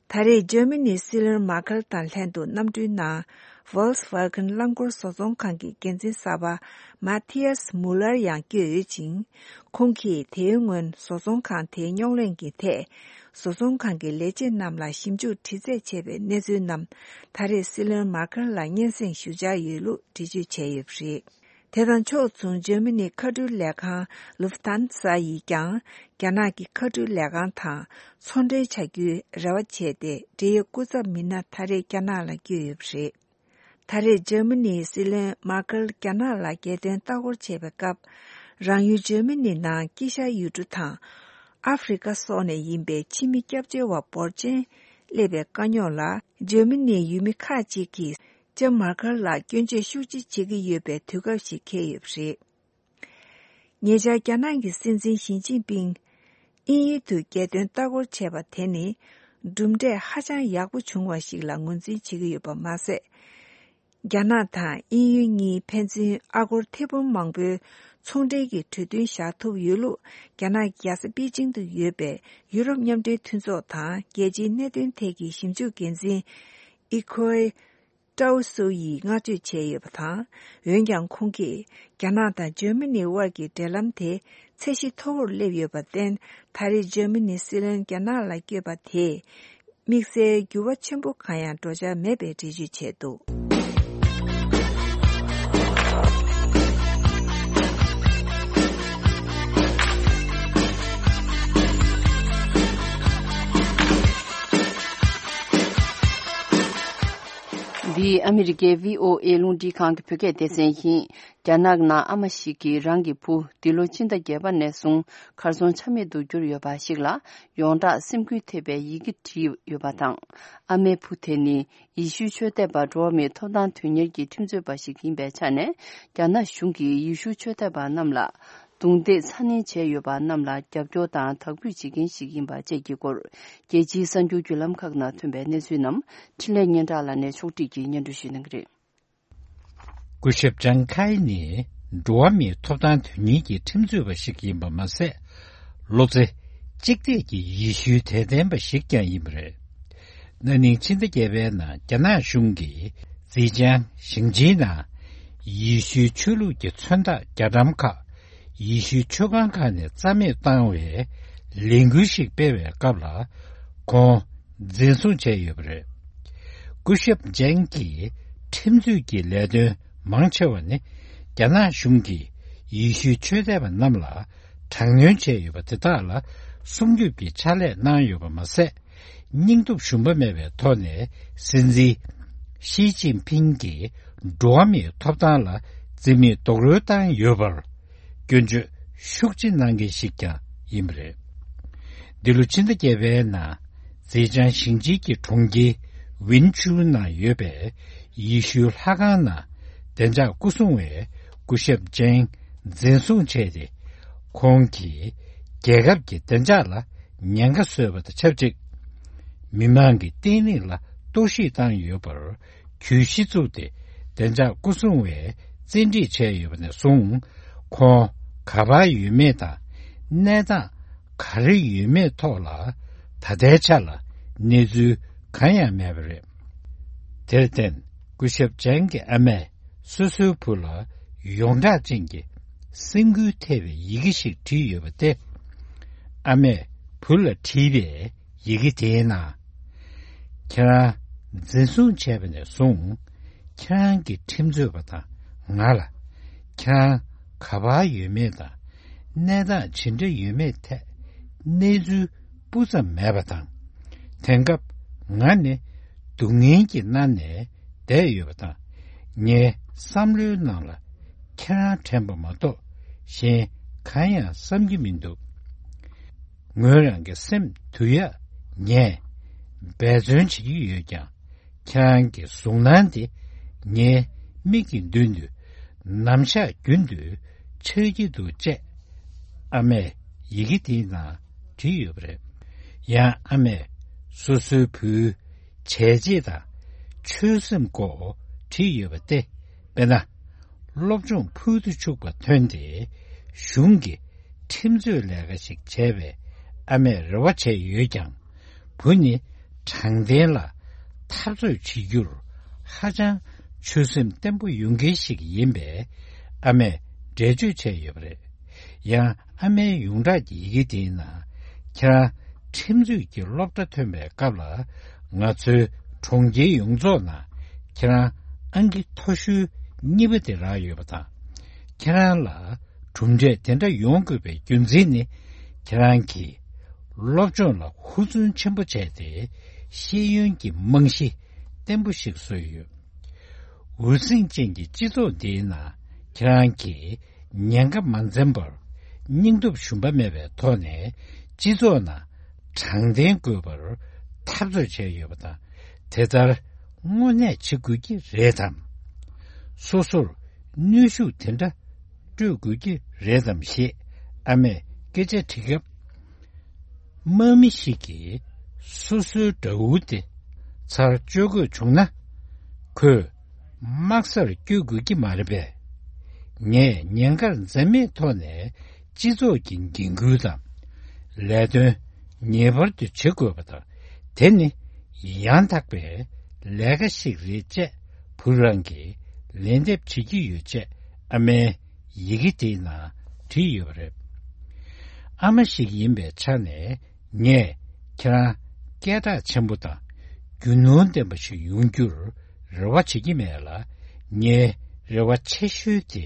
ད་རེས་འཇར་མ་ནིའི་སྲིད་བློན་མར་ཁེལ་དང་ལྷན་དུ་གནམ་གྲུའི་ནང་Volkswagen་རླངས་འཁོར་བཟོ་ཚོང་ཁང་གི་འགན་འཛིན་གསར་པ་Matthias Müller་ཡང་བསྐྱོད་ཡོད་ཅིང་། ཁོང་གིས་དེའི་སྔོན་བཟོ་ཚོང་ཁང་དེའི་རྙོག་གླེང་གི་ཐད། བཟོ་ཚོང་ཁང་གི་ལས་བྱེད་རྣམས་ལ་ཞིབ་འཇུག་དྲི་རྩད་བྱས་པའི་གནས་ཚུལ་རྣམས། ད་རེས་སྲིད་བློན་མར་ཁེལ་ལ་སྙན་སེང་ཞུ་འཆར་ཡོད་ལུགས་འགྲེལ་བརྗོད་བྱས་ཡོད་པ་རེད། དེ་དང་ཕྱོགས་མཚུངས། འཇར་མ་ནིའི་མཁའ་འགྲུལ་ལས་ཁང་Lufthansa་ཡིས་ཀྱང་། རྒྱ་ནག་གི་མཁའ་འགྲུལ་ལས་ཁང་དང་ཚོང་འབྲེལ་བྱ་རྒྱུའི་རེ་བ་བྱས་ཏེ། འབྲེལ་ཡོད་སྐུ་ཚབ་མི་སྣ་ད་རེས་རྒྱ་ནག་ལ་བསྐྱོད་ཡོད་པ་རེད། ད་རེས་འཇར་མ་ནིའི་སྲིད་བློན་མར་ཀེལ་རྒྱ་ནག་ལ་རྒྱལ་དོན་ལྟ་སྐོར་བྱས་པའི་སྐབས། རང་ཡུལ་འཇར་མ་ནི་ནང་དཀྱིལ་ཤར་ཡུལ་གྲུ་དང་། ཨ་ཧྥེ་རི་ཁ་སོགས་ནས་ཡིན་པའི་ཕྱི་མི་སྐྱབས་བཅོལ་བ་འབོར་ཆེན་སླེབས་པའི་དཀའ་རྙོག་ལ། འཇར་མ་ནིའི་ཡུལ་མི་ཁག་ཅིག་གིས་ལྕམ་མར་ཀེལ་ལ་སྐྱོན་བརྗོད་ཤུགས་ཆེ་བྱེད་ཀྱི་ཡོད་པའི་དུས་སྐབས་ཤིག་འཁེལ་ཡོད་པ་རེད། ཉེ་ཆར་རྒྱ་ནག་གི་སྲིད་འཛིན་ཞི་ཅིན་ཕིང་དབྱིན་ཡུལ་དུ་རྒྱལ་དོན་ལྟ་སྐོར་བྱས་པ་དེ་ནི་གྲུབ་འབྲས་ཧ་ཅང་ཡག་པོ་བྱུང་བ་ཞིག་ལ་ངོས་འཛིན་བྱེད་ཀྱི་ཡོད་པ་མ་ཟད། རྒྱ་ནག་དང་དབྱིན་ཡུལ་གཉིས་ཕན་ཚུན་ཨ་སྒོར་ཐེར་འབུམ་མང་པོའི་ཚོང་འབྲེལ་གྱི་གྲོས་མཐུན་བཞག་ཐུབ་ཡོད་ལུགས། རྒྱ་ནག་གི་རྒྱལ་ས་པེ་ཅིང་དུ་ཡོད་པའི་ཡུ་རོབ་མཉམ་འབྲེལ་མཐུན་ཚོགས་དང་རྒྱལ་སྤྱིའི་གནད་དོན་ཐད་ཀྱི་ཞིབ་འཇུག་འགན་འཛིན་ཨི་ཁོའེ་ཀྲའུ་སུའུ་ཡིས་བསྔགས་བརྗོད་བྱས་ཡོད་པ་དང་། འོན་ཀྱང་ཁོང་གིས་རྒྱ་ནག་དང་འཇར་མ་ནི་དབར་གྱི་འབྲེལ་ལམ་དེ་ཚད་གཞི་མཐོ་བོར་སླེབས་ཡོད་པར་བརྟེན། ད་རེས་འཇར་མ་ནིའི་སྲིད་བློན་རྒྱ་ནག་ལ་བསྐྱོད་པ་དེས། དམིགས་བསལ་འགྱུར་བ་ཆེན་པོ་གང་ཡང་འགྲོ་འཆར་མེད་པའི་འགྲེལ་བརྗོད་བྱས་འདུག། འདི་ཨ་མི་རི་ཀའི་བྷི་ཨོ་ཨེ་རླུང་འཕྲིན་ཁང་གི་བོད་སྐད་སྡེ་ཚན་ཡིན། རྒྱ་ནག་ནང་ཨ་མ་ཞིག་གིས་རང་གི་བུ་འདི་ལོ་ཕྱི་ཟླ་བརྒྱད་པ་ནས་བཟུང་གར་སོང་ཆ་མེད་དུ་གྱུར་ཡོད་པ་ཞིག་ལ་ཡོངས་གྲགས་སེམས་འགུལ་ཐེབས་པའི་ཡི་གེ་བྲིས་ཡོད་པ་དང་། ཨ་མའི་བུ་དེ་ནི་ཡེ་ཤུའི་ཆོས་དད་པ་འགྲོ་བ་མིའི་ཐོབ་ཐང་དོན་གཉེར་གྱི་ཁྲིམས་རྩོད་པ་ཞིག་ཡིན་པའི་ཆ་ནས། རྒྱ་ནག་གཞུང་གིས་ཡེ་ཤུའི་ཆོས་དད་པ་རྣམས་ལ་རྡུང་རྡེག་ཚ་ནན་བྱས་ཡོད་པ་རྣམས་ལ་རྒྱབ་སྐྱོར་དང་དག་འབུད་བྱེད་མཁན་ཞིག་ཡིན་པ་བཅས་ཀྱི་སྐོར། རྒྱལ་སྤྱིའི་གསར་འགྱུར་བརྒྱུད་ལམ་ཁག་ནང་ཐོན་པའི་གནས་ཚུལ་རྣམས་འཕྲིན་ལས་སྙན་གྲགས་ལགས་ནས་ཕྱོགས་བསྒྲིགས་ཀྱིས་སྙན་སྒྲོན་ཞུ་གནང་གི་རེད། སྐུ་ཞབས་ཅང་ཁའེ་ནི་འགྲོ་བ་མིའི་ཐོབ་ཐང་དོན་གཉེར་གྱི་ཁྲིམས་རྩོད་པ་ཞིག་ཡིན་པ་མ་ཟད། བློ་རྩེ་གཅིག་གཏད་ཀྱི་ཡེ་ཤུའི་དད་ལྡན་པ་ཞིག་ཀྱང་ཡིན་པ་རེད། ན་ནིང་ཕྱི་ཟླ་བརྒྱད་པའི་ནང་རྒྱ་ནག་གཞུང་གིས་ཛེ་ཅང་ཞིང་ཆེན་ནང་ཡེ་ཤུའི་ཆོས་ལུགས་ཀྱི་མཚོན་རྟགས་རྒྱ་གྲམ་ཁག་ཡེ་ཤུའི་ཆོས་ཁང་ཁག་ནས་རྩ་མེད་བཏང་བའི་ལས་འགུལ་ཞིག་སྤེལ་བའི་སྐབས་ལ། ཁོང་འཛིན་བཟུང་བྱས་ཡོད་པ་རེད། སྐུ་ཞབས་ཅན་གྱི་ཁྲིམས་རྩོད་ཀྱི་ལས་དོན་མང་ཆེ་བ་ནི། རྒྱ་ནག་གཞུང་གིས་ཡེ་ཤུའི་ཆོས་དད་པ་རྣམས་ལ་དྲག་གནོན་བྱས་ཡོད་པ་དེ་དག་ལ་སྲུང་སྐྱོབ་ཀྱི་ཕྱག་ལས་གནང་ཡོད་པ་མ་ཟད། སྙིང་སྟོབས་ཞུམ་པ་མེད་པའི་ཐོག་ནས་སྲིད་འཛིན་ཞི་ཅིན་ཕིང་གིས་འགྲོ་བ་མིའི་ཐོབ་ཐང་ལ་བརྩི་མེད་རྡོག་རོལ་བཏང་ཡོད་པར། སྐྱོན་བརྗོད་ཤུགས་ཆེ་གནང་མཁན་ཞིག་ཀྱང་ཡིན་པ་རེད། འདི་ལོ་ཕྱི་ཟླ་བརྒྱད་པའི་ནང་ཛེ་ཅང་ཞིང་ཆེན་གྱི་གྲོང་ཁྱེར་ཝིན་ཆུ་ནང་ཡོད་པའི་ཡེ་ཤུའི་ལྷ་ཁང་ནང་བདེ་འཇགས་སྐུ་སྲུང་བས་སྐུ་ཞབས་ཅན་འཛིན་བཟུང་བྱས་ཏེ། ཁོང་གིས་རྒྱལ་ཁབ་ཀྱི་བདེ་འཇགས་ལ་ཉེན་ཁ་བཟོས་པ་དང་ཆབས་ཅིག་མི་མང་གི་བརྟན་ལྷིང་ལ་གཏོར་བཤིག་བཏང་ཡོད་པར། གྱོད་གཞི་བཙུགས་ཏེ་བདེ་འཇགས་སྐུ་སྲུང་བས་བཙན་ཁྲིད་བྱས་ཡོད་པ་ནས་བཟུང་། ཁོང་ག་པར་ཡོད་མེད་དང་གནས་སྟངས་ག་རེ་ཡོད་མེད་ཐོག་ལ་ད་ལྟའི་ཆ་ལ་གནས་ཚུལ་གང་ཡང་མེད་པ་རེད། དེར་བརྟེན་སྐུ་ཞབས་ཅན་གྱི་ཨ་མས་སོ་སོའི་བུ་ལ་ཡོངས་གྲགས་ཅན་གྱི་སེམས་འགུལ་ཐེབས་པའི་ཡི་གེ་ཞིག་བྲིས་ཡོད་པ་སྟེ། ཨ་མས་བུ་ལ་བྲིས་པའི་ཡི་གེ་དེའི་ནང་། ཁྱེད་རང་འཛིན་བཟུང་བྱས་པ་ནས་བཟུང་ཁྱེད་རང་གི་ཁྲིམས་རྩོད་པ་དང་ང་ལ་ཁྱེད་རང་ག་པར་ཡོད་མེད་དང་གནས་སྟངས་ཇི་འདྲ་ཡོད་མེད་ཐད་གནས་ཚུལ་སྤུ་ཙམ་མེད་པ་དང་། དེང་སྐབས་ང་ནི་སྡུག་བསྔལ་གྱི་མནར་ནས་བསྡད་ཡོད་པ་དང་། ངའི་བསམ་བློའི་ནང་ལ་ཁྱེད་རང་དྲན་པ་མ་གཏོགས་གཞན་གང་ཡང་བསམ་གྱི་མི་འདུག་ངོས་རང་གི་སེམས་འདུལ་ཡག་ངས་འབད་བརྩོན་བྱེད་ཀྱི་ཡོད་ཀྱང་། ཁྱེད་རང་གི་གཟུགས་སྣང་དེ་ངའི་མིག་གི་མདུན་དུ་ནམ་ཞག་རྒྱུན་དུ་འཆར་གྱི་འདུག་ཅེས་ཨ་མས་ཡི་གེ་དེའི་ནང་བྲིས་ཡོད་པ་རེད། ཡང་ཨ་མས་སོ་སོའི་བུའི་བྱས་རྗེས་དང་ཆོད་སེམས་སྐོར་བྲིས་ཡོད་པ་སྟེ། དཔེར་ན། སློབ་སྦྱོང་ཕུལ་དུ་ཆུག་པ་ཐོན་ཏེ་གཞུང་གི་ཁྲིམས་རྩོད་ལས་ཀ་ཞིག་བྱས་པའི་ཨ་མས་རེ་བ་བྱས་ཡོད་ཀྱང་། བུ་ནི་དྲང་བདེན་ལ་འཐབ་རྩོད་བྱེད་རྒྱུར་ཧ་ཅང་ཆོད་སེམས་བརྟན་པོ་ཡོད་མཁན་ཞིག་ཡིན་པས་ཨ་མས་འགྲེལ་བརྗོད་བྱས་ཡོད་པ་རེད། ཡང་ཨ་མའི་ཡོངས་གྲགས་ཀྱི་ཡི་གེ་དེའི་ནང་། ཁྱེད་རང་ཁྲིམས་རྩོད་ཀྱི་སློབ་གྲྭ་ཐོན་པའི་སྐབས་ལ། ང་ཚོའི་གྲོང་ཁྱེར་ཡོངས་རྫོགས་ནང་ཁྱེད་རང་ཨང་ཀི་མཐོ་ཤོས་གཉིས་པ་དེ་རག་ཡོད་པ་དང་། ཁྱེད་རང་ལ་གྲུབ་འབྲས་དེ་འདྲ་ཡོང་དགོས་པའི་རྒྱུ་མཚན་ནི། ཁྱེད་རང་གིས་སློབ་སྦྱོང་ལ་ཧུར་བརྩོན་ཆེན་པོ་བྱས་ཏེ་ཤེས་ཡོན་གྱི་རྨང་གཞི་བརྟན་པོ་ཞིག་བཟོས་ཡོད། འུར་ཟིང་ཅན་གྱི་སྤྱི་ཚོགས་འདིའི་ནང་ཁྱེད་རང་གིས་ཉེན་ཁ་མ་འཛེམས་པར་སྙིང་སྟོབས་ཞུམ་པ་མེད་པའི་ཐོག་ནས་སྤྱི་ཚོགས་ནང་དྲང་བདེན་དགོས་པར་འཐབ་རྩོད་བྱས་ཡོད་པ་དང་། དེ་ལྟར་དངོས་གནས་བྱེད་དགོས་ཀྱི་རེད་དམ། སོ་སོར་གནོན་ཤུགས་དེ་འདྲ་སྤྲོད་དགོས་ཀྱི་རེད་དམ་ཞེས་ཨ་མས་སྐད་ཆ་དྲིས་སྐབས། དམག་མི་ཞིག་གིས་སོ་སོའི་དགྲ་བོ་དེ་ཚར་གཅོད་དགོས་བྱུང་ན། ཁོས་དམག་སར་བསྐྱོད་དགོས་ཀྱི་མ་རེད་པས། ངས་ཉེན་ཁར་འཛེམ་མེད་ཐོག་ནས་སྤྱི་ཚོགས་ཀྱི་འགན་ཁུར་དང་། ལས་དོན་ངེས་པར་དུ་བྱེད་དགོས་པ་དང་། དེ་ནི་ཡང་དག་པའི་ལས་ཀ་ཞིག་རེད་ཅེས་བུ་རང་གིས་ལན་འདེབས་བྱེད་ཀྱི་ཡོད་ཅེས་ཨ་མའི་ཡི་གེ་དེའི་ནང་བྲིས་ཡོད་པ་རེད། ཨ་མ་ཞིག་ཡིན་པའི་ཆ་ནས། ངས་ཁྱེད་རང་སྐད་གྲགས་ཆེན་པོ་དང་རྒྱུ་ནོར་ལྡན་པ་ཞིག་ཡོང་རྒྱུར་རེ་བ་བྱེད་ཀྱི་མེད་ལ། ངའི་རེ་བ་ཆེ་ཤོས་དེ།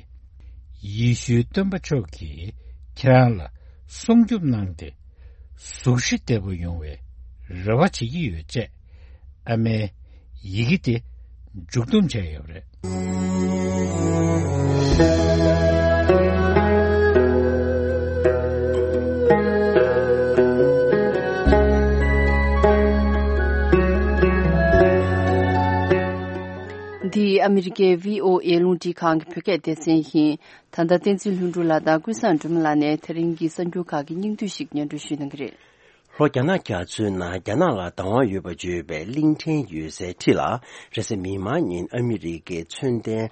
ཡེ་ཤུའི་སྟོན་པ་མཆོག་གིས་ཁྱེད་རང་ལ་སྲུང་སྐྱོབ་གནང་སྟེ། གཟུགས་གཞི་བདེ་པོ་ཡོང་བའི་རེ་བ་བྱེད་ཀྱི་ཡོད་ཅེས་ཨ་མའི་ཡི་གེ་དེ་མཇུག་བསྡོམས་བྱས་ཡོད་པ་རེད། འདི་ཨ་མི་རི་ཀའི་བྷི་ཨོ་ཨེ་རླུང་འཕྲིན་ཁང་གི་བོད་སྐད་སྡེ་ཚན་ཡིན། ད་ལྟ་བསྟན་འཛིན་ལྷུན་གྲུབ་ལགས་དང་ཀུན་བཟང་སྒྲོལ་མ་ལགས་ནས་དེ་རིང་གི་གསར་འགྱུར་ཁག་གི་སྙིང་བསྡུས་ཤིག་སྙན་སྒྲོན་ཞུ་གནང་གི་རེད། ལྷོ་རྒྱ་ནག་རྒྱ་མཚོའི་ནང་རྒྱ་ནག་ལ་བདག་དབང་ཡོད་པར་བརྗོད་པའི་གླིང་ཕྲན་ཡོད་སའི་འཁྲིས་ལ། རེས་གཟའ་མིག་དམར་ཉིན་ཨ་མི་རི་ཀའི་མཚོན་ལྡན་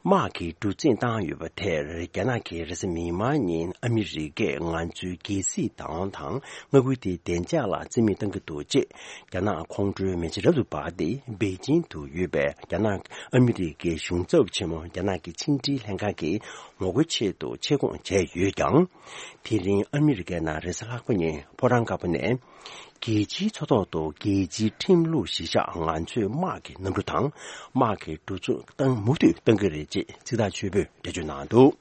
དམག་གི་གྲུ་གཟིངས་བཏང་ཡོད་པ་དེར། རྒྱ་ནག་གིས་རེས་གཟའ་མིག་དམར་ཉིན་ཨ་མི་རི་ཀས་ང་ཚོའི་རྒྱལ་སྲིད་བདག་དབང་དང་མངའ་ཁུལ་དེའི་བདེ་འཇགས་ལ་རྩིས་མེད་གཏང་གི་འདུག་ཅེས་རྒྱ་ནག་ཁོང་ཁྲོའི་མེ་ལྕེ་རབ་ཏུ་འབར་ཏེ། པེ་ཅིང་དུ་ཡོད་པའི་རྒྱ་ནག་ཨ་མི་རི་ཀའི་གཞུང་ཚབ་ཆེན་མོ་རྒྱ་ནག་གི་ཕྱི་འབྲེལ་ལྷན་ཁང་གིས་ངོ་རྒོལ་ཆེད་དུ་ཆེད་བསྐོང་བྱས་ཡོད་ཀྱང་། དེ་རིང་ཨ་མི་རི་ཀའི་ནང་རེས་གཟའ་ལྷག་པ་ཉིན་ཕོ་བྲང་དཀར་པོ་ནས། རྒྱལ་སྤྱིའི་མཚོ་ཐོག་ཏུ་རྒྱལ་སྤྱིའི་ཁྲིམས་ལུགས་གཞིར་བཞག་ང་ཚོས་དམག་གི་གནམ་གྲུ་དང་དམག་གི་གྲུ་གཟིངས་བཏང་མུ་མཐུད་གཏང་གི་རེད་ཅེས་ཚིག་ཐག་ཆོད་པོས་འགྲེལ་བརྗོད་གནང་འདུག།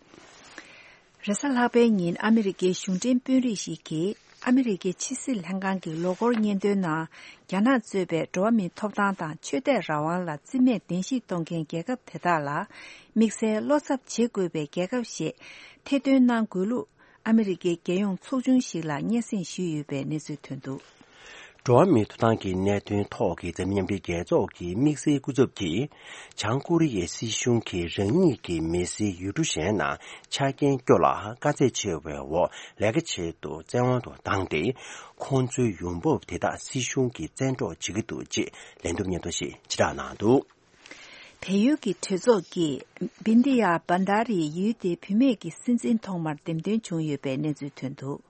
རེས་གཟའ་ལྷག་པའི་ཉིན་ཨ་མི་རི་ཀའི་གཞུང་འབྲེལ་དཔོན་རིགས་ཤིག་གིས་ཨ་མི་རི་ཀའི་ཕྱི་སྲིད་ལྷན་ཁང་གི་ལོ་འཁོར་སྙན་ཐོའི་ནང་། རྒྱ་ནག་གཙོས་པའི་འགྲོ་བ་མིའི་ཐོབ་ཐང་དང་ཆོས་དད་རང་དབང་ལ་རྩིས་མེད་གདན་ཞུ་གཏོང་མཁན་རྒྱལ་ཁབ་དེ་དག་ལ་དམིགས་བསལ་བློ་འཚབ་བྱེད་དགོས་པའི་རྒྱལ་ཁབ་ཞེས་ཐེར་འདོན་གནང་དགོས་ལུགས། ཨ་མི་རི་ཀའི་རྒྱལ་ཡོངས་ཚོགས་ཆུང་ཞིག་ལ་སྙན་སེང་ཞུས་ཡོད་པའི་གནས་ཚུལ་ཐོན་འདུག། འགྲོ་བ་མིའི་ཐོབ་ཐང་གི་གནད་དོན་ཐོག་གི་འཛམ་གླིང་མཉམ་འབྲེལ་རྒྱལ་ཚོགས་ཀྱི་དམིགས་བསལ་སྐུ་ཚབ་ཀྱིས། བྱང་ཀོ་རི་ཡའི་སྲིད་གཞུང་གིས་རང་ཉིད་ཀྱི་མི་སེར་ཡུལ་གྲུ་གཞན་ནང་ཆ་རྐྱེན་སྐྱོ་ལ་དཀའ་ཚེགས་ཆེ་བའི་འོག་ལས་ཀ་ཆེད་དུ་བཙན་དབང་དུ་བཏང་སྟེ། ཁོང་ཚོའི་ཡོང་འབབ་དེ་དག་སྲིད་གཞུང་གིས་བཙན་འཕྲོག་བྱེད་ཀྱི་འདུག་ཅེས་ལན་འདེབས་སྙན་ཐོ་ཞིག་ཕྱིར་བསྒྲགས་གནང་འདུག། བལ་ཡུལ་གྱི་གྲོས་ཚོགས་ཀྱིས་བིན་དི་ཡ་བན་དྷ་རི་ཡུལ་དེའི་བུད་མེད་ཀྱི་སྲིད་འཛིན་ཐོག་མར་འདེམས་ཐོན་བྱུང་ཡོད་པའི་གནས་ཚུལ་ཐོན་འདུག།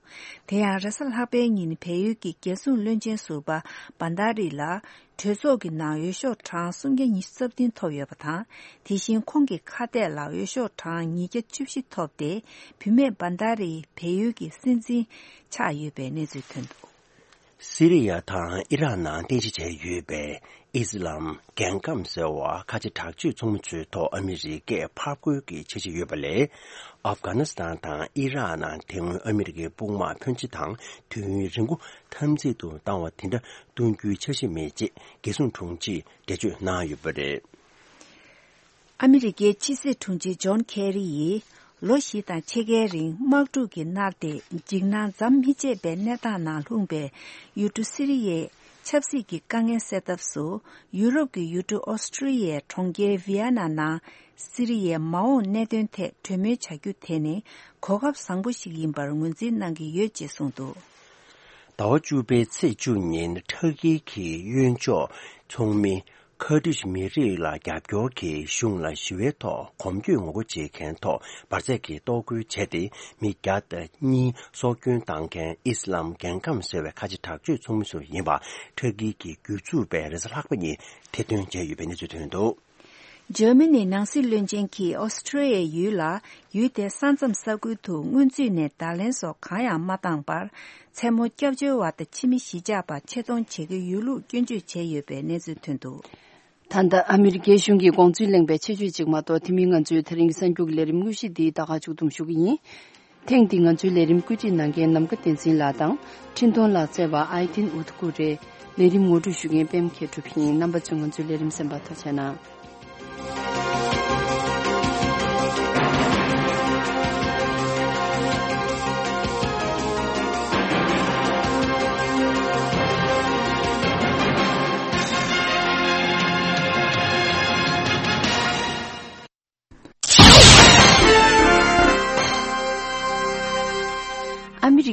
དེ་ཡང་རེས་གཟའ་ལྷག་པའི་ཉིན་བལ་ཡུལ་གྱི་རྒྱལ་སྲུང་བློན་ཆེན་ཟུར་པ་བན་དྷ་རི་ལ་གྲོས་ཚོགས་ཀྱི་ནང་འོས་ཤོག་གྲངས་སུམ་བརྒྱ་ཉི་ཤུ་རྩ་བདུན་ཐོབ་ཡོད་པ་དང་། དེ་བཞིན་ཁོང་གི་ཁ་གཏད་ལ་འོས་ཤོག་གྲངས་ཉིས་བརྒྱ་བཅུ་བཞི་ཐོབ་སྟེ། བུད་མེད་བན་དྷ་རི་བལ་ཡུལ་གྱི་སྲིད་འཛིན་ཆགས་ཡོད་པའི་གནས་ཚུལ་ཐོན་འདུག། སི་རི་ཡ་དང་ཨི་རག་ནང་རྟེན་གཞི་བྱས་ཡོད་པའི་ཨི་སི་ལམ་རྒྱལ་ཁམས་ཟེར་བ་ཁ་ཆེ་དྲག་སྤྱོད་ཚོགས་མི་ཚོའི་ཐོག་ཨ་མི་རི་ཀས་ཕར་རྒོལ་གྱི་འཆར་གཞི་ཡོད་པ་ལས། ཨབ་གྷ་ནི་སི་ཐན་དང་ཨི་རག་ནང་དེ་སྔོན་ཨ་མི་རི་ཀའི་དཔུང་དམག་ཕོན་ཆེ་དང་དུས་ཡུན་རིང་པོ་འཐབ་འཛིང་དུ་བཏང་བ་དེ་འདྲ་གཏོང་རྒྱུའི་འཆར་གཞི་མེད་ཅེས་རྒྱལ་སྲུང་དྲུང་ཆེས་འགྲེལ་བརྗོད་གནང་ཡོད་པ་རེད། ཨ་མི་རི་ཀའི་ཕྱི་སྲིད་དྲུང་ཆེ་ཇོན་ཁེ་རི་ཡིས་ལོ་བཞི་དང་ཕྱེད་ཀའི་རིང་དམག་འཁྲུག་གིས་མནར་ཏེ་འཇིགས་སྣང་མཚམས་མི་ཆད་པའི་གནས་སྟངས་ནང་ལྷུང་པའི་ཡུལ་གྲུ་སི་རི་ཡའི་ཆབ་སྲིད་ཀྱི་དཀའ་ངལ་སེལ་ཐབས་སུ། ཡུ་རོབ་ཀྱི་ཡུལ་གྲུ་ཨོ་སི་ཀྲི་ཡའི་གྲོང་ཁྱེར་ཝི་ཡ་ན་ནང་སི་རི་ཡའི་མ་འོངས་གནད་དོན་ཐད་གྲོས་མོལ་བྱ་རྒྱུ་དེ་ནི་གོ་སྐབས་བཟང་པོ་ཞིག་ཡིན་པར་ངོས་འཛིན་གནང་གི་ཡོད་ཅེས་གསུངས་འདུག། ཟླ་བ་བཅུ་པའི་ཚེས་བཅུ་ཉིན་ཁྲ་ཀི་གི་གཡོན་ཕྱོགས་ཚོགས་མི་ཁར་ཏིཤ་མི་རིགས་ལ་རྒྱབ་སྐྱོར་གྱིས་གཞུང་ལ་ཞི་བའི་ཐོག་གོམ་བགྲོད་ངོ་རྒོལ་བྱེད་མཁན་ཐོག་འབར་རྫས་ཀྱིས་གཏོར་རྒོལ་བྱས་ཏེ། མི་བརྒྱ་དང་གཉིས་སྲོག་སྐྱོན་བཏང་མཁན་ཨི་སི་ལམ་རྒྱལ་ཁམས་ཟེར་བའི་ཁ་ཆེ་དྲག་སྤྱོད་ཚོགས་མི་ཚོ་ཡིན་པ་ཁྲ་ཀི་གི་སྒེར་ཚུགས་པས་རེས་གཟའ་ལྷག་པ་ཉིན་ཐེར་འདོན་བྱས་ཡོད་པའི་གནས་ཚུལ་ཐོན་འདུག། འཇར་མ་ནིའི་ནང་སྲིད་བློན་ཆེན་གྱིས་ཨོ་སི་ཀྲི་ཡའི་ཡུལ་ལ་ཡུལ་དེའི་ས་མཚམས་ས་ཁུལ་དུ་སྔོན་ཚུད་ནས་བརྡ་ལན་སོགས་གང་ཡང་མ་བཏང་བར། མཚན་མོ་སྐྱབས་བཅོལ་བ་དང་ཕྱི་མི་གཞིས་ཆགས་པ་ཆེད་གཏོང་བྱེད་ཀྱི་ཡོད་ལུགས་སྐྱོན་བརྗོད་བྱས་ཡོད་པའི་གནས་ཚུལ་ཐོན་འདུག། ད་ལྟ་ཨ་མི་རི་ཀའི་གཞུང་གི་དགོངས་ཚུལ་གླེང་བའི་ཆེད་བརྗོད་ཅིག་མ་གཏོགས། དེ་མིན་ང་ཚོའི་དེ་རིང་གི་གསར་འགྱུར་གྱི་ལས་རིམ་དངོས་གཞི་འདི་ད་ག་མཇུག་བསྡོམས་ཞུ་གི་ཡིན། ཐེངས་འདི་ང་ཚོའི་ལས་རིམ་བཀོད་སྒྲིག་གནང་མཁན་ནམ་མཁའ་བསྟན་འཛིན་ལགས་དང་། འཕྲིན་གཏོང་ལག་རྩལ་བ་ཨའི་ཏིན་ཨུ་ཐུ་ཀུ་རེད། ལས་རིམ་ངོ་སྤྲོད་ཞུ་མཁན་པད་མ་མཁས་གྲུབ་ཡིན། རྣམ་པ་ཚོས་ང་ཚོའི་ལས་རིམ་གསན་པར་ཐུགས་རྗེ་གནང་།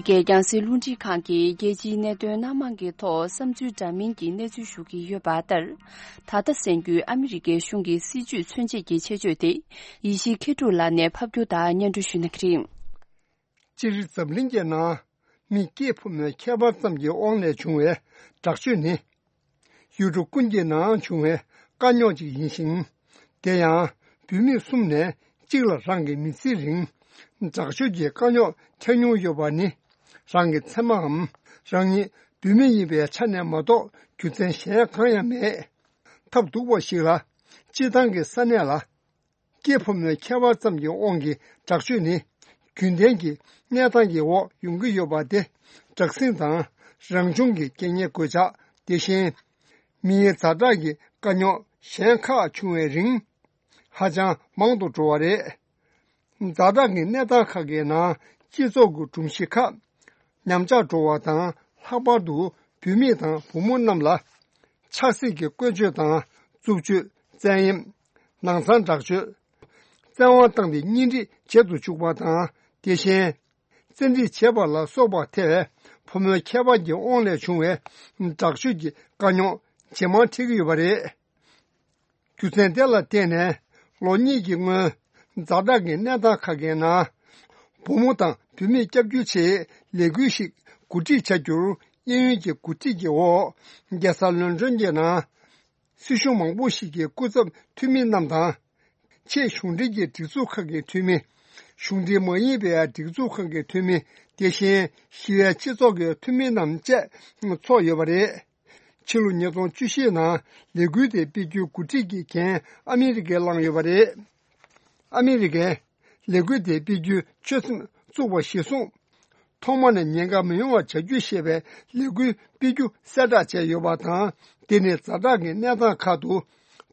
གི་རྒྱང་སྲིང་རླུང་འཕྲིན་ཁང་གིས་རྒྱལ་སྤྱིའི་གནད་དོན་སྣ་མང་གི་ཐོག་བསམ་ཚུལ་འདྲ་མིན་གྱི་གནས་ཚུལ་ཞུ་གི་ཡོད་པ་ལྟར། ད་ལྟ་གསན་རྒྱུའི་ཨ་མི་རི་ཀའི་གཞུང་གི་སྲིད་ཇུས་མཚོན་བྱེད་ཀྱི་ཆེད་བརྗོད་དེ། ཡེ་ཤེས་མཁས་གྲུབ་ལགས་ནས་ཕབ་སྒྱུར་དང་སྙན་སྒྲོན་ཞུ་གནང་གི་རེད། སྤྱིར་འཛམ་གླིང་གི་ནང་མི་སྐྱེས་ཕོ་མོའི་ཁྱད་པར་ཙམ་གྱི་དབང་ལས་བྱུང་བའི་དྲག་སྤྱོད་ནི། ཡུལ་གྲུ་ཀུན་གྱི་ནང་བྱུང་བའི་དཀའ་རྙོག་ཅིག་ཡིན་ཞིང་། དེ་ཡང་བུད་མེད་གསུམ་ནས་གཅིག་ལ་རང་གི་མི་ཚེའི་རིང་དྲག་སྤྱོད་ཀྱི་དཀའ་རྙོག་འཕྲད་མྱོང་ཡོད་པ་ནི། རང་གི་མཚན་མའམ་རང་ཉིད་བུད་མེད་ཡིན་པའི་ཆ་ནས་མ་གཏོགས་རྒྱུ་མཚན་གཞན་གང་ཡང་མེད། ཐབས་སྡུག་པ་ཞིག་ལ། སྤྱིར་བཏང་གི་ས་གནས་ལ། སྐྱེས་ཕོ་མོའི་ཁྱད་པར་ཙམ་གྱི་དབང་གིས་དྲག་སྤྱོད་ནི། རྒྱུན་ལྡན་གྱི་གནས་སྟངས་ཀྱི་འོག་ཡོང་གི་ཡོད་པ་སྟེ། དྲག་ཟིང་དང་རང་བྱུང་གི་རྐྱེན་ངན་གོད་ཆག་དེ་བཞིན། མིའི་ཛ་དྲག་གི་དཀའ་རྙོག་གཞན་ཁག་བྱུང་བའི་རིང་། ཧ་ཅང་མང་དུ་འགྲོ་བ་རེད། ཛ་དྲག་གི་གནས་སྟངས་ཁག་གི་ནང་སྤྱི་ཚོགས་ཀྱི་སྒྲོམ་གཞི་ཁག་ཉམས་ཆག་འགྲོ་བ་དང་། ལྷག་པར་དུ་བུད་མེད་དང་བུ་མོ་རྣམས་ལ་ཆབ་སྲིད་ཀྱི་བཀོལ་སྤྱོད་དང་། རྩུབ་སྤྱོད། བཙན་གཡེམ། ནང་ཚང་དྲག་སྤྱོད། བཙན་དབང་བཏང་སྟེ་གཉེན་སྒྲིག་བྱེད་དུ་བཅུག་པ་དང་། དེ་བཞིན། བཙན་ཁྲིད་བྱེད་པ་ལ་སོགས་པ་ཐེ་བའི་ཕོ་མོའི་ཁྱད་པར་གྱི་དབང་ལས་བྱུང་བའི་དྲག་སྤྱོད་ཀྱི་དཀའ་རྙོག་ཇེ་མང་འཕྲད་ཀྱི་ཡོད་པ་རེད། རྒྱུ་མཚན་དེ་ལ་བརྟེན་ནས་ལོ་གཉིས་ཀྱི་སྔོན། ཛ་དྲག་གི་གནས་སྟངས་ཁག་གི་ནང་། བུ་མོ་དང་བུད་མེད་སྐྱབས་བཅོལ་ཆེད་ལས་འགུལ་ཞིག་གོ་སྒྲིག་བྱ་རྒྱུར། གཡས་གཡོན་གྱི་གོ་སྒྲིག་གི་འོག་རྒྱལ་ས་ལོན་ཀྲོན་གྱི་ནང་། སྲིད་གཞུང་མང་པོ་ཞིག་གི་སྐུ་ཚབ་འཐུས་མི་རྣམས་དང་། ཆེས་གཞུང་འབྲེལ་གྱི་སྒྲིག་འཛུགས་ཁག་གི་འཐུས་མི། གཞུང་འབྲེལ་མ་ཡིན་པའི་སྒྲིག་འཛུགས་ཁག་གི་འཐུས་མི། དེ་བཞིན་ཞི་བའི་སྤྱི་ཚོགས་ཀྱི་འཐུས་མི་རྣམས་བཅས་ཚོགས་ཡོད་པ་རེད། ཕྱི་ལོ་ཉིས་སྟོང་བཅུ་བཞི་ནང་ལས་འགུལ་དེ་སྤེལ་རྒྱུའི་གོ་སྒྲིག་གི་འགན་ཨ་མི་རི་ཀས་བླངས་ཡོད་པ་རེད། ཨ་མི་རི་ཀས་ལས་འགུལ་དེ་སྤེལ་རྒྱུའི་ཆོད་སེམས་བཙུགས་པ་གཞིར་བཟུང་། ཐོག་མ་ནས་ཉེན་ཁ་མི་ཡོང་བ་བྱ་རྒྱུ་ཞེས་པའི་ལས་འགུལ་སྤེལ་རྒྱུ་གསལ་བསྒྲགས་བྱས་ཡོད་པ་དང་། དེ་ནི་ཛ་དྲག་གི་གནས་སྟངས་ཁག་ཏུ་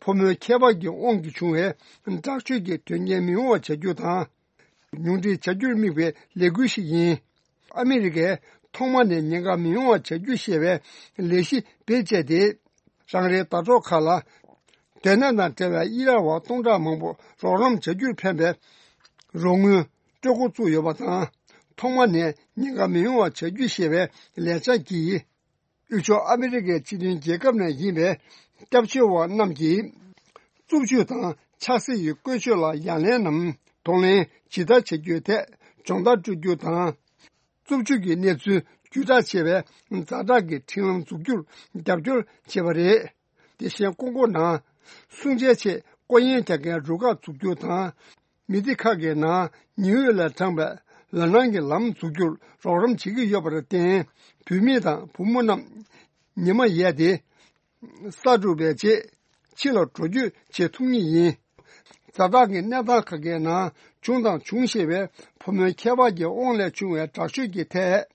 ཕོ་མོའི་ཁྱད་པར་གྱི་དབང་གིས་བྱུང་བའི་དྲག་སྤྱོད་ཀྱི་དོན་རྐྱེན་མི་ཡོང་བ་བྱ་རྒྱུ་དང་། ཉུང་འཕྲི་བྱ་རྒྱུར་དམིགས་པའི་ལས་འགུལ་ཞིག་ཡིན། ཨ་མི་རི་ཀས་ཐོག་མ་ནས་ཉེན་ཁ་མི་ཡོང་བ་བྱ་རྒྱུ་ཞེས་པའི་ལས་གཞི་བེད་སྤྱད་དེ། རང་རེའི་ཟླ་གྲོགས་ཁག་ལ། སྡོད་གནས་དང་འབྲེལ་བའི་དབྱི་རག་པ་སྟོང་ཕྲག་མང་པོ་རོགས་རམ་བྱ་རྒྱུར་ཕན་པའི་རོགས་དངུལ་སྤྲོད་འགོ་བཙུགས་ཡོད་པ་དང་། ཐོག་མ་ནས་ཉེན་ཁ་མི་ཡོང་བ་བྱ་རྒྱུ་ཞེས་པའི་ལས་འཆར་གྱིས། དབུས་ཕྱོགས་ཨ་མི་རི་ཀའི་སྤྱི་མཐུན་རྒྱལ་ཁབ་ནས་ཡིན་པའི་སྐྱབས་བཅོལ་བ་རྣམས་ཀྱིས། རྩུབ་སྤྱོད་དང་ཆབ་སྲིད་ཀྱི་བཀོལ་སྤྱོད་ལ་ཡ་ལན་ནམ་གདོང་ལེན་ཇི་ལྟར་བྱ་རྒྱུའི་ཐད་སྦྱོང་བརྡར་སྤྲོད་རྒྱུ་དང་། རྩུབ་སྤྱོད་ཀྱི་གནས་ཚུལ་བརྒྱུད་བསྒྲགས་བྱེད་པའི་ཛ་དྲག་གི་འཕྲིན་ལམ་འཛུགས་རྒྱུར་རྒྱབ་སྐྱོར་བྱས་པ་རེད། དེ་བཞིན་ཀོང་ཀོ་ནང་སྲུང་བྱའི་ཆེད་སྐོར་གཡེང་རྒྱག་མཁན་རུ་ཁག་འཛུགས་རྒྱུ་དང་། མི་སྡེ་ཁག་གི་ནང་ཉི་འོད་ལས་དྲངས་པའི་ལམ་སྣ་གི་ལམ་འཛུགས་རྒྱུར་རོགས་རམ་བྱེད་ཀྱི་ཡོད་པར་བརྟེན། བུད་མེད་དང་བུ་མོ་རྣམས་ཉི་མ་ཡལ་ཏེ། ས་འགྲོ་བའི་རྗེས་ཕྱི་ལ་འགྲོ་སྐྱོད་བྱེད་ཐུབ་ངེས་ཡིན། ཛ་དྲག་གི་གནས་སྟངས་ཁག་གི་ནང་བྱུང་དང་འབྱུང་བཞིན་པའི་ཕོ་མོའི་ཁྱད་པར་གྱི་དབང་ལས་བྱུང་བའི་དྲག་སྤྱོད་ཀྱི་ཐད།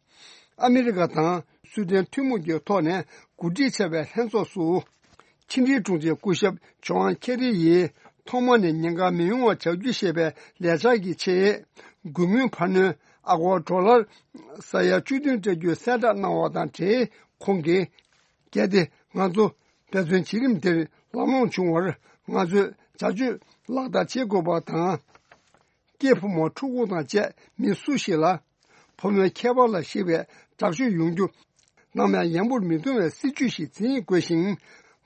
ཨ་མི་རི་ཀ་དང་སུའེ་ཏེན་ཐུན་མོང་གི་ཐོག་ནས་གོ་སྒྲིག་བྱས་པའི་ལྷན་ཚོགས་སུ། ཕྱི་འབྲེལ་དྲུང་ཆེ་སྐུ་ཞབས་ཇོན་ཁེ་རི་ཡིས་ཐོག་མ་ནས་ཉེན་ཁ་མི་ཡོང་བ་བྱ་རྒྱུ་ཞེས་པའི་ལས་འཆར་གྱི་ཆེད། དགོས་དངུལ་འཕར་སྣོན་ཨ་སྒོར་ཌོ་ལར་ས་ཡ་བཅུ་བདུན་སྤྲད་རྒྱུའི་གསལ་བསྒྲགས་གནང་བ་དང་འབྲེལ། ཁོང་གིས། གལ་ཏེ་ང་ཚོ་འབད་བརྩོན་བྱེད་རིམ་དེར་ལམ་ལྷོང་བྱུང་བར་ང་ཚོས་བྱ་སྤྱོད་ལག་བསྟར་བྱེད་དགོས་པ་དང་། སྐྱེས་ཕོ་མོ་ཕྲུ་གུ་དང་བཅས་མི་སུ་ཞིག་ལ་ཕོ་མོའི་ཁྱད་པར་ལ་གཞིགས་པའི་དྲག་སྤྱོད་ཡོང་རྒྱུ་ནམ་ཡང་ཡང་པོར་མི་གཏོང་བའི་སྲིད་ཇུས་ཤིག་འཛིན་དགོས་ཤིང་།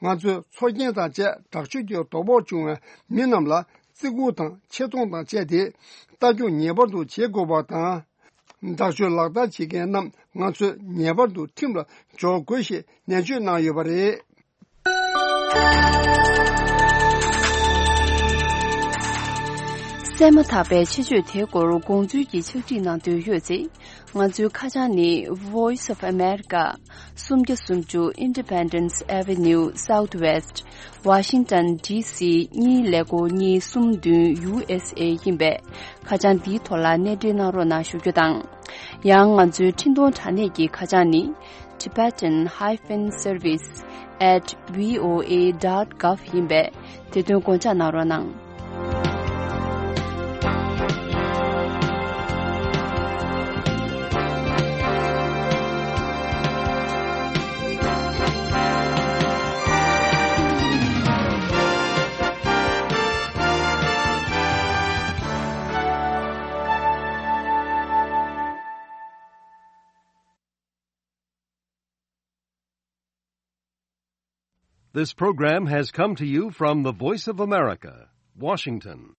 ང་ཚོས་འཚོ་རྐྱེན་དང་བཅས་དྲག་སྤྱོད་ཀྱི་དོ་ཕོག་བྱུང་བའི་མི་རྣམས་ལ་བརྩི་བཀུར་དང་ཆེ་མཐོང་དང་བཅས་ཏེ་ལྟ་སྐྱོང་ངེས་པར་དུ་བྱེད་དགོས་པ་དང་། དྲག་སྤྱོད་ལག་བསྟར་བྱེད་མཁན་རྣམས་ང་ཚོས་ངེས་པར་དུ་ཁྲིམས་ལ་སྦྱོར་དགོས་ཞེས་ནན་བརྗོད་གནང་ཡོད་པ་རེད། གསན་མ་ཐག་པའི་ཆེད་བརྗོད་དེའི་སྐོར་དགོངས་ཚུལ་གྱི་ཕྱག་བྲིས་གནང་འདོད་ཡོད་ཚེ། ང་ཚོའི་ཁ་བྱང་ནི། Voice of America། སུམ་བརྒྱ་སུམ་ཅུ་Independence Avenue Southwest། Washington D C གཉིས་ཀླད་ཀོར་གཉིས་གསུམ་བདུན་U S A ཡིན་པས། ཁ་བྱང་འདིའི་ཐོག་ལ་གནས་འབྲེལ་གནང་རོགས་གནང་ཞུ་རྒྱུ་དང་། ཡང་ང་ཚོའི་འཕྲིན་གཏོང་དྲ་གནས་ཀྱི་ཁ་བྱང་ནི། Tibetan hyphen service at V O A dot gov ཡིན་པས། དེ་དོན་དགོངས་འཇགས་གནང་རོགས་གནང་། This program has come to you from the Voice of America, Washington.